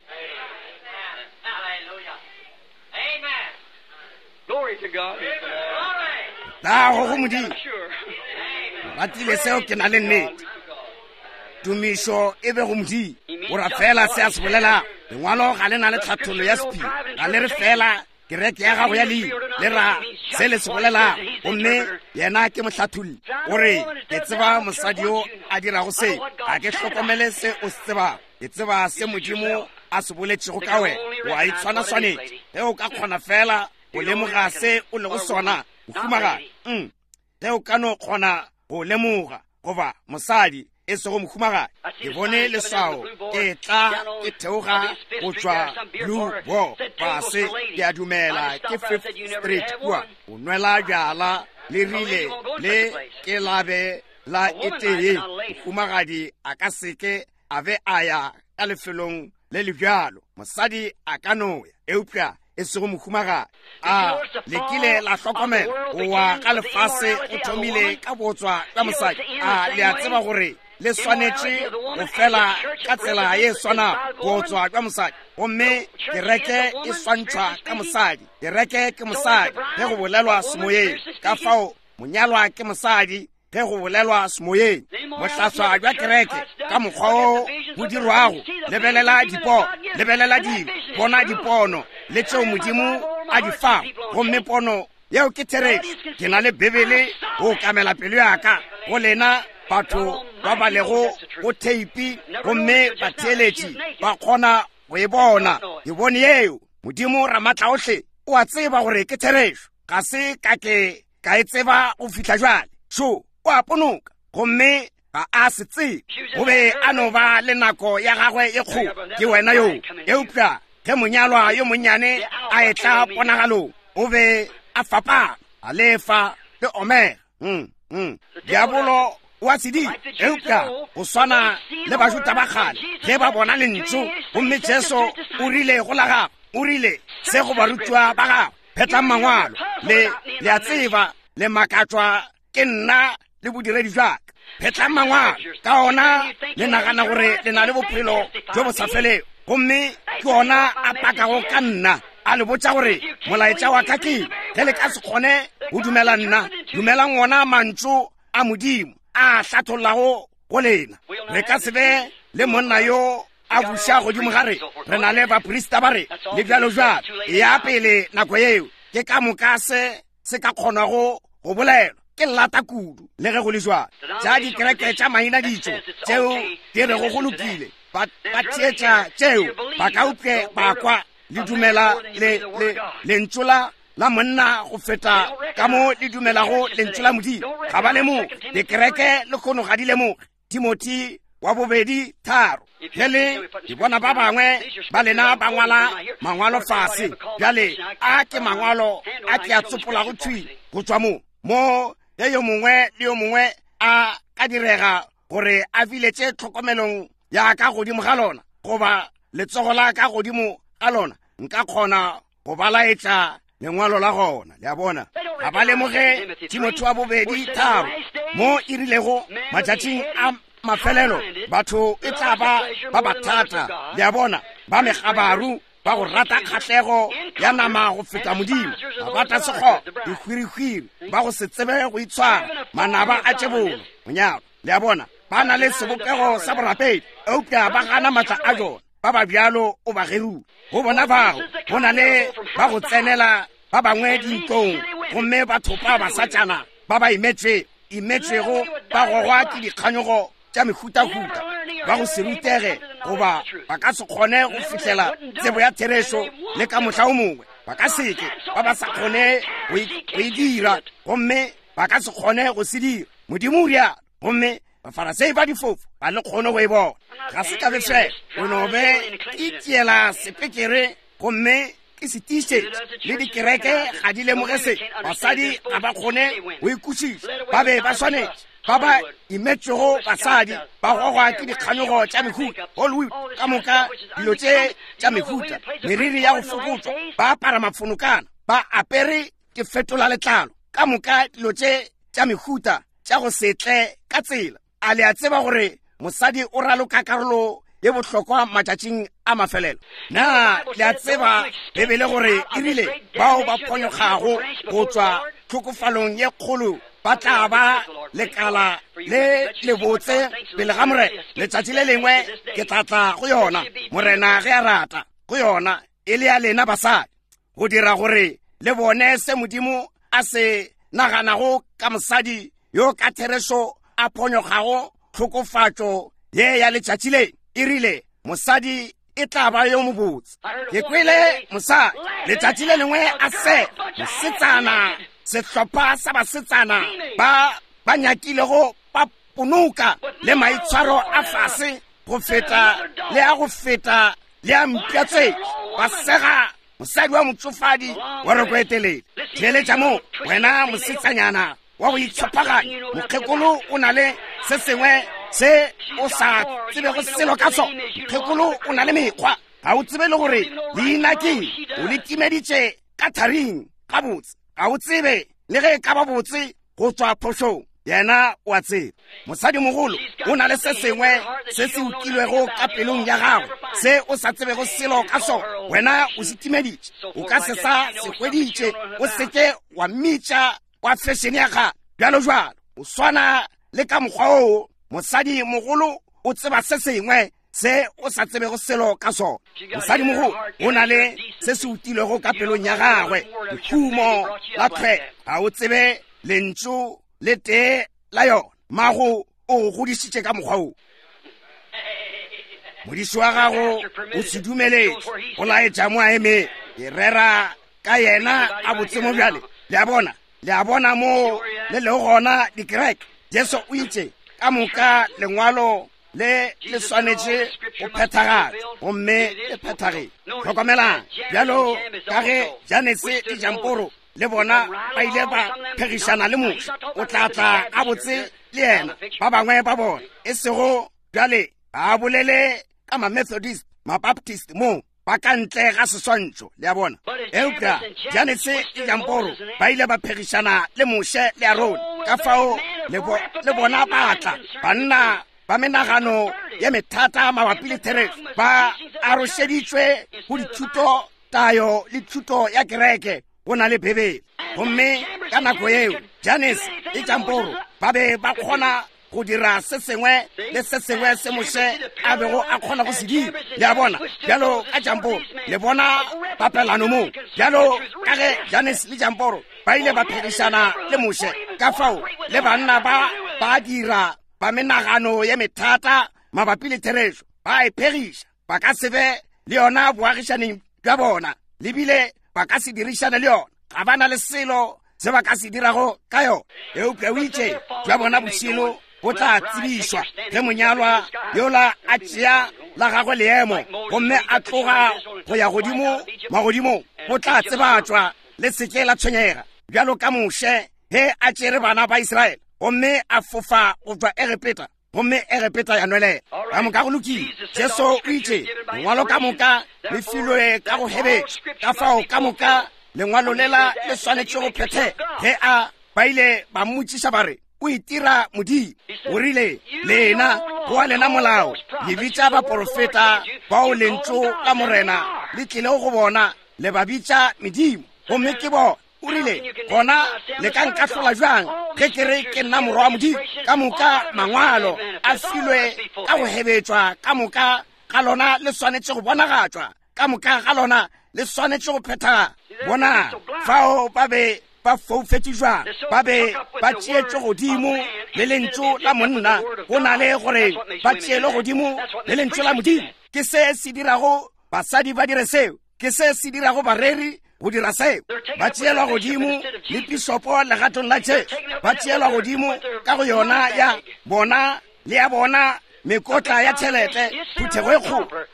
Speaker 1: Tago go Modimo. Ratile seo, ke na le nnete. Tumišo e be go Modimo. O ra fela se a se bolelago. Lengwalo ga le na le tlhathollo ya sephiri, ga le re fela kereke ya gago ya leina, le ra se le se bolelago, gomme yena ke mohlatholli. O re, ke tseba mosadi yo a dirago se, ga ke hlokomele se o se tsebago, ke tseba se Modimo a se boletšego ka wena. O a itshwana swanetše ge o ka kgona fela go lemoga se o lego sona, mohumagadi. Ge o ka no kgona go lemoga, goba mosadi, e sego mohumagadi. Ke bone leswao ke tla ke theoga go tšwa Blue Boar fase, ke a dumela ke Fifth Street kua, o nwela bjala, le rile le ke labe la e tee. Mohumagadi a ka seke a be a ya ka lefelong le le bjalo. Mosadi a ka no ya, eupša e sego mohumagadi. A le kile la hlokomela go wa ga lefase go thomile ka botswa bja mosadi? A le a tseba gore le swanetše go fela ka tsela ye swanago, botswa bja mosadi? Gomme kereke e swantšhwa ka mosadi. Kereke ke mosadi ge go bolelwa semoyeng. Ka fao monyalwa ke mosadi ge go bolelwa semoyeng. Bohlaswa bja kereke ka mokgwa wo bo dirwago, lebelela dipono, lebelela dilo, bona dipono le tšeo Modimo a di fago, gomme pono yeo ke therešo. Ke na le Bibele go okamela pelo ya ka go lena batho ba ba lego go theipi, gomme batheeletši ba kgona go e bona. Ke bone yeo. Modimo Ramatlaohle o a tseba gore ke therešo. Ga se ka ke ka e tseba go fihla jwale. Šo, o a ponoka, gomme ga a se tsebe. O be a no ba le nako ya gagwe ye kgolo. Ke wena yo. Eupša ge monyalwa yo monnyane a etla ponagalong, o be a fapana, Alefa le Omega. Diabolo o a se dira, eupša go swana le Bajuda ba kgale ge ba bona lentšu, gomme Jesu o rile go la gagwe, o rile se go barutiwa ba gagwe, phetlang mangwalo, le, le a tseba, le makatšwa ke nna le bodiredi bja ka. Phetlang mangwalo, ka ona le nagana gore le na le bophelo bjo bo sa felego, gomme ke ona a pakago ka nna, a le botša gore molaetša wa ka ke eng. Ge le ka se kgone go dumela nna, dumelang ona mantšu a Modimo a hlathollago go lena. Re ka se be le monna yo a buša godimo ga re, re na le baprista ba re, le bjalo bjalo. E ya pele nako yeo, ke ka moka se se ka kgonago go bolelwa. Ke lata kudu, le ge go le jwalo. Tša dikereke tša maina ditšo tšeo di rego go lokile, ba theetša tšeo ba ka upše ba kwa le dumela le le lentšu la la monna go feta ka mo le dumelago lentšu la Modimo. Ga ba lemoge. Dikereke le kgono ga di lemoge. Timothy wa bobedi tharo. Ge le di bona ba bangwe ba lena ba ngwala mangwalo fase, bjale a ke mangwalo a ke a tsopolago thwi go tšwa mo mo ge yo mongwe le yo mongwe a ka direga gore a biletše tlhokomelong ya ka godimo ga lona goba letsogo la ka godimo ga lona, nka kgona go ba laetša lengwalo la gona. Le a bona, ga ba lemoge Timothy wa bobedi tharo mo e rilego matšatšing a mafelelo batho e tla ba ba bathata, le a bona, ba megabaru, ba go rata kgahlego ya nama go feta Modimo, ba bata sekgoba, dihwirihwiri, ba go se tsebe go itshwara, manaba a tšebolo monyalo. Le a bona, ba na le sebopego sa borapedi, eupša ba gana maatla a jona. Ba ba bjalo o ba gerule. Go bona bao go na le ba go tsenela ba bangwe dintlong gomme ba thopa basatšana ba ba imetšego ba gogwa ke dikganyogo tša mehutahuta, ba go se rutege goba ba ka se kgone go fihlela tsebo ya therešo le ka mohla o mongwe, ba ka seke ba ba sa kgone go e dira, gomme ba ka se kgone go se dira. Modimo o rialo. Gomme Bafarasei ba difofu ba le kgone go e bona. Ga se ka befela, o no be ke tiela sepekere gomme ke se tiišetše. Le dikereke ga di lemoge se. Basadi ga ba kgone go ikwešiša. Ba be ba swanetše ba ba imetšego basadi ba gogwa ke dikganyogo tša mehuta, Hollywood ka moka, dilo tše tša mehuta, meriri ya go fokotšwa, ba apara mafonokana, ba apere ke fetola letlalo, ka moka dilo tše tša mehuta tša go se tle ka tsela. A le a tseba gore mosadi o raloka karolo ye bohlokwa matšatšing a mafelelo? Na le a tseba Bibele gore e rile bao ba phonyokgago go tšwa tlhokofalong ye kgolo ba tla ba lekala le lebotse pele ga Morena? Letšatši le lengwe ke tla tla go yona, Morena ge a rata, go yona e le ya lena basadi, go dira gore le bone se Modimo a se naganago ka mosadi yo ka therešo a phonyokgago tlhokofatšo ye ya letšatši le. E rile mosadi e tla ba yo mobotse. Ke kwele mosadi letšatši le lengwe a se mosetsana, sehlopha sa basetsana ba ba nyakilego ba ponoka le maitshwaro a fase go feta le a go feta le a mpša tse, ba sega mosadi wa motšofadi wa roko e telele. Theeletša mo, wena mosetsanyana wa go itshopaganya, mokgekolo o na le se sengwe se o sa tsebego selo ka sona. Mokgekolo o na le mekgwa, ga o tsebe le gore leina keng, o le timeditše ka tharing gabotse, ga o tsebe le ge e ka ba botse go tšwa phošong. Yena o a tseba. Mosadimogolo o na le se sengwe se se utilwego ka pelong ya gagwe se o sa tsebego selo ka sona. Wena o se timeditše, o ka se sa se hweditše. O seke wa mmitša wa fešene ya kgale bjalo jwalo. O swana le ka mokgwa oo mosadimogolo o tseba se sengwe se o sa tsebego selo ka sona. Mosadimogolo o na le se se utilwego ka pelong ya gagwe, lehumo la tlhwelo. Ga o tsebe lentšu le tee la yona. Mago o go godišitše ka mokgwa wo. Modiši wa gago o se dumeletše go laetša mo a emeng. Ke rera ka yena a botse mo bjale. Le a bona? Le a bona mo le lego gona dikereke? Jesu o itše ka moka lengwalo le le swanetše go phethagala, gomme le phethagetše. Hlokomelang, bjalo ka ge Janese le Jamporo le bona ba ile ba phegišana le Moshe, o tla tla gabotse le yena, ba bangwe ba bona, e sego bjale ba bolele ka ma-Methodist, ma-Baptist mo, ba ka ntle ga seswantšho, le a bona. Eupša Janese le Jamporo ba ile ba phegišana le Moshe le Arone, ka fao le bona ba tla, banna ba menagano ye methata mabapi le therešo, ba arošeditšwe go dithuto, tayo le thuto ya kereke go na le Bibele. Gomme ka nako yeo Janese le Jamporo ba be ba kgona go dira se sengwe le se sengwe se Moshe a bego a kgona go se dira. Le a bona, bjalo ka Jamporo, le bona papelano mo, bjalo ka ge Janese le Jamporo ba ile ba phegišana le Moshe, ka fao le banna ba ba dira ba menagano ye methata mabapi le therešo. Ba e phegiša. Ba ka se be le yona boagišaneng bja bona, le bile ba ka se dirišane le yona. Ga ba na le selo se ba ka se dirago ka yona. Eupša o itše, bja bona bošilo bo tla tsebišwa ge monyalwa yola a tšea la gagwe leemo gomme a tloga go ya godimo magodimong, bo tla tsebatšwa. Le se ke la tshwenyega. Bjalo ka Moshe ge a tšere bana ba Israele gomme a fofa go tšwa Egepeta, gomme Egepeta ya nwelela. Ka moka go lokile. Jesu o itše, Lengwalo ka moka le filwe ka go hebetšwa, ka fao ka moka lengwalo lela le swanetše go phethega. Ge a ba ile ba mmotšiša ba re, O itira Modimo. O rile, Lena, go wa lena molao, le bitša baporofeta bao lentšu la Morena le tlilego go bona, le ba bitša medimo, gomme ke bona. O rile, Gona le ka nkahlola bjang ge ke re ke nna Morwa wa Modimo? Ka moka mangwalo a filwe ka go hebetšwa, ka moka ga lona le swanetše go bonagatšwa, ka moka ga lona le swanetše go phethagala. Bona fao ba be ba foufetše jwang, ba be ba tšeetšwe godimo le lentšu la monna go na le gore ba tšeelwe godimo le lentšu la Modimo. Ke se se dirago basadi ba dire seo, ke se se dirago bareri go dira seo. Ba tšeelwa godimo le pišopo legatong la Jesu, ba tšeelwa godimo ka go yona ya bona le ya bona mekotla ya tšhelete. Phuthego e kgolo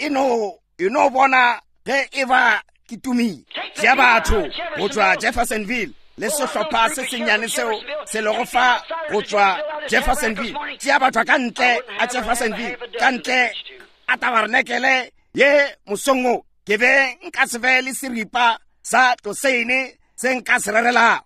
Speaker 1: e no bona ge e ba ke tumile. Tšea batho go tšwa Jeffersonville le sehlopha se sennyane seo se lego fa go tšwa Jeffersonville. Tšea batho ka ntle a Jeffersonville, ka ntle a tabarenekele ye mosong wo, ke be nka se be le seripa sa toseine se nka se rerelago.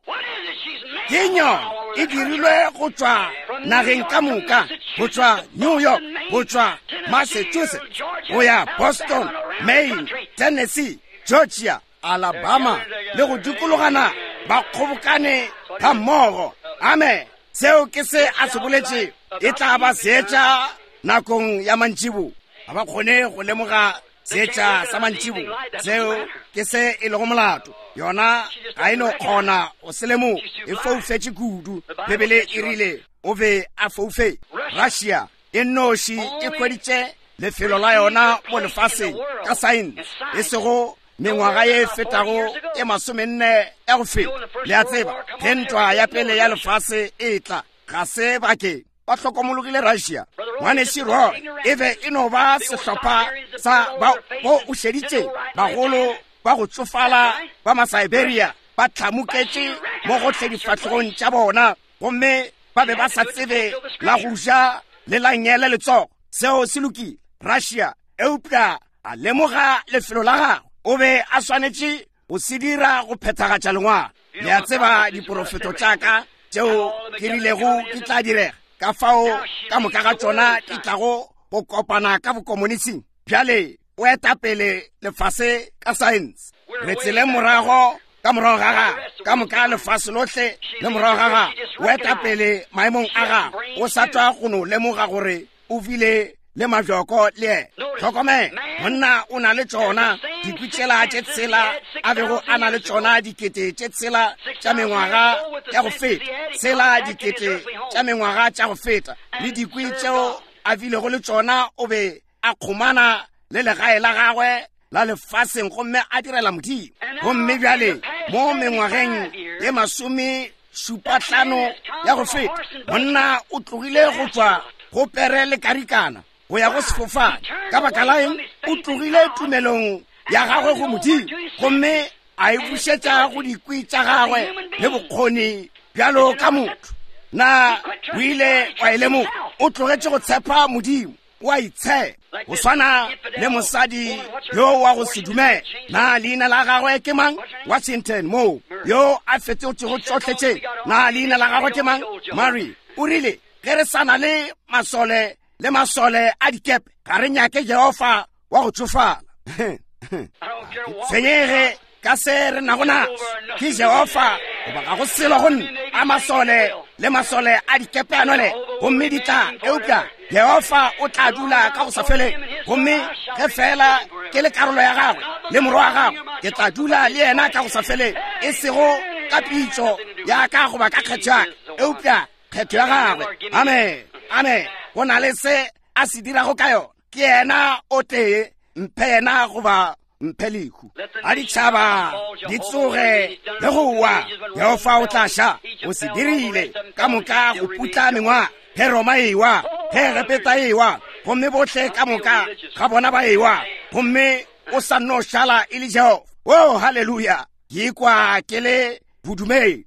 Speaker 1: Ke nyona e dirilwe go tšwa nageng ka moka, go tšwa New York, go tšwa Massachusetts, go ya Boston, Maine, Tennessee, Georgia, Alabama, le go dikologana, ba kgobokane ga mmogo. Amen. Seo ke se a se boletše, e tla ba seetša nakong ya mantšibo. Ga ba kgone go lemoga seetša sa mantšibo. Seo ke se e lego molato. Yona ga e no kgona go se lemoga, e foufetše kudu. Bibele e rile o be a foufetše. Russia e nnoši e hweditše lefelo la yona mo lefaseng ka saense, e sego mengwaga ye e fetago e 40 ya go feta. Le a tseba, ge ntwa ya pele ya lefase e tla, ga se bakeng ba hlokomologile Russia. Ngwanešu Roy e be e no ba sehlopha sa ba bo o šeditše bagolo ba go tšofala ba Masiberia ba hlamuketše mo gohle difahlegong tša bona, gomme ba be ba sa tsebe la go ja le la ngele letsogo. Seo se lokile, Russia, eupša a lemoga lefelo la gagwe. O be a swanetše go se dira go phethagatša lengwalo. Le a tseba diporofeto tša ka tšeo ke rilego di tla direga, ka fao ka moka ga tšona di tlago go kopana ka bokomonising. Bjale o eta pele lefase ka saense. Re tseleng morago ka morago ga gagwe, ka moka lefase lohle le morago ga gagwe. O eta pele maemong a gagwe, o sa tšwa go no lemoga gore o bile le majoko le yena. Hlokomela, monna o na le tšona dikwi tšela tše tshela a bego a na le tšona dikete tše tshela tša mengwaga ya go feta, tshela dikete tša mengwaga tša go feta, le dikwi tšeo a bilego le tšona, o be a kgomana le legae la gagwe la lefaseng gomme a direla Modimo. Gomme bjale mo mengwageng ye 75 ya go feta, monna o tlogile go tšwa go pere le karikana go ya go sefofane. Ka baka la eng? O tlogile tumelong ya gagwe go Modimo gomme a e bušetša go dikwi tša gagwe le bokgoni bjalo ka motho. Na o ile wa e lemoga? O tlogetše go tshepa Modimo, o a itshepa, go swana le mosadi yo wa go se dumele. Na leina la gagwe ke mang? Washington moo, yo a fetotšego tšohle tše. Na leina la gagwe ke mang? Mary. O rile, ge re sa na le masole le masole a dikepe, ga re nyake Jehofa wa go tšofala. Tshwenyege ka se re nago naso, ke Jehofa goba ga go selo go nna. A masole le masole a dikepe a nole, gomme di tla, eupša Jehofa o tla dula ka go sa feleng. Gomme ge fela ke le karolo ya gagwe le morwa wa gagwe, ke tla dula le yena ka go sa feleng, e sego ka pitšo ya ka goba ka kgetho ya ka, eupša kgetho ya gagwe. Amen, amen. Go na le se a se dirago ka yona. Ke yena o tee, mphe yena goba mphe lehu. A ditšhaba di tsoge le go wa, Jehofa o tla ša. O se dirile ka moka go putla mengwaga. Ge Roma e wa, ge Egepeta e wa, gomme bohle ka moka ga bona ba e wa, gomme o sa nno šala e le Jehofa. Oh, haleluya! Ke ikwa ke le bodumedi.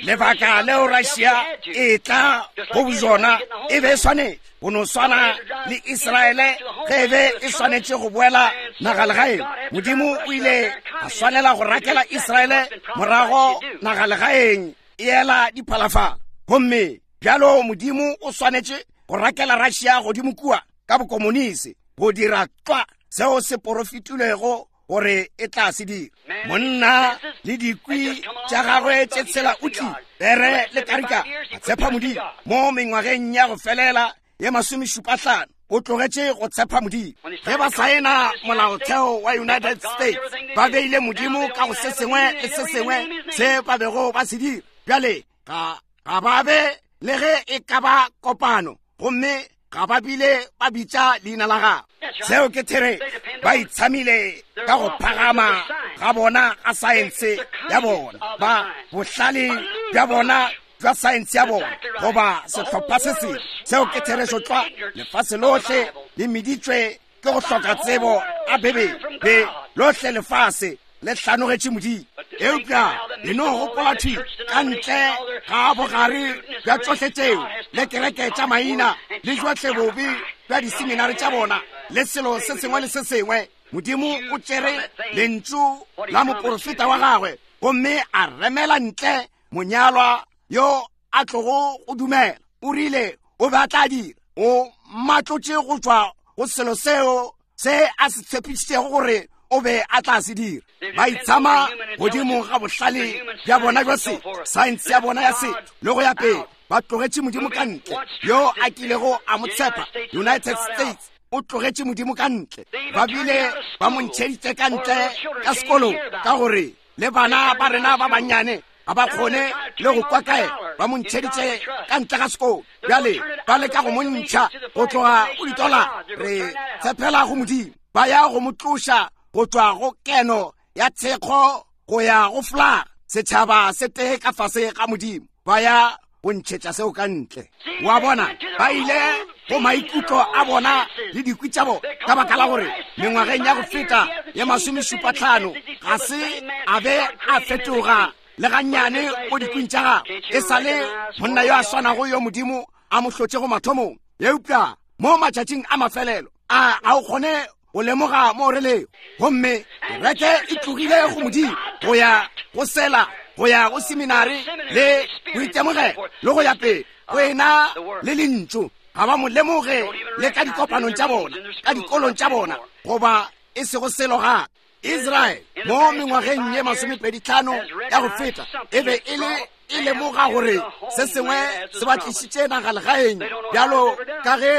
Speaker 1: Lebaka leo Russia e tla go bojona e be e swanetše go no swana le Israele ge e be e swanetše go boela nagalegaeng. Modimo o ile a swanela go rakela Israele morago nagalegaeng e ela diphalafala. Gomme bjalo Modimo o swanetše go rakela Russia godimo kua ka bokomonisi go dira tlwa seo se porofetilwego gore e tla se dira. Monna le dikwi tša gagwe tše tshela o tlile, pere le karika, a tshepa Modimo. Mo mengwageng ya go felela ye masomešupahlano o tlogetše go tshepa Modimo. Ge ba saena molaotheo wa United States, ba beile Modimo ka go se sengwe le se sengwe se ba bego ba se dira. Bjale ga ba be le ge e ka ba kopano, gomme ga ba bile ba bitša leina la gagwe. Seo ke therešo. Ba itshamile ka go phagama ga bona ga saense ya bona, ba bohlale bja bona bja saense ya bona, goba sehlopha se sengwe. Seo ke therešo tlwa. Lefase lohle le meditšwe ke go hloka tsebo a Bibele, be lohle lefase le hlanogetše Modimo. Eupša le no gopola thwi ka ntle ga bogare bja tšohle tšeo, le kereke tša maina, le johle bobe bja diseminari tša bona, le selo se sengwe le se sengwe, Modimo o tšere lentšu la moporofeta wa gagwe gomme a remela ntle monyalwa yo a tlogo go dumela. O rile o be a tla dira. O matlotše go tšwa go selo seo se a se tshepišitšego gore o be a tla se dira. Ba itshama godimo ga bohlale bja bona bja setho, saense ya bona ya setho, le go ya pele. Ba tlogetše Modimo ka ntle, yo a kilego a mo tshepa. United States o tlogetše Modimo ka ntle. Ba bile ba mo ntšheditše ka ntle ka sekolong, ka gore le bana ba rena ba bannyane ga ba kgone le go kwa kae. Ba mo ntšheditše ka ntle ga sekolo. Bjale ba leka go mo ntšha go tloga go ditola. Re tshepela go Modimo. Ba ya go mo tloša go tšwa go keno ya thekgo go ya go flaga, setšhaba se tee ka fase ga Modimo. Ba ya go ntšhetša seo ka ntle. Wa bona, ba ile go maikutlo a bona le dikwi tša bona, ka baka la gore mengwageng ya go feta ye masomešupatlhano ga se a be a fetoga le gannyane mo dikwing tša gagwe. E sa le monna yo a swanago yo Modimo a mo hlotšego mathomong. Eupša mo matšatšing a mafelelo a ga o kgone go lemoga mo re lego. Gomme kereke e tlogile go Modimo go ya go sela, go ya go seminari le boitemogelo le go ya pele, go ena le lentšu. Ga ba mo lemoge le ka dikopanong tša bona, ka dikolong tša bona, goba e sego selo gape. Israel mo mengwageng ye masomepeditlhano ya go feta e be e le e lemoga gore se sengwe se ba tlišitše nagalegaeng bjalo ka ge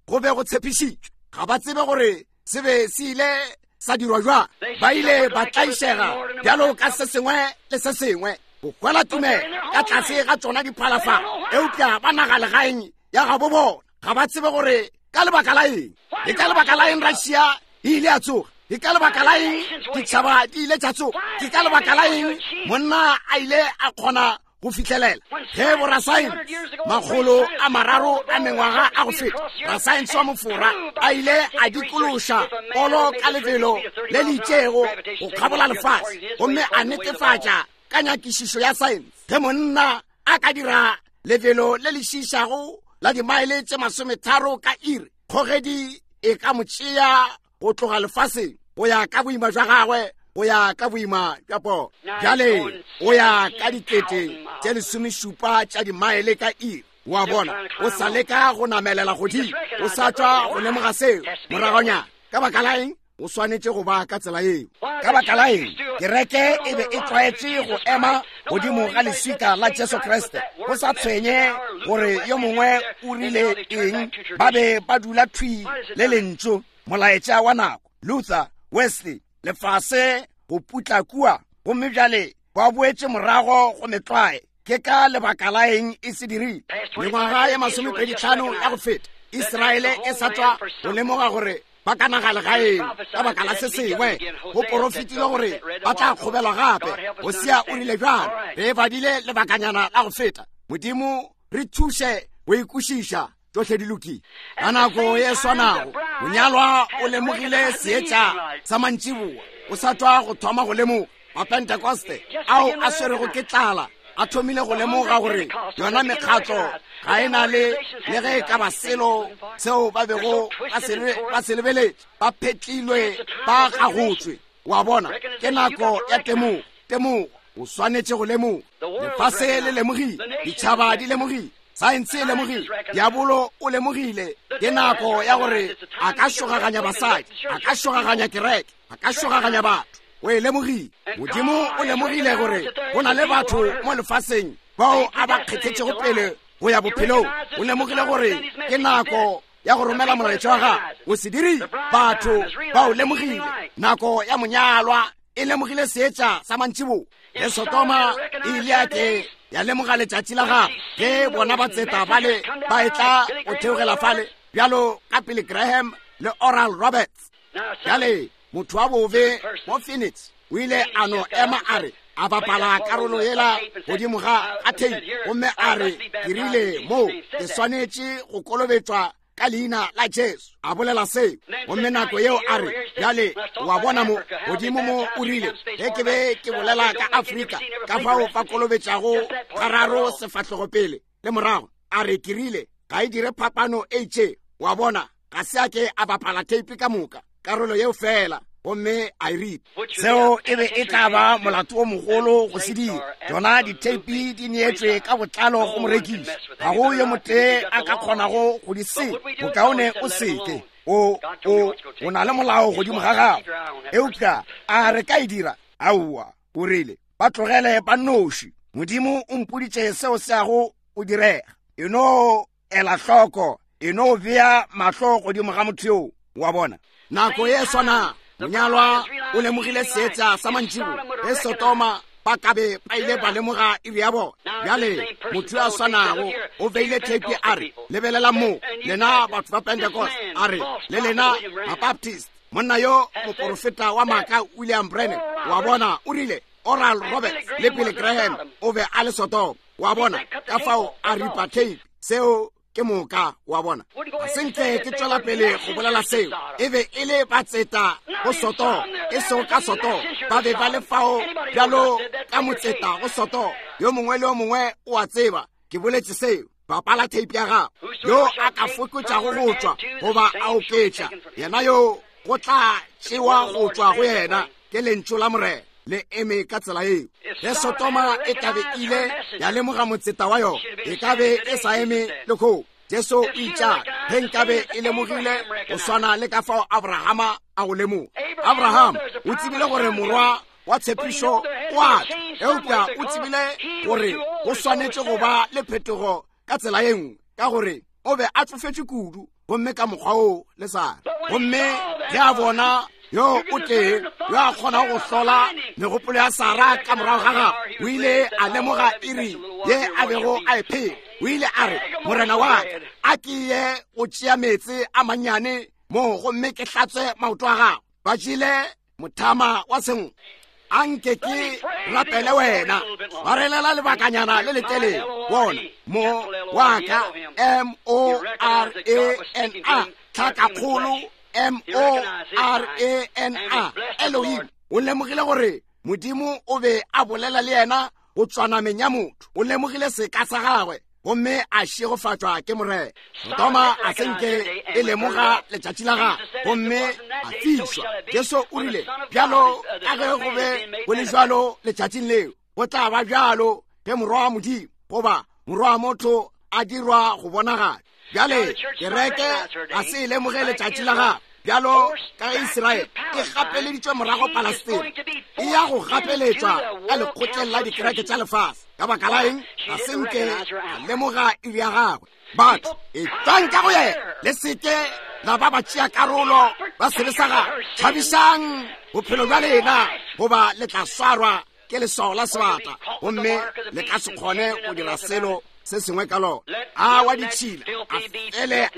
Speaker 1: go be go tshepišitšwe. Ga ba tsebe gore se be se ile sa dirwa jwang. Ba ile ba tlaišega bjalo ka se sengwe le se sengwe go kwela tumelo ka tlase ga tšona diphalafala, eupša ba nagalegaeng ya gabo bona. Ga ba tsebe gore ka lebaka la eng. Ke ka lebaka la eng Russia e ile ya tsoga? Ke ka lebaka la eng ditšhaba di ile tša tsoga? Ke ka lebaka la eng monna a ile a kgona go fihlelela? Ge borasaense makgolo a mararo a mengwaga a go feta, rasaense wa Mofora a ile a dikološa polo ka lebelo le le itšego go kgabola lefase, gomme a netefatša ka nyakišišo ya saense ge monna a ka dira lebelo le le šiišago la dimaele tše masometharo ka iri, kgogedi e ka mo tšea go tloga lefaseng go ya ka boima bja gagwe, go ya ka boima bja polo. Bjale o ya ka dikete tše lesomešupa tša dimaele ka iri. Wa bona, o sa leka go namelela godimo, o sa tšwa go lemoga seo moragonyana. Ka baka la eng? O swanetše go ba ka tsela yeo. Ka baka la eng? Kereke e be e tlwaetše go ema godimo ga leswika la Jesu Kriste, go sa tshwenye gore yo mongwe o rile eng, ba be ba dula thwi le lentšu, molaetša wa nako, Luther, Wesley, lefase go putla kua, gomme bjale ba boetše morago go metlwae. Ke ka lebaka la eng e se dirile? Mengwaga ye masomepeditlhano ya go feta, Israele e sa tšwa go lemoga gore ba ka naga legaeng ka baka la se sengwe. Go porofetilwe gore ba tla kgobelwa gape. Hosea o rile bjalo. Re e badile lebakanyana la go feta. Modimo re thuše go e kwešiša. Tšohle di lokile. Ka nako ye swanago, monyalwa o lemogile seetša sa mantšiboa. O sa tšwa go thoma go lemoga. Mapentekoste ao a swerego ke tlala a thomile go lemoga gore yona mekgatlo ga e na le le ge e ka ba selo seo ba bego ba se lebeletše. Ba phetlilwe, ba gagotswe. Wa bona, ke nako ya temogo. Temogo, o swanetše go lemoga. Lefase le lemogile, ditšhaba di lemogile, saense e lemogile, diabolo o lemogile. Ke nako ya gore a ka šogaganya basadi, a ka šogaganya kereke, a ka šogaganya batho. O e lemogile. Modimo o lemogile gore go na le batho mo lefaseng bao a ba kgethetšego pele go ya bophelong. O lemogile gore ke nako ya go romela molaetša wa gagwe. O se dirile. Batho ba o lemogile. Nako ya monyalwa e lemogile seetša sa mantšiboa. Ge Sodoma e ile ya ke ya lemoga letšatši la gagwe, ge bona batseta bale ba etla go theogela fale, bjalo ka Billy Graham le Oral Roberts. Bjale motho wa bobe mo Phoenix o ile a no ema a re, a bapala karolo yela godimo ga ga tape, gomme a re, ke rile mo ke swanetše go kolobetšwa ka leina la Jesu. A bolela seo, gomme nako yeo a re, bjale wa bona mo godimo mo, o rile, ge ke be ke bolela ka Afrika ka fao ba kolobetšago gararo sefahlogo pele le morago, a re, ke rile ga e dire phapano e itšego. Wa bona, ga se a ke a bapala tape ka moka, karolo yeo fela, gomme a e ripa. Seo e be e tla ba molato o mogolo go se dira. Tšona ditheipi di neetšwe ka botlalo go morekiši. Ga go yo motee a ka kgonago go di senya. Bokaone o seke. O, o, o na le molao godimo ga gago. Eupša a re ka e dira? Aowa, o rile, ba tlogele ba nnoši. Modimo o mpoditše seo se yago go direga. E no ela hloko, e no bea mahlo godimo ga motho yoo. Wa bona, nako ye swana monyalwa o lemogile seetša sa mantšibo. Ge Sodoma ba ka be ba ile ba lemoga iri ya bona. Bjale motho yo a swanago o beile theipi, a re, lebelelang mo, lena batho ba Pentecost, a re, le lena Mabaptist. Monna yo moporofeta wa maaka William Branham, wa bona, o rile Oral Roberts le Billy Graham o be a le Sodoma. Wa bona, ka fao a ripa tape. Seo ke moka, wa bona. Ga se nke ke tšwela pele go bolela seo. E be e le batseta go Sodoma, e sego ka Sodoma. Ba be ba le fao bjalo ka motseta go Sodoma. Yo mongwe le yo mongwe o a tseba ke boletše seo. Bapala tape ya gago. Yo a ka fokotšago go tšwa goba a oketša, yena yo go tla tšewa go tšwa go yena ke lentšu la Morena. Le eme ka tsela yeo. Ge Sodoma e ka be ile ya lemoga motseta wa yona, e ka be e sa eme lehono. Jesu o itšalo, ge nkabe e lemogile go swana le ka fao Abrahama a go lemoga. Abraham o tsebile gore morwa wa tshepišo o a tla, eupša o tsebile gore go swanetše go ba le phetogo ka tsela ye nngwe, ka gore o be a tsofetše kudu, gomme ka mokgwa oo le Sara. Gomme ge a bona yo o tee yo a kgonago go hlola megopolo ya Sara ka morago ga gagwe, o ile a lemoga iri ye a bego a e phela. O ile a re, Morena wa ka, a ke ye go tšea meetse a mannyane mo gomme ke hlatswe maoto a gago. Ba jele mothama wa sengwe. A nke ke rapele wena. Ba relela lebakanyana le letelele. Bona, mo wa ka, M O R A N A, tlhakakgolo, M O R A N A, Elohim. O lemogile gore Modimo o be a bolela le yena go tšwa nameng ya motho. O lemogile seka sa gagwe gomme a šegofatšwa ke Morena. Sodoma a se nke e lemoga letšatši la gagwe gomme a fišwa. Jesu o rile, bjalo ka ge go be go le bjalo letšatšing leo, go tla ba bjalo ge Morwa wa Modimo goba Morwa wa motho a dirwa go bonagala. Bjale kereke ga se e lemoge letšatši la gagwe. Bjalo ka ge Israele e gapeleditšwe morago Palestina, e ya go gapeletšwa ka lekgotleng la dikereke tša lefase. Ka baka la eng? Ga se nke a lemoga iri ya gagwe. Batho, etšwang ka go yena, le seke la ba ba tšea karolo ba sebe sa gagwe. Tšhabišang bophelo bja lena, goba le tla swarwa ke leswao la sebata, gomme le ka se kgone go dira selo. se sengwe ka lona. A wa ditšhila, a fele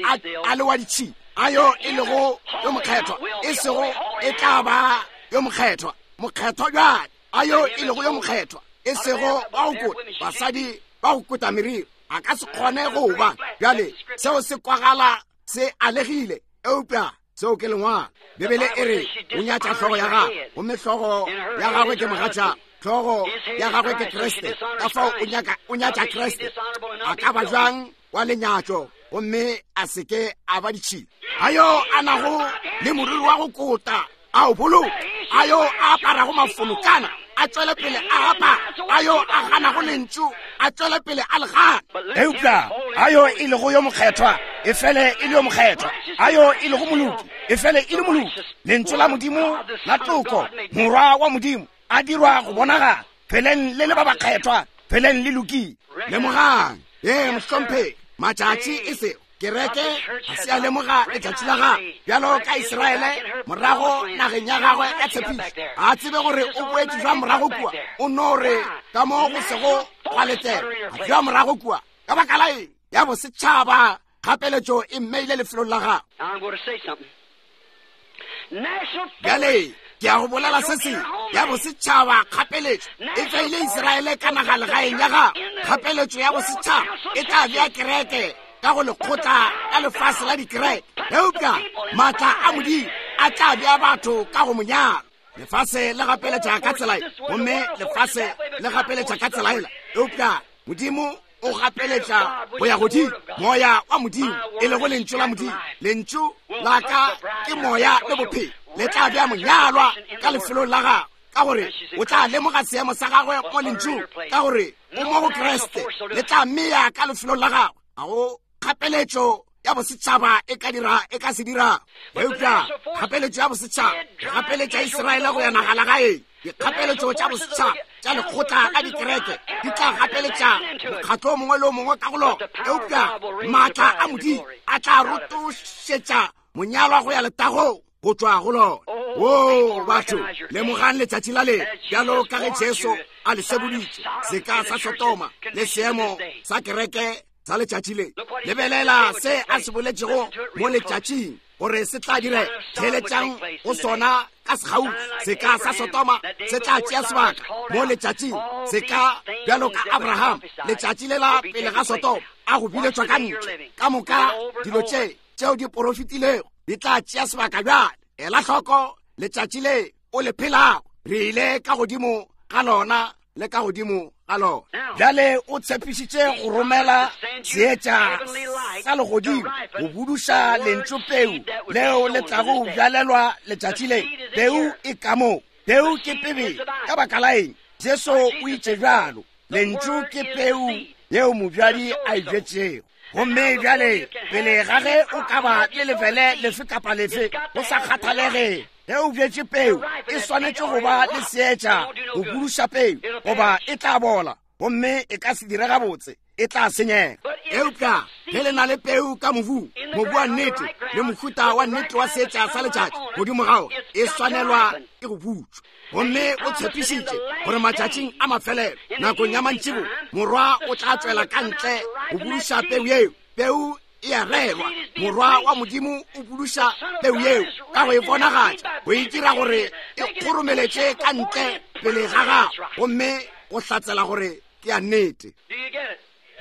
Speaker 1: a le wa ditšhila. A yo e lego yo mokgethwa, e sego e tla ba yo mokgethwa. Mokgethwa bjale, a yo e lego yo mokgethwa, e sego ba go kota, basadi ba go kota meriri, a ka se kgone go ba. Bjale, seo se kwagala se alegile, eupša seo ke lengwalo. Bibele e re o nyatša hlogo ya gagwe, gomme hlogo ya gagwe ke mogatša, hlogo ya gagwe ke Kriste. Ka fao o nyatša Kriste. A ka ba bjang wa lenyatšo gomme a se ke a ba ditšhila? A yo a nago le moriri wa go kota a o boloke, a yo a aparago mafolokana a tšwele pele a apara, a yo a ganago lentšu a tšwele pele a le gana. Eupša a yo e lego yo mokgethwa e fele e le yo mokgethwa, a yo e lego moloki e fele e le moloki. Lentšu la Modimo la toko, Morwa wa Modimo a dirwa go bonagala. Pheleng le le ba bakgethwa, pheleng le lokile. Lemogang, ee mohlomphegi, matšatši e sego kereke ga se a lemoga letšatši la gagwe bjalo ka Israele morago nageng ya gagwe ya tshepišo. Ga a tsebe gore o boetše jwa morago kua, o no re ka mo go sego gwa letela a jwa morago kua. Ka baka la eng? Ya bosetšhaba kgapeletšo e mmeile lefelong la gagwe. Bjale ke ya go bolela se sengwe. Ya bosetšhaba kgapeletšo e tlaile Israele ka naga legaeng ya gagwe. Kgapeletšo ya bosetšhaba e tla bea kereke ka go lekgotla la lefase la dikereke, eupša maatla a Modimo a tla bea batho ka go monyalo. Lefase le gapeletša ka tsela e, gomme lefase le gapeletša ka tsela ela, eupša Modimo o gapeletša go ya godimo. Moya wa Modimo, e lego Lentšu la Modimo, Lentšu la ka ke Moya le bophelo, le tla bea monyalwa ka lefelong la gagwe, ka gore o tla lemoga seemo sa gagwe mo Lentšung, ka gore o mo go Kriste, le tla mmea ka lefelong la gagwe. Ga go kgapeletšo ya bosetšhaba e ka dira, e ka se dira. Eupša kgapeletšo ya bosetšhaba e gapeletša Israele go ya nagalagaeng. Dikgapeletšo tša bosetšhaba tša lekgotla la dikereke di tla gapeletša mokgatlo o mongwe le o mongwe ka go lona, eupša maatla a Modimo a tla rotošetša monyalwa go ya letagong go tšwa go lona. Oo, batho, lemogang letšatši la le, bjalo ka ge Jesu a le seboditše, seka sa Sodoma le seemo sa kereke sa letšatši le. Lebelela se a se boletšego mo letšatšing gore se tla direga. Theeletšang go sona ka sekgauswi. Seka sa Sodoma se tla tšea sebaka mo letšatšing, seka bjalo ka Abraham, letšatši lela pele ga Sodoma a go biletšwa ka ntle. Ka moka dilo tše tšeo di porofetilego di tla tšea sebaka bjale. Ela hloko letšatši le o le phelago. Re ile ka godimo ga lona le ka godimo ga lona. Bjale o tshepišitše go romela seetša sa legodimo go buduša lentšu peu leo le tlago bjalelwa letšatši le. Peu e ka mo. Peu ke pebe. Ka baka la eng? Jesu o itše bjalo. Lentšu ke peu yeo mobjadi a e bjetšego. Gomme bjale, pele ga ge o ka ba le lefele lefe kapa lefe, go sa kgathalege ge o bjetše peu, e swanetše go ba le seetša go buduša peu, goba e tla bola gomme e ka se dire gabotse, e tla senyega. Eupša ge le na le peu ka mobung, mobu wa nnete le mohuta wa nnete wa seetša sa letšatši godimo ga ona, e swanelwa ke go butšwa. Gomme o tshepišitše gore matšatšing a mafelelo, nakong ya mantšibo, Morwa o tla tšwela ka ntle go buduša peu yeo. Peu e a rerwa. Morwa wa Modimo o buduša peu yeo ka go e bonagatša, go e dira gore e kgoromeletše ka ntle pele ga gagwe, gomme go hlatsela gore ke ya nnete.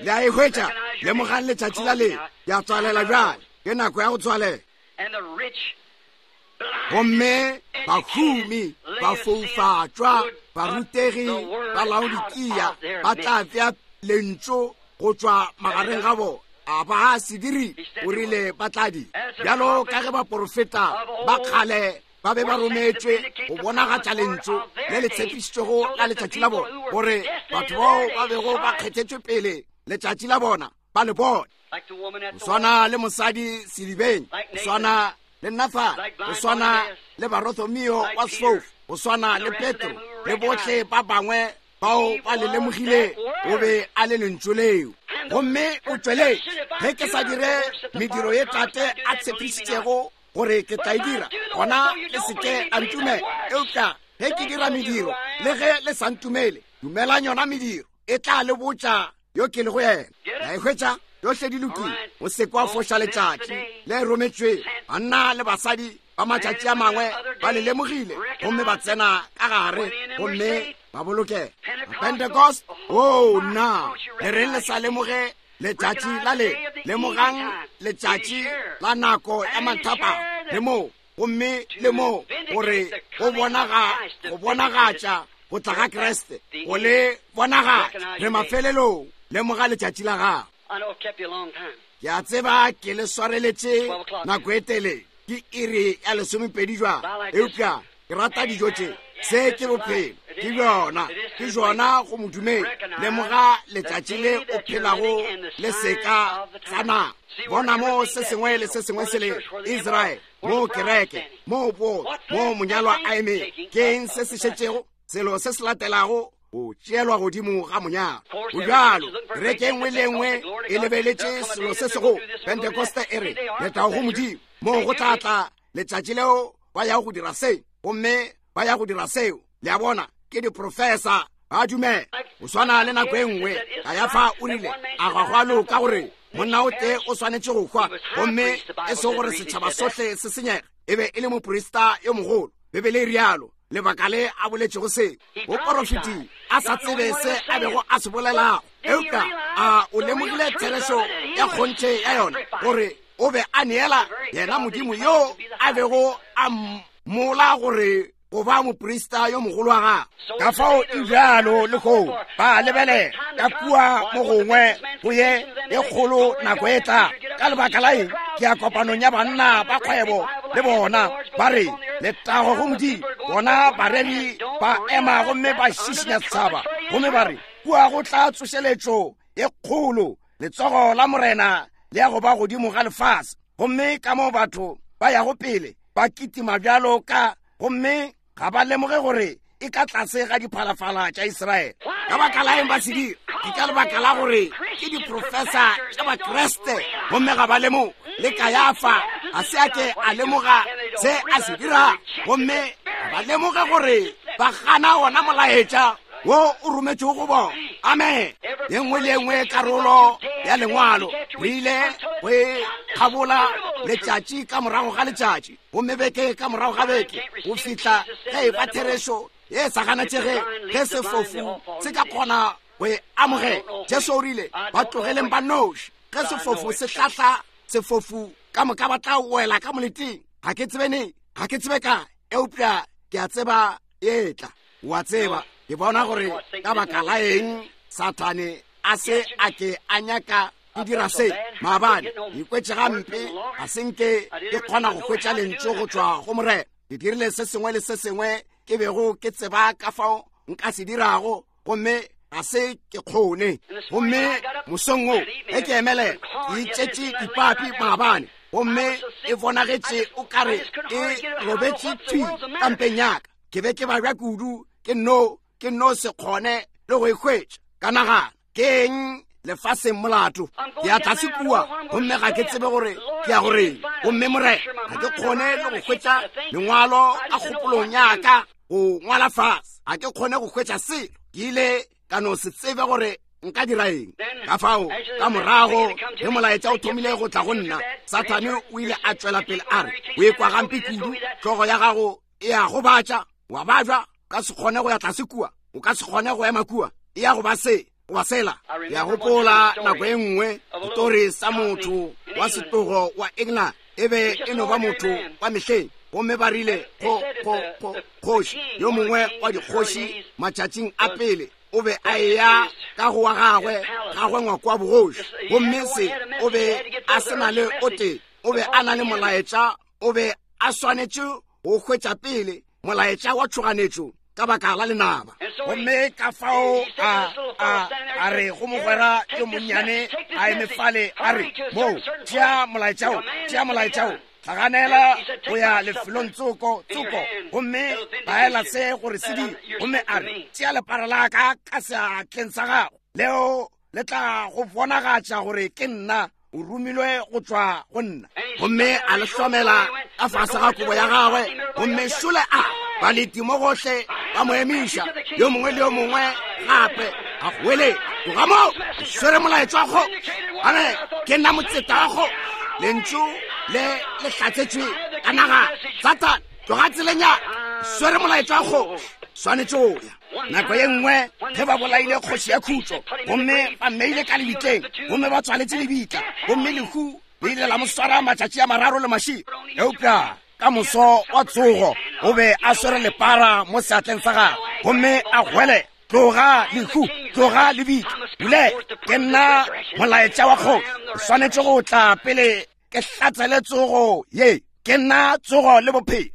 Speaker 1: Le a e hwetša? Lemogang letšatši la le. Ya tswalela bjale. Ke nako ya go tswalela. Gomme bahumi, bafoufatšwa, barutegi ba Laodikia ba tla bea lentšu go tšwa magareng ga bona. A ba se diri, o rile ba tla di. Bjalo ka ge baporofeta ba kgale ba be ba rometšwe go bonagatša lentšu le le tshepišitšwego la letšatši la bona, gore batho bao ba bego ba kgethetšwe pele letšatši la bona ba le bone. Go swana le mosadi sedibeng, go swana le Nathan, go swana le Barthomeo wa sefofu, go swana le Petro le bohle ba bangwe bao ba le lemogile, o be a le lentšu leo. Gomme o tšweletše, ge ke sa dire mediro ye Tate a tshepišitšego gore ke tla e dira, gona le se ke la ntumela. Eupša ge ke dira mediro, le ge le sa ntumele, dumelang yona mediro, e tla le botša yo ke lego yena. La e hwetša? Tšohle di lokile. O se ke wa foša letšatši le rometšwego. Banna le basadi ba matšatši a mangwe ba le lemogile gomme ba tsena ka gare gomme ba bolokega. Pentecost, oo nna, le reng le sa lemoge letšatši la le? Lemogang letšatši la nako ya mathapama le moo, gomme le moo gore go bonaga, go bonagatša go tla ga Kriste, go le bonagatša. Re mafelelong. Lemoga letšatši la gago. Ke a tseba ke le swareletše nako e telele, ke iri ya lesomepedi jwale, eupša ke rata dijo tše. Se ke bophelo, ke bjona, ke bjona go modumedi. Lemoga letšatši le o phelago le seka sa nako. Bona mo se sengwe le se sengwe se le Israele, mo kereke, mo bo, mo monyalwa a emego. Ke eng se se šetšego? Selo se se latelago go tšeelwa godimo ga monyalwa. Go bjalo, kereke e nngwe le e nngwe e lebeletše selo se sego. Pentekoste e re, Letago go Modimo, moo go tla tla letšatši leo ba yago go dira se, gomme ba ya go dira seo. Le a bona, ke diprofesa, ba dumela. Go swana le nako e nngwe Kayafa o rile, a ga go a loka gore monna o tee o swanetše go hwa, gomme e sego gore setšhaba sohle se senyege. E be e le moprista yo mogolo, Bibele e rialo. Lebaka le a boletšego se, o porofetile a sa tsebe se a bego a se bolelago, eupša a o lemogile therešo ya kgonthe ya yona, gore o be a neela yena Modimo yo a bego a mmola gore go ba moprista yo mogolo wa gagwe. Ka fao e bjalo le go ba lebelela ka kua mo gongwe go ye e kgolo nako e tla. Ka lebaka la eng? Ke ya kopanong ya banna ba kgwebo le bona, ba re letago go Modimo. Bona bareri ba ema gomme ba šišinya setšhaba, gomme ba re kua go tla tsošeletšo e kgolo, letsogo la Morena le ya go ba godimo ga lefase. Gomme ka mo batho ba yago pele ba kitima bjalo ka, gomme ga ba lemoge gore e ka tlase ga diphalafala tša Israele. Ka baka la eng ba se dira? Ke ka lebaka la gore ke diprofesa tša Bakriste, gomme ga ba lemoge. Le Kayafa ga se a ke a lemoga se a se dira, gomme ga ba lemoge gore ba gana wona molaetša wo o rometšego go bona. Amen. Ye nngwe le ye nngwe karolo ya Lengwalo re ile go e kgabola letšatši ka morago ga letšatši, gomme beke ka morago ga beke, go fihla ge e ba therešo ye sa ganetšege, ge sefofu se ka kgona go e amogela. Jesu o rile, Ba tlogeleng ba noši. Ge sefofu se hlahla sefofu, ka moka ba tla wela ka moleteng. Ga ke tsebe neng, ga ke tsebe kae, eupša ke a tseba e tla. O a tseba, ke bona gore ka baka la eng Sathane a se a ke a nyaka ke dira se. Maabane ke ikwetše gampe, ga se nke ke kgona go hwetša lentšu go tšwa go Morena. Ke dirile se sengwe le se sengwe ke bego ke tseba ka fao nka se dirago, gomme ga se ke kgone. Gomme mosong wo ge ke emelela, ke itšetše dipapi maabane, gomme e bonagetše o ka re e robetše thwi kampeng ya ka. Ke be ke babja kudu, ke nno, ke nno se kgone le go e hwetša. Ka nagana, ke eng lefaseng molato? Ke ya tlase kua, gomme ga ke tsebe gore ke ya go reng. Gomme Morena, ga ke kgone le go hwetša lengwalo ka kgopolong ya ka go ngwala fase. Ga ke kgone go hwetša selo. Ke ile ka no se tsebe gore nka dira eng. Ka fao, ka morago ge molaetša o thomile go tla go nna, Sathane o ile a tšwela pele a re, O ekwa gampe kudu, hlogo ya gago e a gobatša, wa babja, o ka se kgone go ya tlase kua, o ka se kgone go ema kua, e ya go ba se goba sela. Ke a gopola nako e nngwe setori sa motho wa setlogo wa England, e be e no ba motho wa mehleng, gomme ba rile kgo, kgo, kgo, kgoši, yo mongwe wa dikgoši matšatšing a pele, o be a eya ka go wa gagwe, gagwe ngwako wa bogoši, gomme se o be a se na le o tee, o be a na le molaetša, o be a swanetše go hwetša pele molaetša wa tšhoganetšo ka baka la lenaba. Gomme ka fao a, a, a re go mogwera yo monnyane a eme fale, a re, Mo, tšea molaetša wo, tšea molaetša wo, hlaganela go ya lefelong tsoko, tsoko, gomme laela se gore se dire. Gomme a re, Tšea lepara la ka ka seatleng sa gago, leo le tla go bonagatša gore ke nna o romilwe go tšwa go nna. Gomme a le hlomela ka fase ga kobo ya gagwe, gomme šole a baleti mo gohle ba mo emiša, yo mongwe le yo mongwe gape a goeletša. Tloga mo, ke swere molaetša wa kgoši. Amen. Ke nna motseta wa kgoši. Lentšu le le hlatsetšwe ka naga. Satan, tloga tseleng ya ka. Ke swere molaetša wa kgoši. Swanetše go ya. Nako ye nngwe ge ba bolaile kgoši ya khutšo, gomme ba mmeile ka lebitleng, gomme ba tswaletše lebitla, gomme lehu le ile la mo swara matšatši a mararo le mašego. Eupša ka moso wa tsogo o be a swere lepara mo seatleng sa gagwe, gomme a gwele, Tloga lehu, tloga lebitla, bule, ke nna molaetša wa kgoši, o swanetše go tla pele ke hlatsele tsogo ye. Ke nna tsogo le bophelo.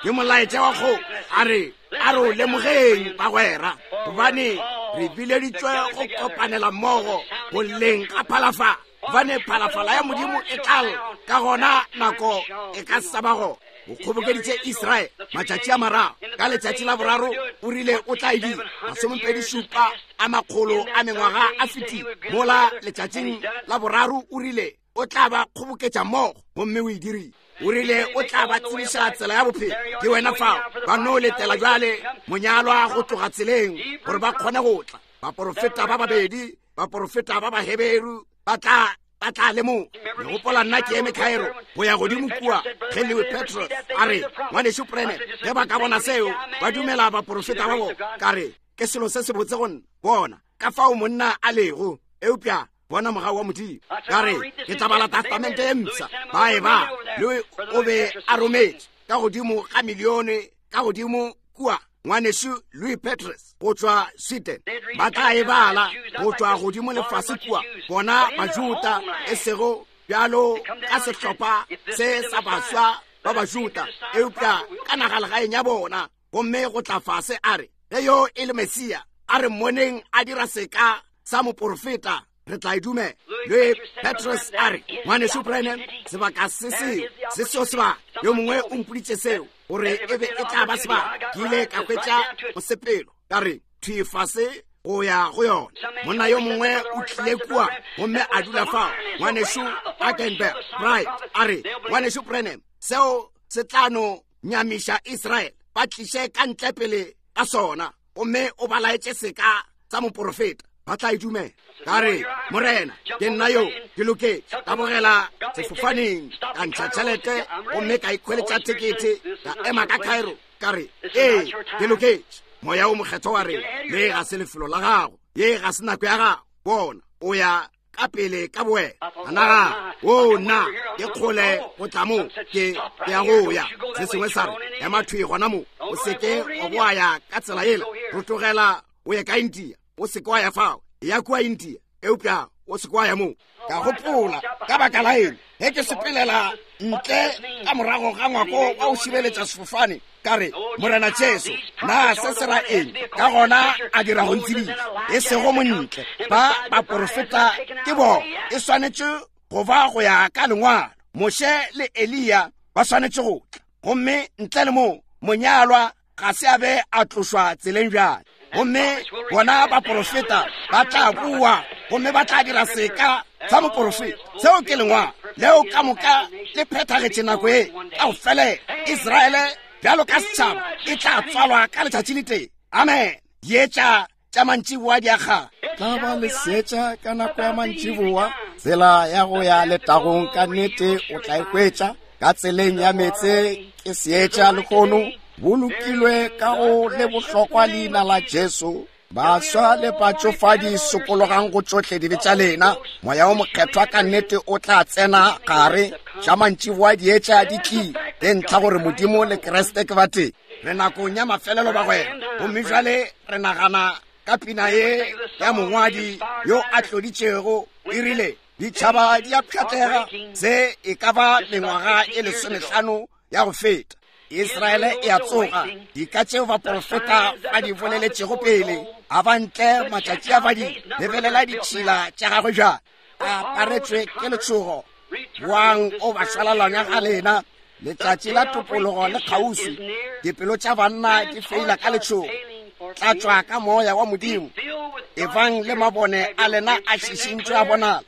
Speaker 1: Ke molaetša wa kgoši. A re, a re o lemogeng, bagwera, gobane re bileditšwe go kopanela mmogo boleng ga phalafala, gobane phalafala ya Modimo e tla lla, ka gona nako e ka sa ba gona. O kgobokeditše Israele matšatši a mararo, ka letšatši la boraro o rile o tla e dira. 27 a makgolo a mengwaga a fetile, mola letšatšing la boraro o rile o tla ba kgoboketša mmogo, gomme o e dirile. O rile o tla ba tsebiša tsela ya bophelo. Ke wena fao. Ba no letela bjale monyalwa go tloga tseleng gore ba kgone go tla. Baporofeta ba babedi, baporofeta ba Baheberu ba tla, ba tla lemoga. Le gopola nna ke eme Cairo go ya godimo kua ge Lewi Pethrus a re, Ngwanešu Branham, ge ba ka bona seo, ba dumela baporofeta ba bona. Ka re, ke selo se sebotse go nna. Bona ka fao monna a lego, eupša bona mogau wa Modimo. Ka re, ke tla bala Testamente ye mpsha. Ba e ba, Louis o be a rometše ka godimo ga milione ka godimo kua, ngwanešu Louis Petrus go tšwa Sweden. Ba tla e bala go tšwa godimo le fase kua, bona Bajuda, e sego bjalo ka sehlopha se sa baswa ba Bajuda, eupša ka nagalegaeng ya bona. Gomme go tla fase a re, ge yo e le Mesia, a re mmoneng a dira seka sa moporofeta, re tla e dumela. Le Petrus a re, Ngwanešu Branham, sebaka se seo, se seo sebaka, yo mongwe o mpoditše seo, gore e be e tla ba sebaka. Ke ile ka hwetša mosepelo, ka re, thwi fase go ya go yona. Monna yo mongwe o tlile kua gomme a dula fao, Ngwanešu Akenberg Bright, a re, Ngwanešu Branham, seo se tla no nyamiša Israele, ba tliše ka ntle pele ka sona, gomme o ba laetše seka sa moporofeta, ba tla e dumela. Ka re, Morena, ke nna yo, ke loketše. Ka bogela sefofaneng, ka ntšha tšhelete, gomme ka ikhweletša thekethe, ka ema ka Cairo. Ka re, ee, ke loketše. Moya o Mokgethwa wa re, le ga se lefelo la gago, ye ga se nako ya gago. Bona, o ya ka pele ka bowena. A nagana, o nna, ke kgole go tla mo, ke, ke ya go ya. Se sengwe sa re, ema thwi gona mo, o se ke wa boa ya ka tsela yela, rotogela o ye ka India, o se ke wa ya fao, ya kua India, eupša o se ke wa ya mo. Ka gopola, ka baka la eng ge ke sepelela ntle ka morago ga ngwako wa go šireletša sefofane, ka re, Morena Jesu, na se se ra eng? Ka gona a dira go ntsebisa, e sego montle, ba baporofeta ke bona, e swanetše go ba go ya ka lengwalo. Moshe le Eliya ba swanetše go tla, gomme ntle le moo monyalwa ga se a be a tlošwa tseleng bjale. Gomme bona baporofeta ba tla boa gomme ba tla dira seka sa moporofeta. Seo ke lengwalo leo ka moka le phethagetše nako e ka go felela. Israele bjalo ka setšhaba e tla tswalwa ka letšatši le tee. Amen. Dietša tša mantšiboa di a kgala.
Speaker 3: Tla ba le seetša ka nako ya mantšiboa. Tsela ya go ya letagong ka nnete o tla e hwetša. Ka tseleng ya meetse ke seetša lehono, bolokilwe ka go le bohlokwa leina la Jesu. Baswa le batšofadi, sokologang go tšohle dibe tša lena. Moya o Mokgethwa ka nnete o tla tsena gare. Tša mantšiboa dietša di tlile, ke ntlha gore Modimo le Kriste ke batee.
Speaker 1: Re nakong ya mafelelo, bagwera, gomme bjale re nagana ka pina ye ya mongwadi yo a tloditšego, e rile, Ditšhaba di a pšhatlega. Se e ka ba mengwaga e lesomehlano ya go feta. Israele e a tsoga. Dika tšeo baporofeta ba di boleletšego pele, a ba ntle matšatši a ba di lebelela ditšhila tša gagwe bjale. A aparetšwe ke letšhogo. Boang o ba šwalalanya ga lena. Letšatši la topologo le kgauswi. Dipelo tša banna di feila ka letšhogo. Tlatšwa ka moya wa Modimo. Ebang le mabone a lena a šišintšwe a bonala.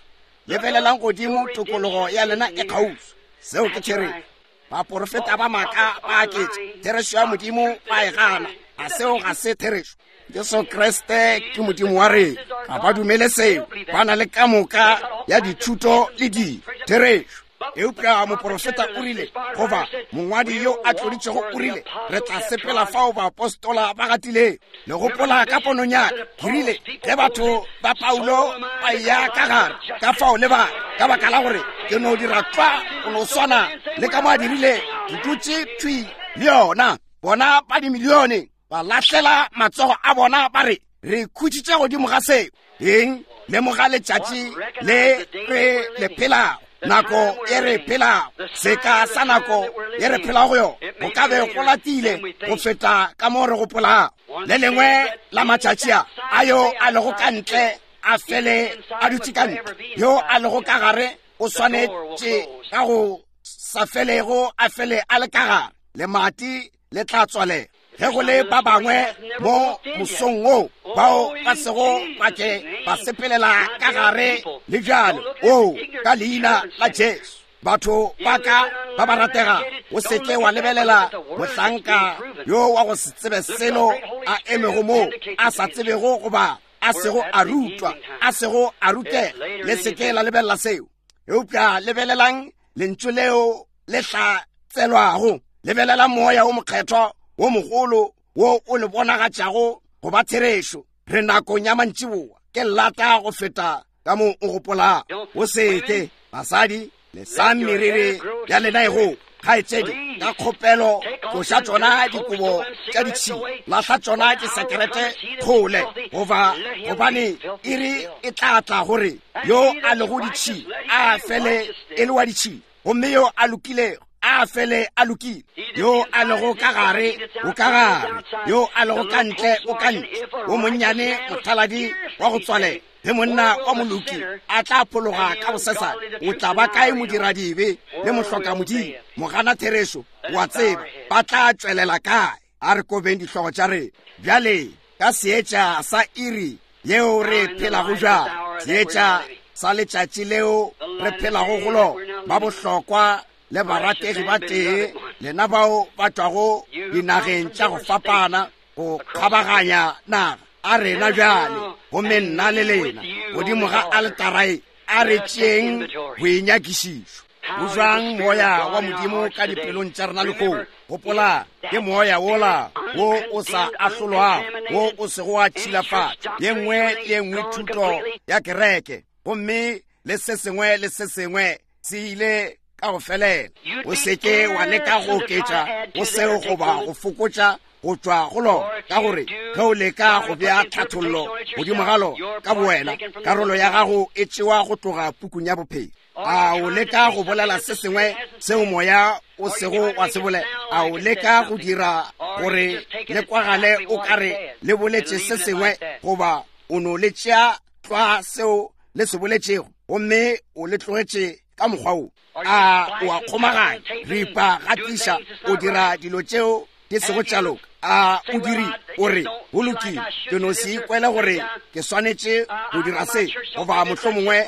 Speaker 1: Lebelelang godimo, tokologo ya lena e kgauswi. Seo ke therešo. Baporofeta ba maaka ba aketša. Therešo ya Modimo ba e gana. A seo ga se therešo? Jesu Kriste ke Modimo wa rena. Ga ba dumele seo. Ba na le ka moka ya dithuto le dilo. Therešo. Eupša moprofeta o rile, goba mongwadi yo a tloditšego o rile, re tla sepela fao baapostola ba gatilego. Le gopola ka ponong ya ka, ke rile, ge batho ba Paulo ba eya ka gare, ka fao le ba, ka baka la gore ke no dira tlwa go no swana le ka mo a dirile, ke dutše thwi le yona. Bona ba dimilione ba lahlela matsogo a bona ba re, re khutšitše godimo ga seo. Eng? Lemoga letšatši le re le phelago, nako ye re phelago, seka sa nako ye re phelago go yona, go ka be go latile go feta ka mo re gopolago. Le lengwe la matšatši a, a yo a lego ka ntle a fele a dutše ka ntle, yo a lego ka gare o swanetše ka go sa felego a fele a le ka gare, lemati le tla tswalela. Ge go le ba bangwe mo mosong wo bao ba sego ba ke ba sepelela ka gare le bjale, oo, ka leina la Jesu, batho ba ka ba ba ratega, o se ke wa lebelela mohlanka yo wa go se tsebe selo a emego moo, a sa tsebego goba a sego a rutwa, a sego a rutega. Le se ke la lebelela seo, eupša lebelelang lentšu leo le hlatselwago. Lebelela Moya wo Mokgethwa wo mogolo wo o le bonagatšago go ba therešo. Re nakong ya mantšiboa, ke lata go feta ka mo o gopolago. O se ke, basadi, lesang meriri ya lena e go kgaetšedi, ka kgopelo tloša tšona dikobo tša ditšhila, lahla tšona disekerete kgole, goba gobane iri e tla tla gore yo a lego ditšhila a fele e le wa ditšhila, gomme yo a lokilego a fele a lokile. Yo a lego ka gare o ka gare, yo a lego ka ntle o ka ntle. Wo monnyane mothaladi wa go tswalela, ge monna wa moloki a tla phologa ka bosesane, o tla ba kae modiradibe le mohlokamodimo, mogana therešo? Wa tseba ba tla tšwelela kae? A re kobeng dihlogo tša rena bjale ka seetša sa iri yeo re phelago bjang, seetša sa letšatši leo re phelago go lona. Ba bohlokwa le barategi ba tee, lena bao ba tšwago dinageng tša go fapana go kgabaganya naga, a rena bjale, gomme nna le lena godimo ga aletara e, a re tšeeng boinyakišišo. Go bjang Moya wa Modimo ka dipelong tša rena lehono? Gopola, ke Moya wola wo o sa ahlolwago, wo o sego wa tšhilafatšwa ye nngwe le ye nngwe thuto ya kereke, gomme le se sengwe le se sengwe se ile ka go felela. O se ke wa leka go oketša go seo goba go fokotša go tšwa go lona, ka gore ge o leka go bea tlhathollo godimo ga lona ka bowena, karolo ya gago e tšewa go tloga pukung ya bophelo. A o leka go bolela se sengwe seo Moya o sego wa se bolela? A o leka go dira gore le kwagale o ka re le boletše se sengwe, goba o no le tšea tlwa seo le se boletšego gomme o le tlogetše ka mokgwa wo? A o a kgomaganya, ripa, gatiša, o dira dilo tšeo di sego tša loka? A o diri o re, go lokile, ke no se ikwele gore ke swanetše go dira se, goba mohlomongwe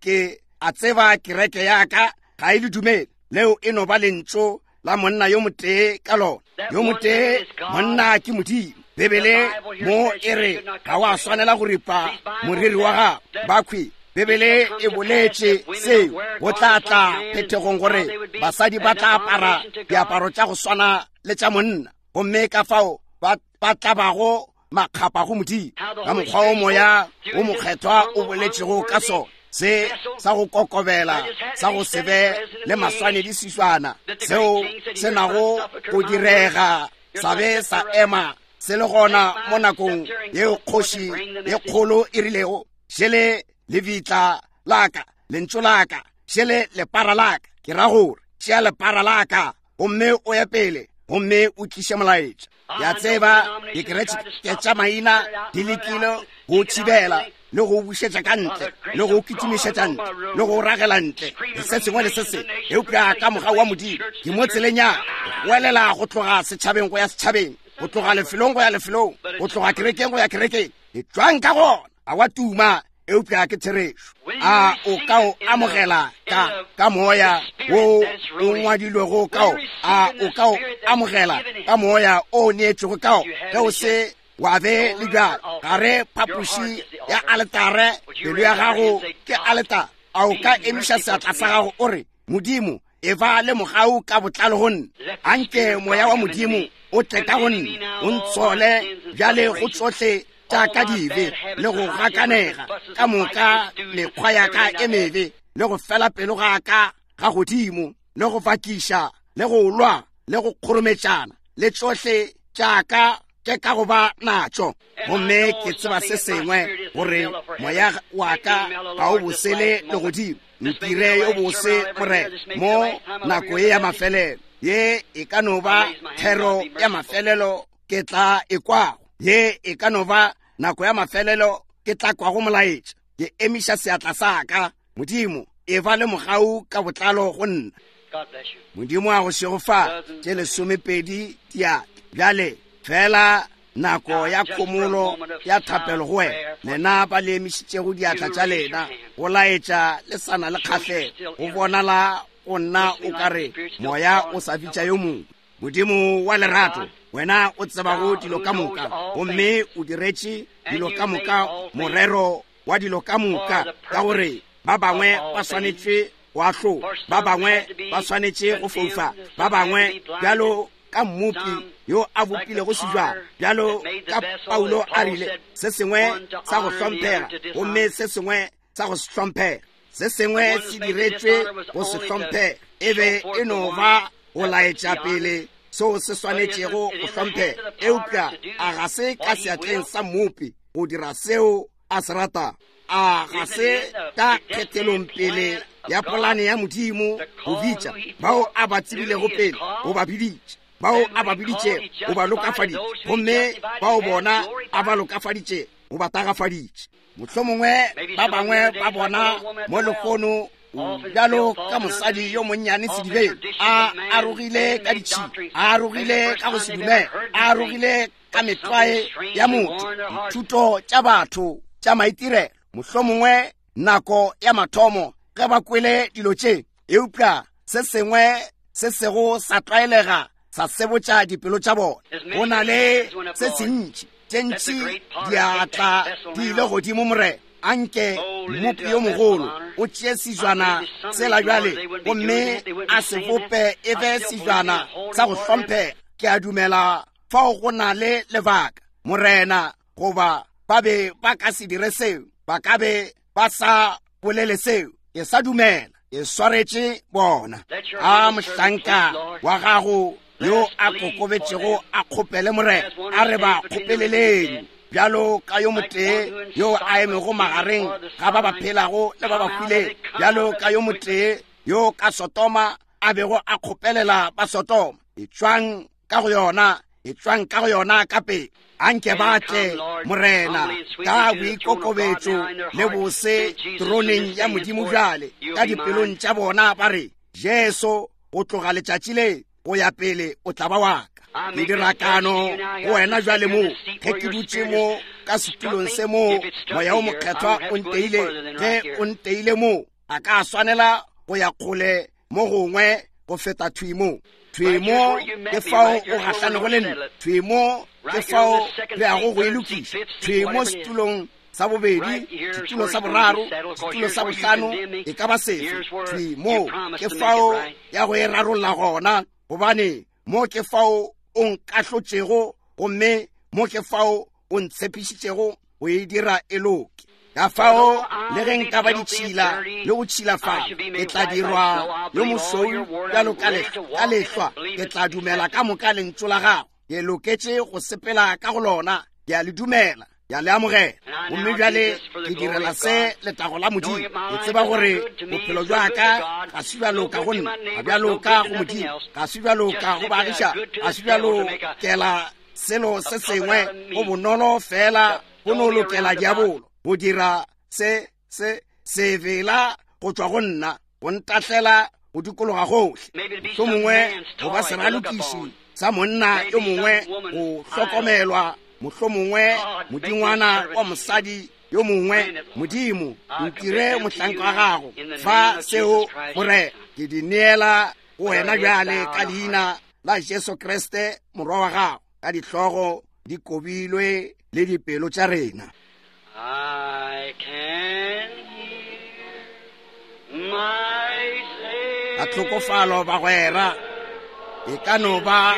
Speaker 1: ke a tseba kereke ya ka ga e le dumele. Leo e no ba lentšu la monna yo motee ka lona. Yo motee monna ke Modimo. Bibele mo e re ga wa swanela go ripa moriri wa gago. Bakhwi, Bibele e boletše seo go tla tla phethegong gore basadi ba tla apara diaparo tša go swana le tša monna, gomme ka fao ba tla bago makgapa go Modimo. Ka mokgwa o Moya o Mokgethwa o boletšego ka sona, se sa go kokobela, sa go se be le maswanedi seswana, seo se nago go direga sa be sa ema se le gona mo nakong yeo kgoši ye kgolo e rilego, šele lebitla la ka, lentšu la ka, šele lepara la ka. Ke ra gore tšea lepara la ka gomme o ye pele gomme o tliše molaetša. Ke a tseba dikereke tša maina di lekile go thibela le go bušetša ka ntle le go kitimišetša ntle le go ragela ntle le se sengwe le se sengwe, eupša ka mogau wa Modimo ke mo tseleng ya go welela go tloga setšhabeng go ya setšhabeng, go tloga lefelong go ya lefelong, go tloga kerekeng go ya kerekeng. Etšwang ka gona. A wa tuma. eupša ke therešo. A o ka o amogela ka ka moya wo o ngwadilwego ka o? A o ka o amogela ka moya o neetšwego ka o? Ge o se wa be le bjalo gare phapoši ya aletare, pelo ya gago ke aletare. A o ka emiša seatla sa gago o re, Modimo, e ba le mogau ka botlalo go nna. Anke moya wa Modimo o tle ka go nna, o ntshole bjale go tsohle tša ka dibe le go gakanega ka moka, mekgwa ya ka e mebe le go fela pelo ga ka ga godimo le go fakiša le go lwa le go kgorometšana le tsohle tša ka ke ka go ba natšo. Gomme ke tseba se sengwe, gore moya wa ka ga o bosele le godimo. Ntire yo bose, Morena, mo nako ye ya mafelelo. Ye e ka no ba thero ya mafelelo ke tla e kwago. Ye e ka no ba nako ya mafelelo ke tla kwago molaetša. Ke emiša seatla sa ka. Modimo, e ba le mogau ka botlalo go nna. Modimo a go šegofatše. Tše 12 diatla. Bjale, fela nako ya khomolo ya thapelo go wena, lena ba le emišitšego diatla tša lena, go laetša le sa na le kgahlego. Go bonala go nna o ka re moya o sa bitša yo mongwe. Modimo wa lerato, wena o tsebago dilo ka moka, gomme o diretše dilo ka moka morero wa dilo ka moka, ka gore ba bangwe ba swanetše go ahlola, ba bangwe ba swanetše go foufa, ba bangwe bjalo ka mmopi yo a bopilego sejwana, bjalo ka Paulo a rile, se sengwe sa go hlomphega gomme se sengwe sa go se hlomphega. Se sengwe se diretšwe go se hlomphega, e be e no ba go laetša pele seo se swanetšego go hlomphega. Eupša a ga se ka seatleng sa mmopi go dira seo a se ratago? A ga se ka kgethelong pele ya polane ya Modimo go bitša bao a ba tsebilego pele, go ba biditše, bao a ba biditšego o ba lokafaditše, gomme bao bona a ba lokafaditše o ba tagafaditše. Mohlomongwe ba bangwe ba bona mo lehono bjalo ka mosadi yo monnyane sedibeng, a arogile ka ditšhila, a arogile ka go se dumele, a arogile ka metlwae ya motho, dithuto tša batho tša maitirelo. Mohlomongwe nako ya mathomo ge ba kwele dilo tše, eupša se sengwe se sego sa tlwaelega sa sebotša dipelo tša bona. Go na le se sentši, tše ntši diatla di ile godimo. Morena, anke mmopi yo mogolo o tšee sejwana sela bjale gomme a se bope e be sejwana sa go hlomphega. Ke a dumela fao go na le lebaka, Morena, goba ba be ba ka se dire seo, ba ka be ba sa bolele seo. Ke sa dumela ke swaretše bona. A mohlanka wa gago yo a kokobetšego a kgopele, Morena, a re ba kgopeleleng bjalo ka yo motee yo a emego magareng ga ba ba phelago le ba ba hwilego, bjalo ka yo motee yo ka Sodoma a bego a kgopelela ba Sodoma. Etšwang ka go yona, etšwang ka go yona ka pele. Anke ba tle, Morena, ka boikokobetšo le bose troneng ya Modimo bjale, ka dipelong tša bona ba re, Jesu, go tloga letšatši le go ya pele o tla ba wa ka. Ke dira kano go wena bjale mo, ge ke dutše mo ka setulong se mo moya o mokgethwa o nteile, ge o nteile mo, a ka swanela go ya kgole mo gongwe go feta thwi mo. Thwi mo ke fao o gahlanego le nna, thwi mo ke fao re yago go e lokiša, thwi mo setulong sa bobedi, setulo sa boraro, setulo sa bohlano, e ka ba sefe, thwi mo ke fao ya go e rarolla gona, gobane mo ke fao o nkahlotšego gomme mo ke fao o ntshepišitšego go e dira e loke. Ka fao le ge nka ba ditšhila le go tšhilafala, ke tla dirwa yo mošweu bjalo ka lehlwa. Ke tla dumela ka moka lentšu la gago. Ke loketše go sepela ka go lona. Ke a le dumela, ke a le amogela. Gomme bjale ke direla se letago la Modimo. Ke tseba gore bophelo bja ka ga se bja loka go nna, ga bja loka go Modimo, ga se bja loka go baagišani, ga se bja lokela selo se sengwe. Go bonolo fela go no lokela diabolo go dira se se sevela go tšwa go nna, go ntahlela go dikologa gohle. Mohlomongwe go ba seralokiši sa monna yo mongwe go hlokomelwa, mohlomongwe modingwana wa mosadi yo mongwe. Modimo, ntire mohlanka wa gago. Fa seo, Morena, ke di neela go wena bjale ka leina la Jesu Kriste morwa wa gago, ka dihlogo di kobilwe le dipelo tša rena. Ka tlhokofalo bagwera, e ka no ba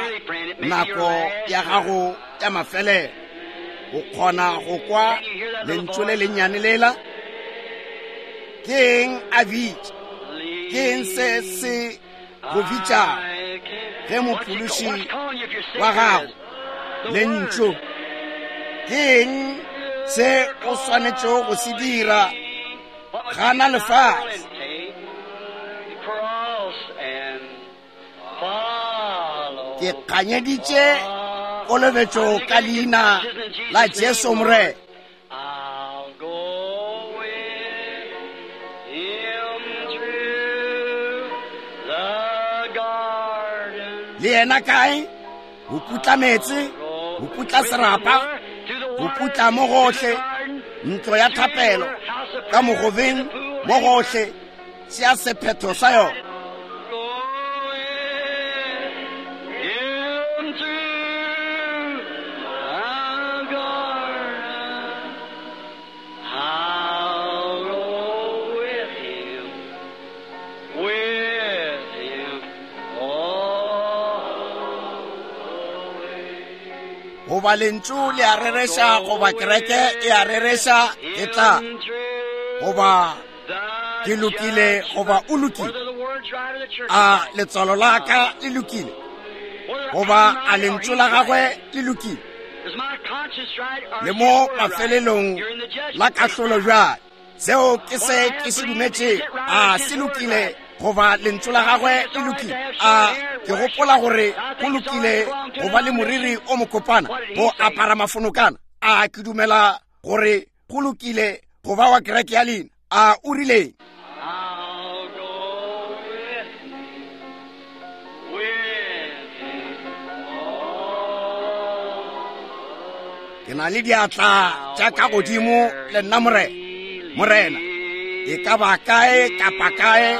Speaker 1: nako ya gago ya mafelelo. O kgona go kwa lentšu le lennyane lela? Ke eng a bitša? Ke eng se se go bitšago ge mophološi wa gago lentšu? Ke eng se o swanetšego go se dira? Gana lefase. Ke kganyeditše kolobetšo ka leina la Jesu Morena. Le yena kae? Go putla meetse, go putla serapa, go putla mo gohle, ntlo ya thapelo, ka mogobeng mo gohle, tšea sephetho sa yona. Goba lentšu le a rereša, goba kereke e a rereša, e tla. Goba ke lokile, goba o lokile. A letswalo la ka le lokile, goba a lentšu la gagwe le lokile? Le mo mafelelong la kahlolo bjale. Seo ke se ke se dumetše. A se lokile, goba lentšu la gagwe le lokile? A ke gopola gore go lokile go ba le moriri o mokopana, go apara mafonokana? A ke dumela gore go lokile go ba wa kereke ya lena? A o rileng? Ke na le diatla tša ka godimo le nna, Morena. Morena, e ka ba kae kapa kae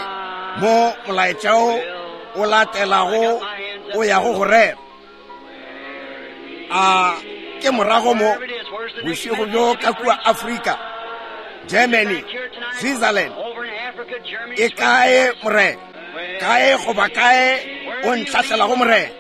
Speaker 1: mo molaetša o o latelago o yago go rera, a ke morago mo bošego bjo ka kua Afrika, Germany, Switzerland, e kae, Morena? Kae goba kae o ntlhahlelago, Morena?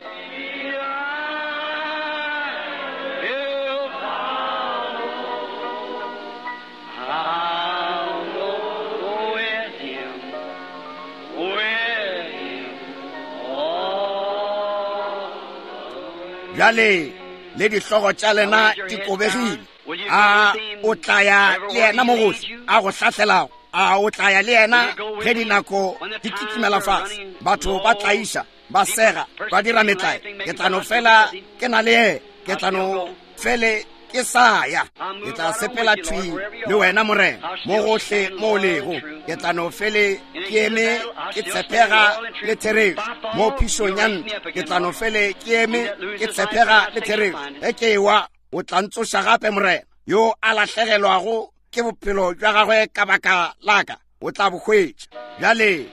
Speaker 1: Bjale le dihlogo tša lena di kobegile. A o tla ya le yena mo gohle a go hlahlelago? A o tla ya le yena ge dinako di kitimela fase, batho ba tlaiša, ba sega, ba dira metlae? Ke tla no fela ke na le yena. Ke tla no fele ke sa ya. Ke tla sepela thwi le wena, Morena, mo gohle mo o lego. Ke tla no fele ke eme ke tshepega le therešo mo phišong ya ntwa. Ke tla no fele ke eme ke tshepega le therešo. Ge ke ewa, o tla ntsoša gape, Morena. Yo a lahlegelwago ke bophelo bja gagwe ka baka la ka, o tla bo hwetša. Bjale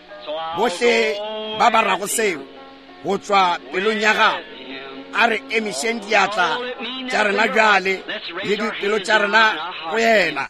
Speaker 1: bohle ba ba rago seo go tšwa pelong ya gago, a re emišeng diatla tša rena bjale le dipelo tša rena go yena.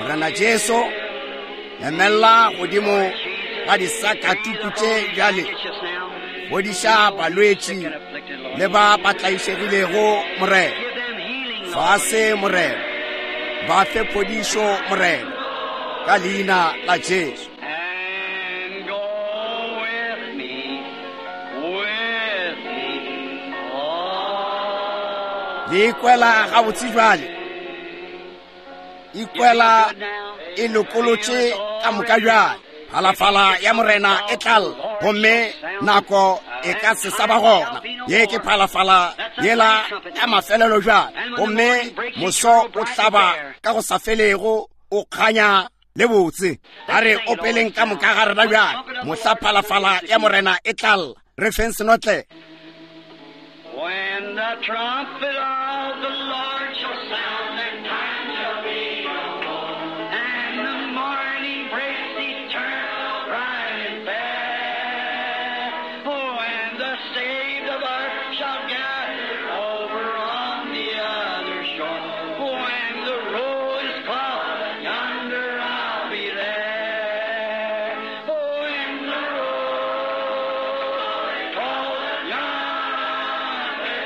Speaker 1: Morena Jesu, emella godimo ga disakatuku tše bjale. Fodiša balwetši le ba ba tlaišegilego, Morena. Fase, Morena. Ba fe phodišo, Morena, ka leina la Jesu.
Speaker 2: And go with me, with me, oh.
Speaker 1: Le ikwela gabotse bjale. Ikwela e lokolotše ka moka bjale. Phalafala ya Morena e tlal, gomme nako e ka se sa ba gona. Ye ke phalafala yela ya mafelelo bjale, gomme moso o hlaba ka go sa felego, o kganya le botse. A re opeleng ka moka ga rena bjale, mohla phalafala ya Morena e tlal, re feng senotle.
Speaker 2: When the trumpet of the Lord shall sound, and time shall be no more, and the morning breaks eternal, bright and fair. Oh, and the saved of earth shall gather over on the other shore. When the roll is called, yonder I'll be there. Oh, when the roll is called, yonder,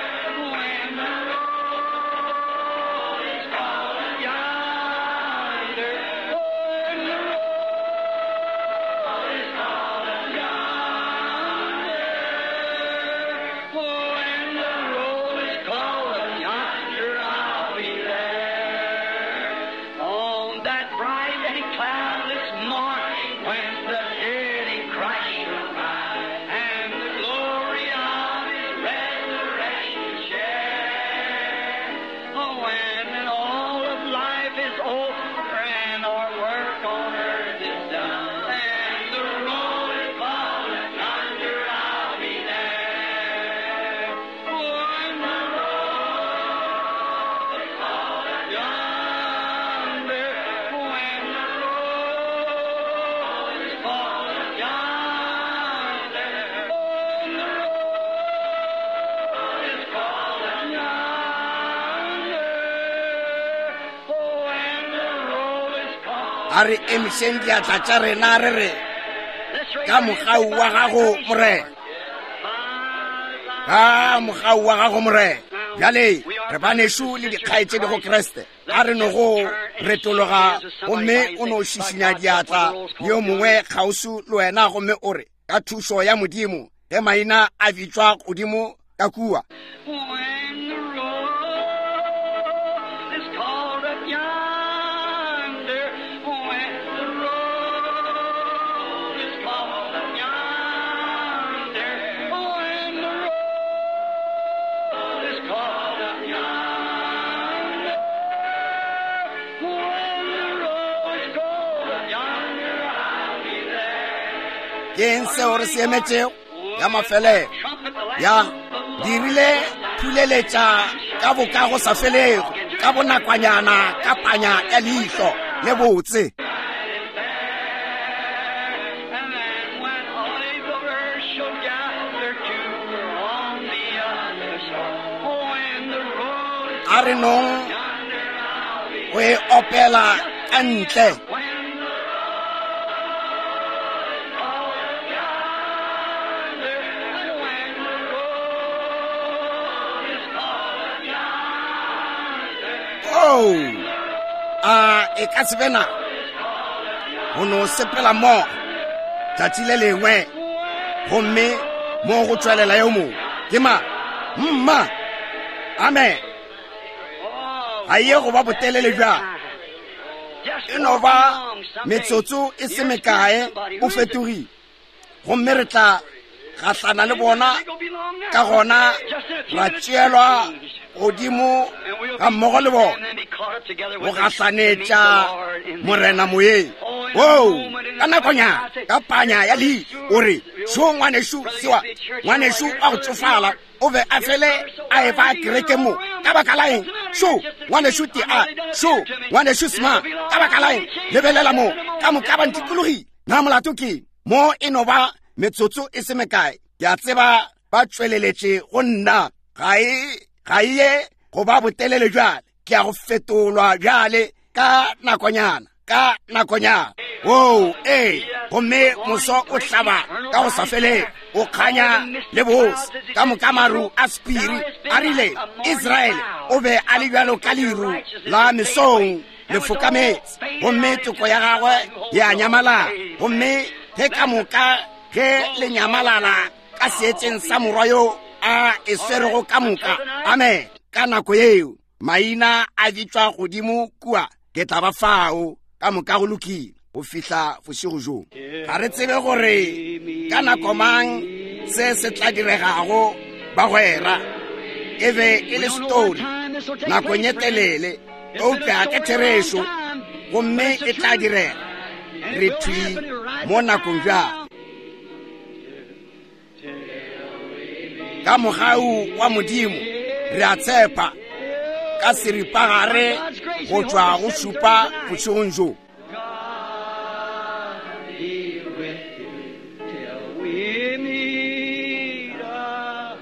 Speaker 2: when the roll is called, yonder, when the roll is called, yonder, when the roll is called, yonder I'll be there. On that bright and cloudless morning when the dead in Christ shall rise, and the glory of His resurrection share. Oh, when all of life is over and our work on earth is done, and the roll is called, yonder I'll be there. When the roll is called, yonder, when the roll is called, yonder, when the roll is called, yonder, when the roll is called.
Speaker 1: A re emišeng diatla tša rena re re, ka mogau wa gago, Morena. Ka mogau wa gago, Morena. Bjale re banešu le dikgaetšedi go Kriste. A re no go retologa gomme o no šišinya diatla le yo mongwe kgauswi le wena, gomme o re, ka thušo ya Modimo, ge maina a bitšwa godimo ka kua.
Speaker 2: When the roll is called up yonder, when the roll is called up yonder, when the roll is called up yonder, when the roll is called up yonder, I'll be there.
Speaker 1: Ke eng seo re se emetšego? Ya mafelelo. Ya dirile phuleletša ka boka go sa felego, ka bonakwanyana, ka panya ya leihlo le botse.
Speaker 2: And then when all the earth shall gather to her on the other shore, when the roll is
Speaker 1: A re nong
Speaker 2: yonder, I'll be
Speaker 1: go e opela ka ntle.
Speaker 2: When the roll is called yonder, when the roll is called yonder,
Speaker 1: Oh, a e ka se be nako go no sepela mmogo tšatši le lengwe, gomme mo go tšwelela yo mongwe. Ke mang? Mma. Amen. Ga ye go ba botelele bjang. E no ba metsotso e se mekae o fetogile, gomme re tla gahlana le bona, ka gona ra tšeelwa godimo ga mmogo le bona go gahlanetša Morena moyeng. Oo, ka nakonyana, ka panya ya leihlo, o re, šo ngwanešu sewa, ngwanešu wa go tšofala, o be a fele a e ba kereke mo. Ka baka la eng? Šo ngwanešu tea, šo ngwanešu sema, ka baka la eng? Lebelela mo, ka moka ba ntikologile. Na molato ke mo? E no ba metsotso e se mekae, ke a tseba ba tšweleletše go nna. Ga e ye go ba botelele bjale. Ke ya go fetolwa bjale ka nakonyana. ka nakonyana. Oo, ee, gomme moso o hlaba ka go sa felego, o kganya le bose, ka moka maru a sephiri. A rile, Israele o be a le bjalo ka leru la mesong le fokametse, gomme toko ya gagwe ya nyamalala. Gomme ge ka moka ge le nyamalala ka seetšeng sa morwa yo a e swerego ka moka, amen, ka nako yeo maina a bitšwa godimo kua, ke tla ba fao. Ka moka go lokile go fihla bošego bjo. Ga re tsebe gore ka nako mang se se tla diregago, bagwera. E be e le story nakong ye telele, eupša ke therešo, gomme e tla direga. Re thwi mo nakong bjale. Ka mogau wa Modimo re a tshepa ka seripagare go tšwa go šupa bošegong bjo.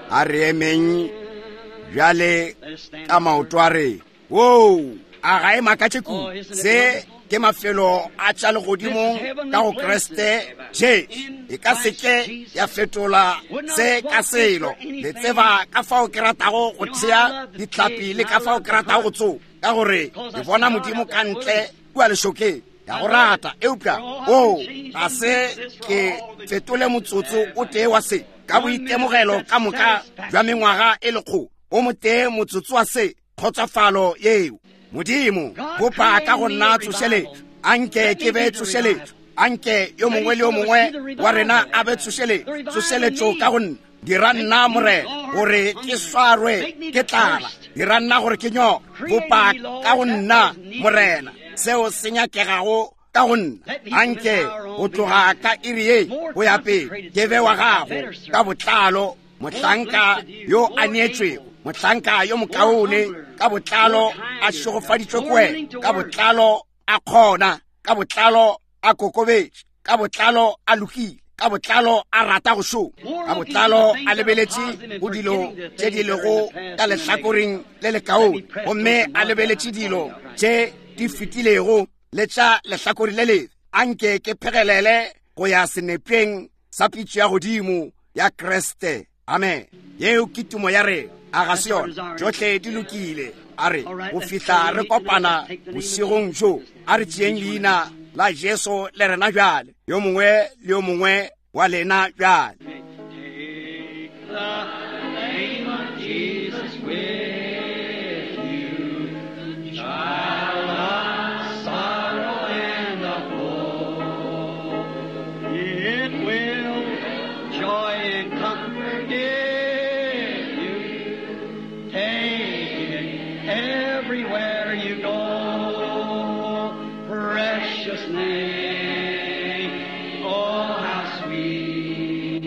Speaker 1: A re emeng bjale ka maoto a rena. Woo, a ga e makatše kudu? Se ke mafelo a tša legodimong ka go Kriste Jesu. E ka se ke ya fetola se ka selo. Le tseba ka fao ke ratago go thea dihlapi le ka fao ke ratago go tsoga, ka gore ke bona Modimo ka ntle kua lešokeng. Ya go rata, eupša o ga se ke fetole motsotso o tee wa se ka boitemogelo ka moka bja mengwaga e lekgolo o motee motsotso wa se kgotsofalo yeo. Modimo, bopa ka go nna tsošeletšo. Anke ke be tsošeletšo. Anke yo mongwe le yo mongwe wa rena a be tsošeletšo, tsošeletšo ka go nna. Dira nna, Morena, gore ke swarwe ke tlala. Dira nna gore ke nyoke. Bopa ka go nna, Morena, seo se nyakegago ka go nna. Anke go tloga ka iri ye go ya pele ke be wa gago ka botlalo, mohlanka yo a neetšwego, mohlanka yo mokaone, ka botlalo a šegofaditšwe ke wena, ka botlalo a kgona, ka botlalo a kokobetše, ka botlalo a lokile, ka botlalo a rata go šoma, ka botlalo a lebeletše go dilo tše di lego ka lehlakoreng le lekaone, gomme a lebeletše dilo tše di fetilego le tša lehlakore le lebe. Anke ke phegelele go ya senepeng sa pitšo ya godimo ya Kriste. Amen. Yeo ke tumo ya rena, a ga se yona? Tšohle di lokile. A re go fihla re kopana bošegong bjo, a re tšeeng leina la Jesu le rena bjale, yo mongwe le yo mongwe wa lena bjale.
Speaker 2: Take the name of Jesus with you, child of sorrow and of woe. It will joy and comfort give you. Take it everywhere you go. Precious name, oh how sweet.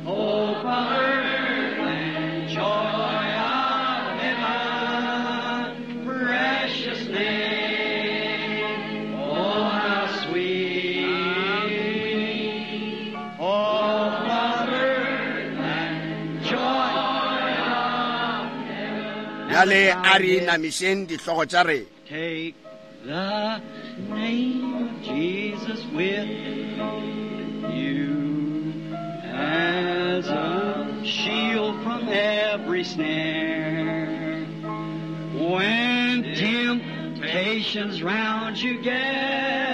Speaker 2: Oh, comfort and joy of heaven, precious name, oh how sweet. Oh, comfort and joy of heaven.
Speaker 1: Bjale a re inamišeng dihlogo tša rena.
Speaker 2: Take the name of Jesus with you as a shield from every snare. When temptations round you gather,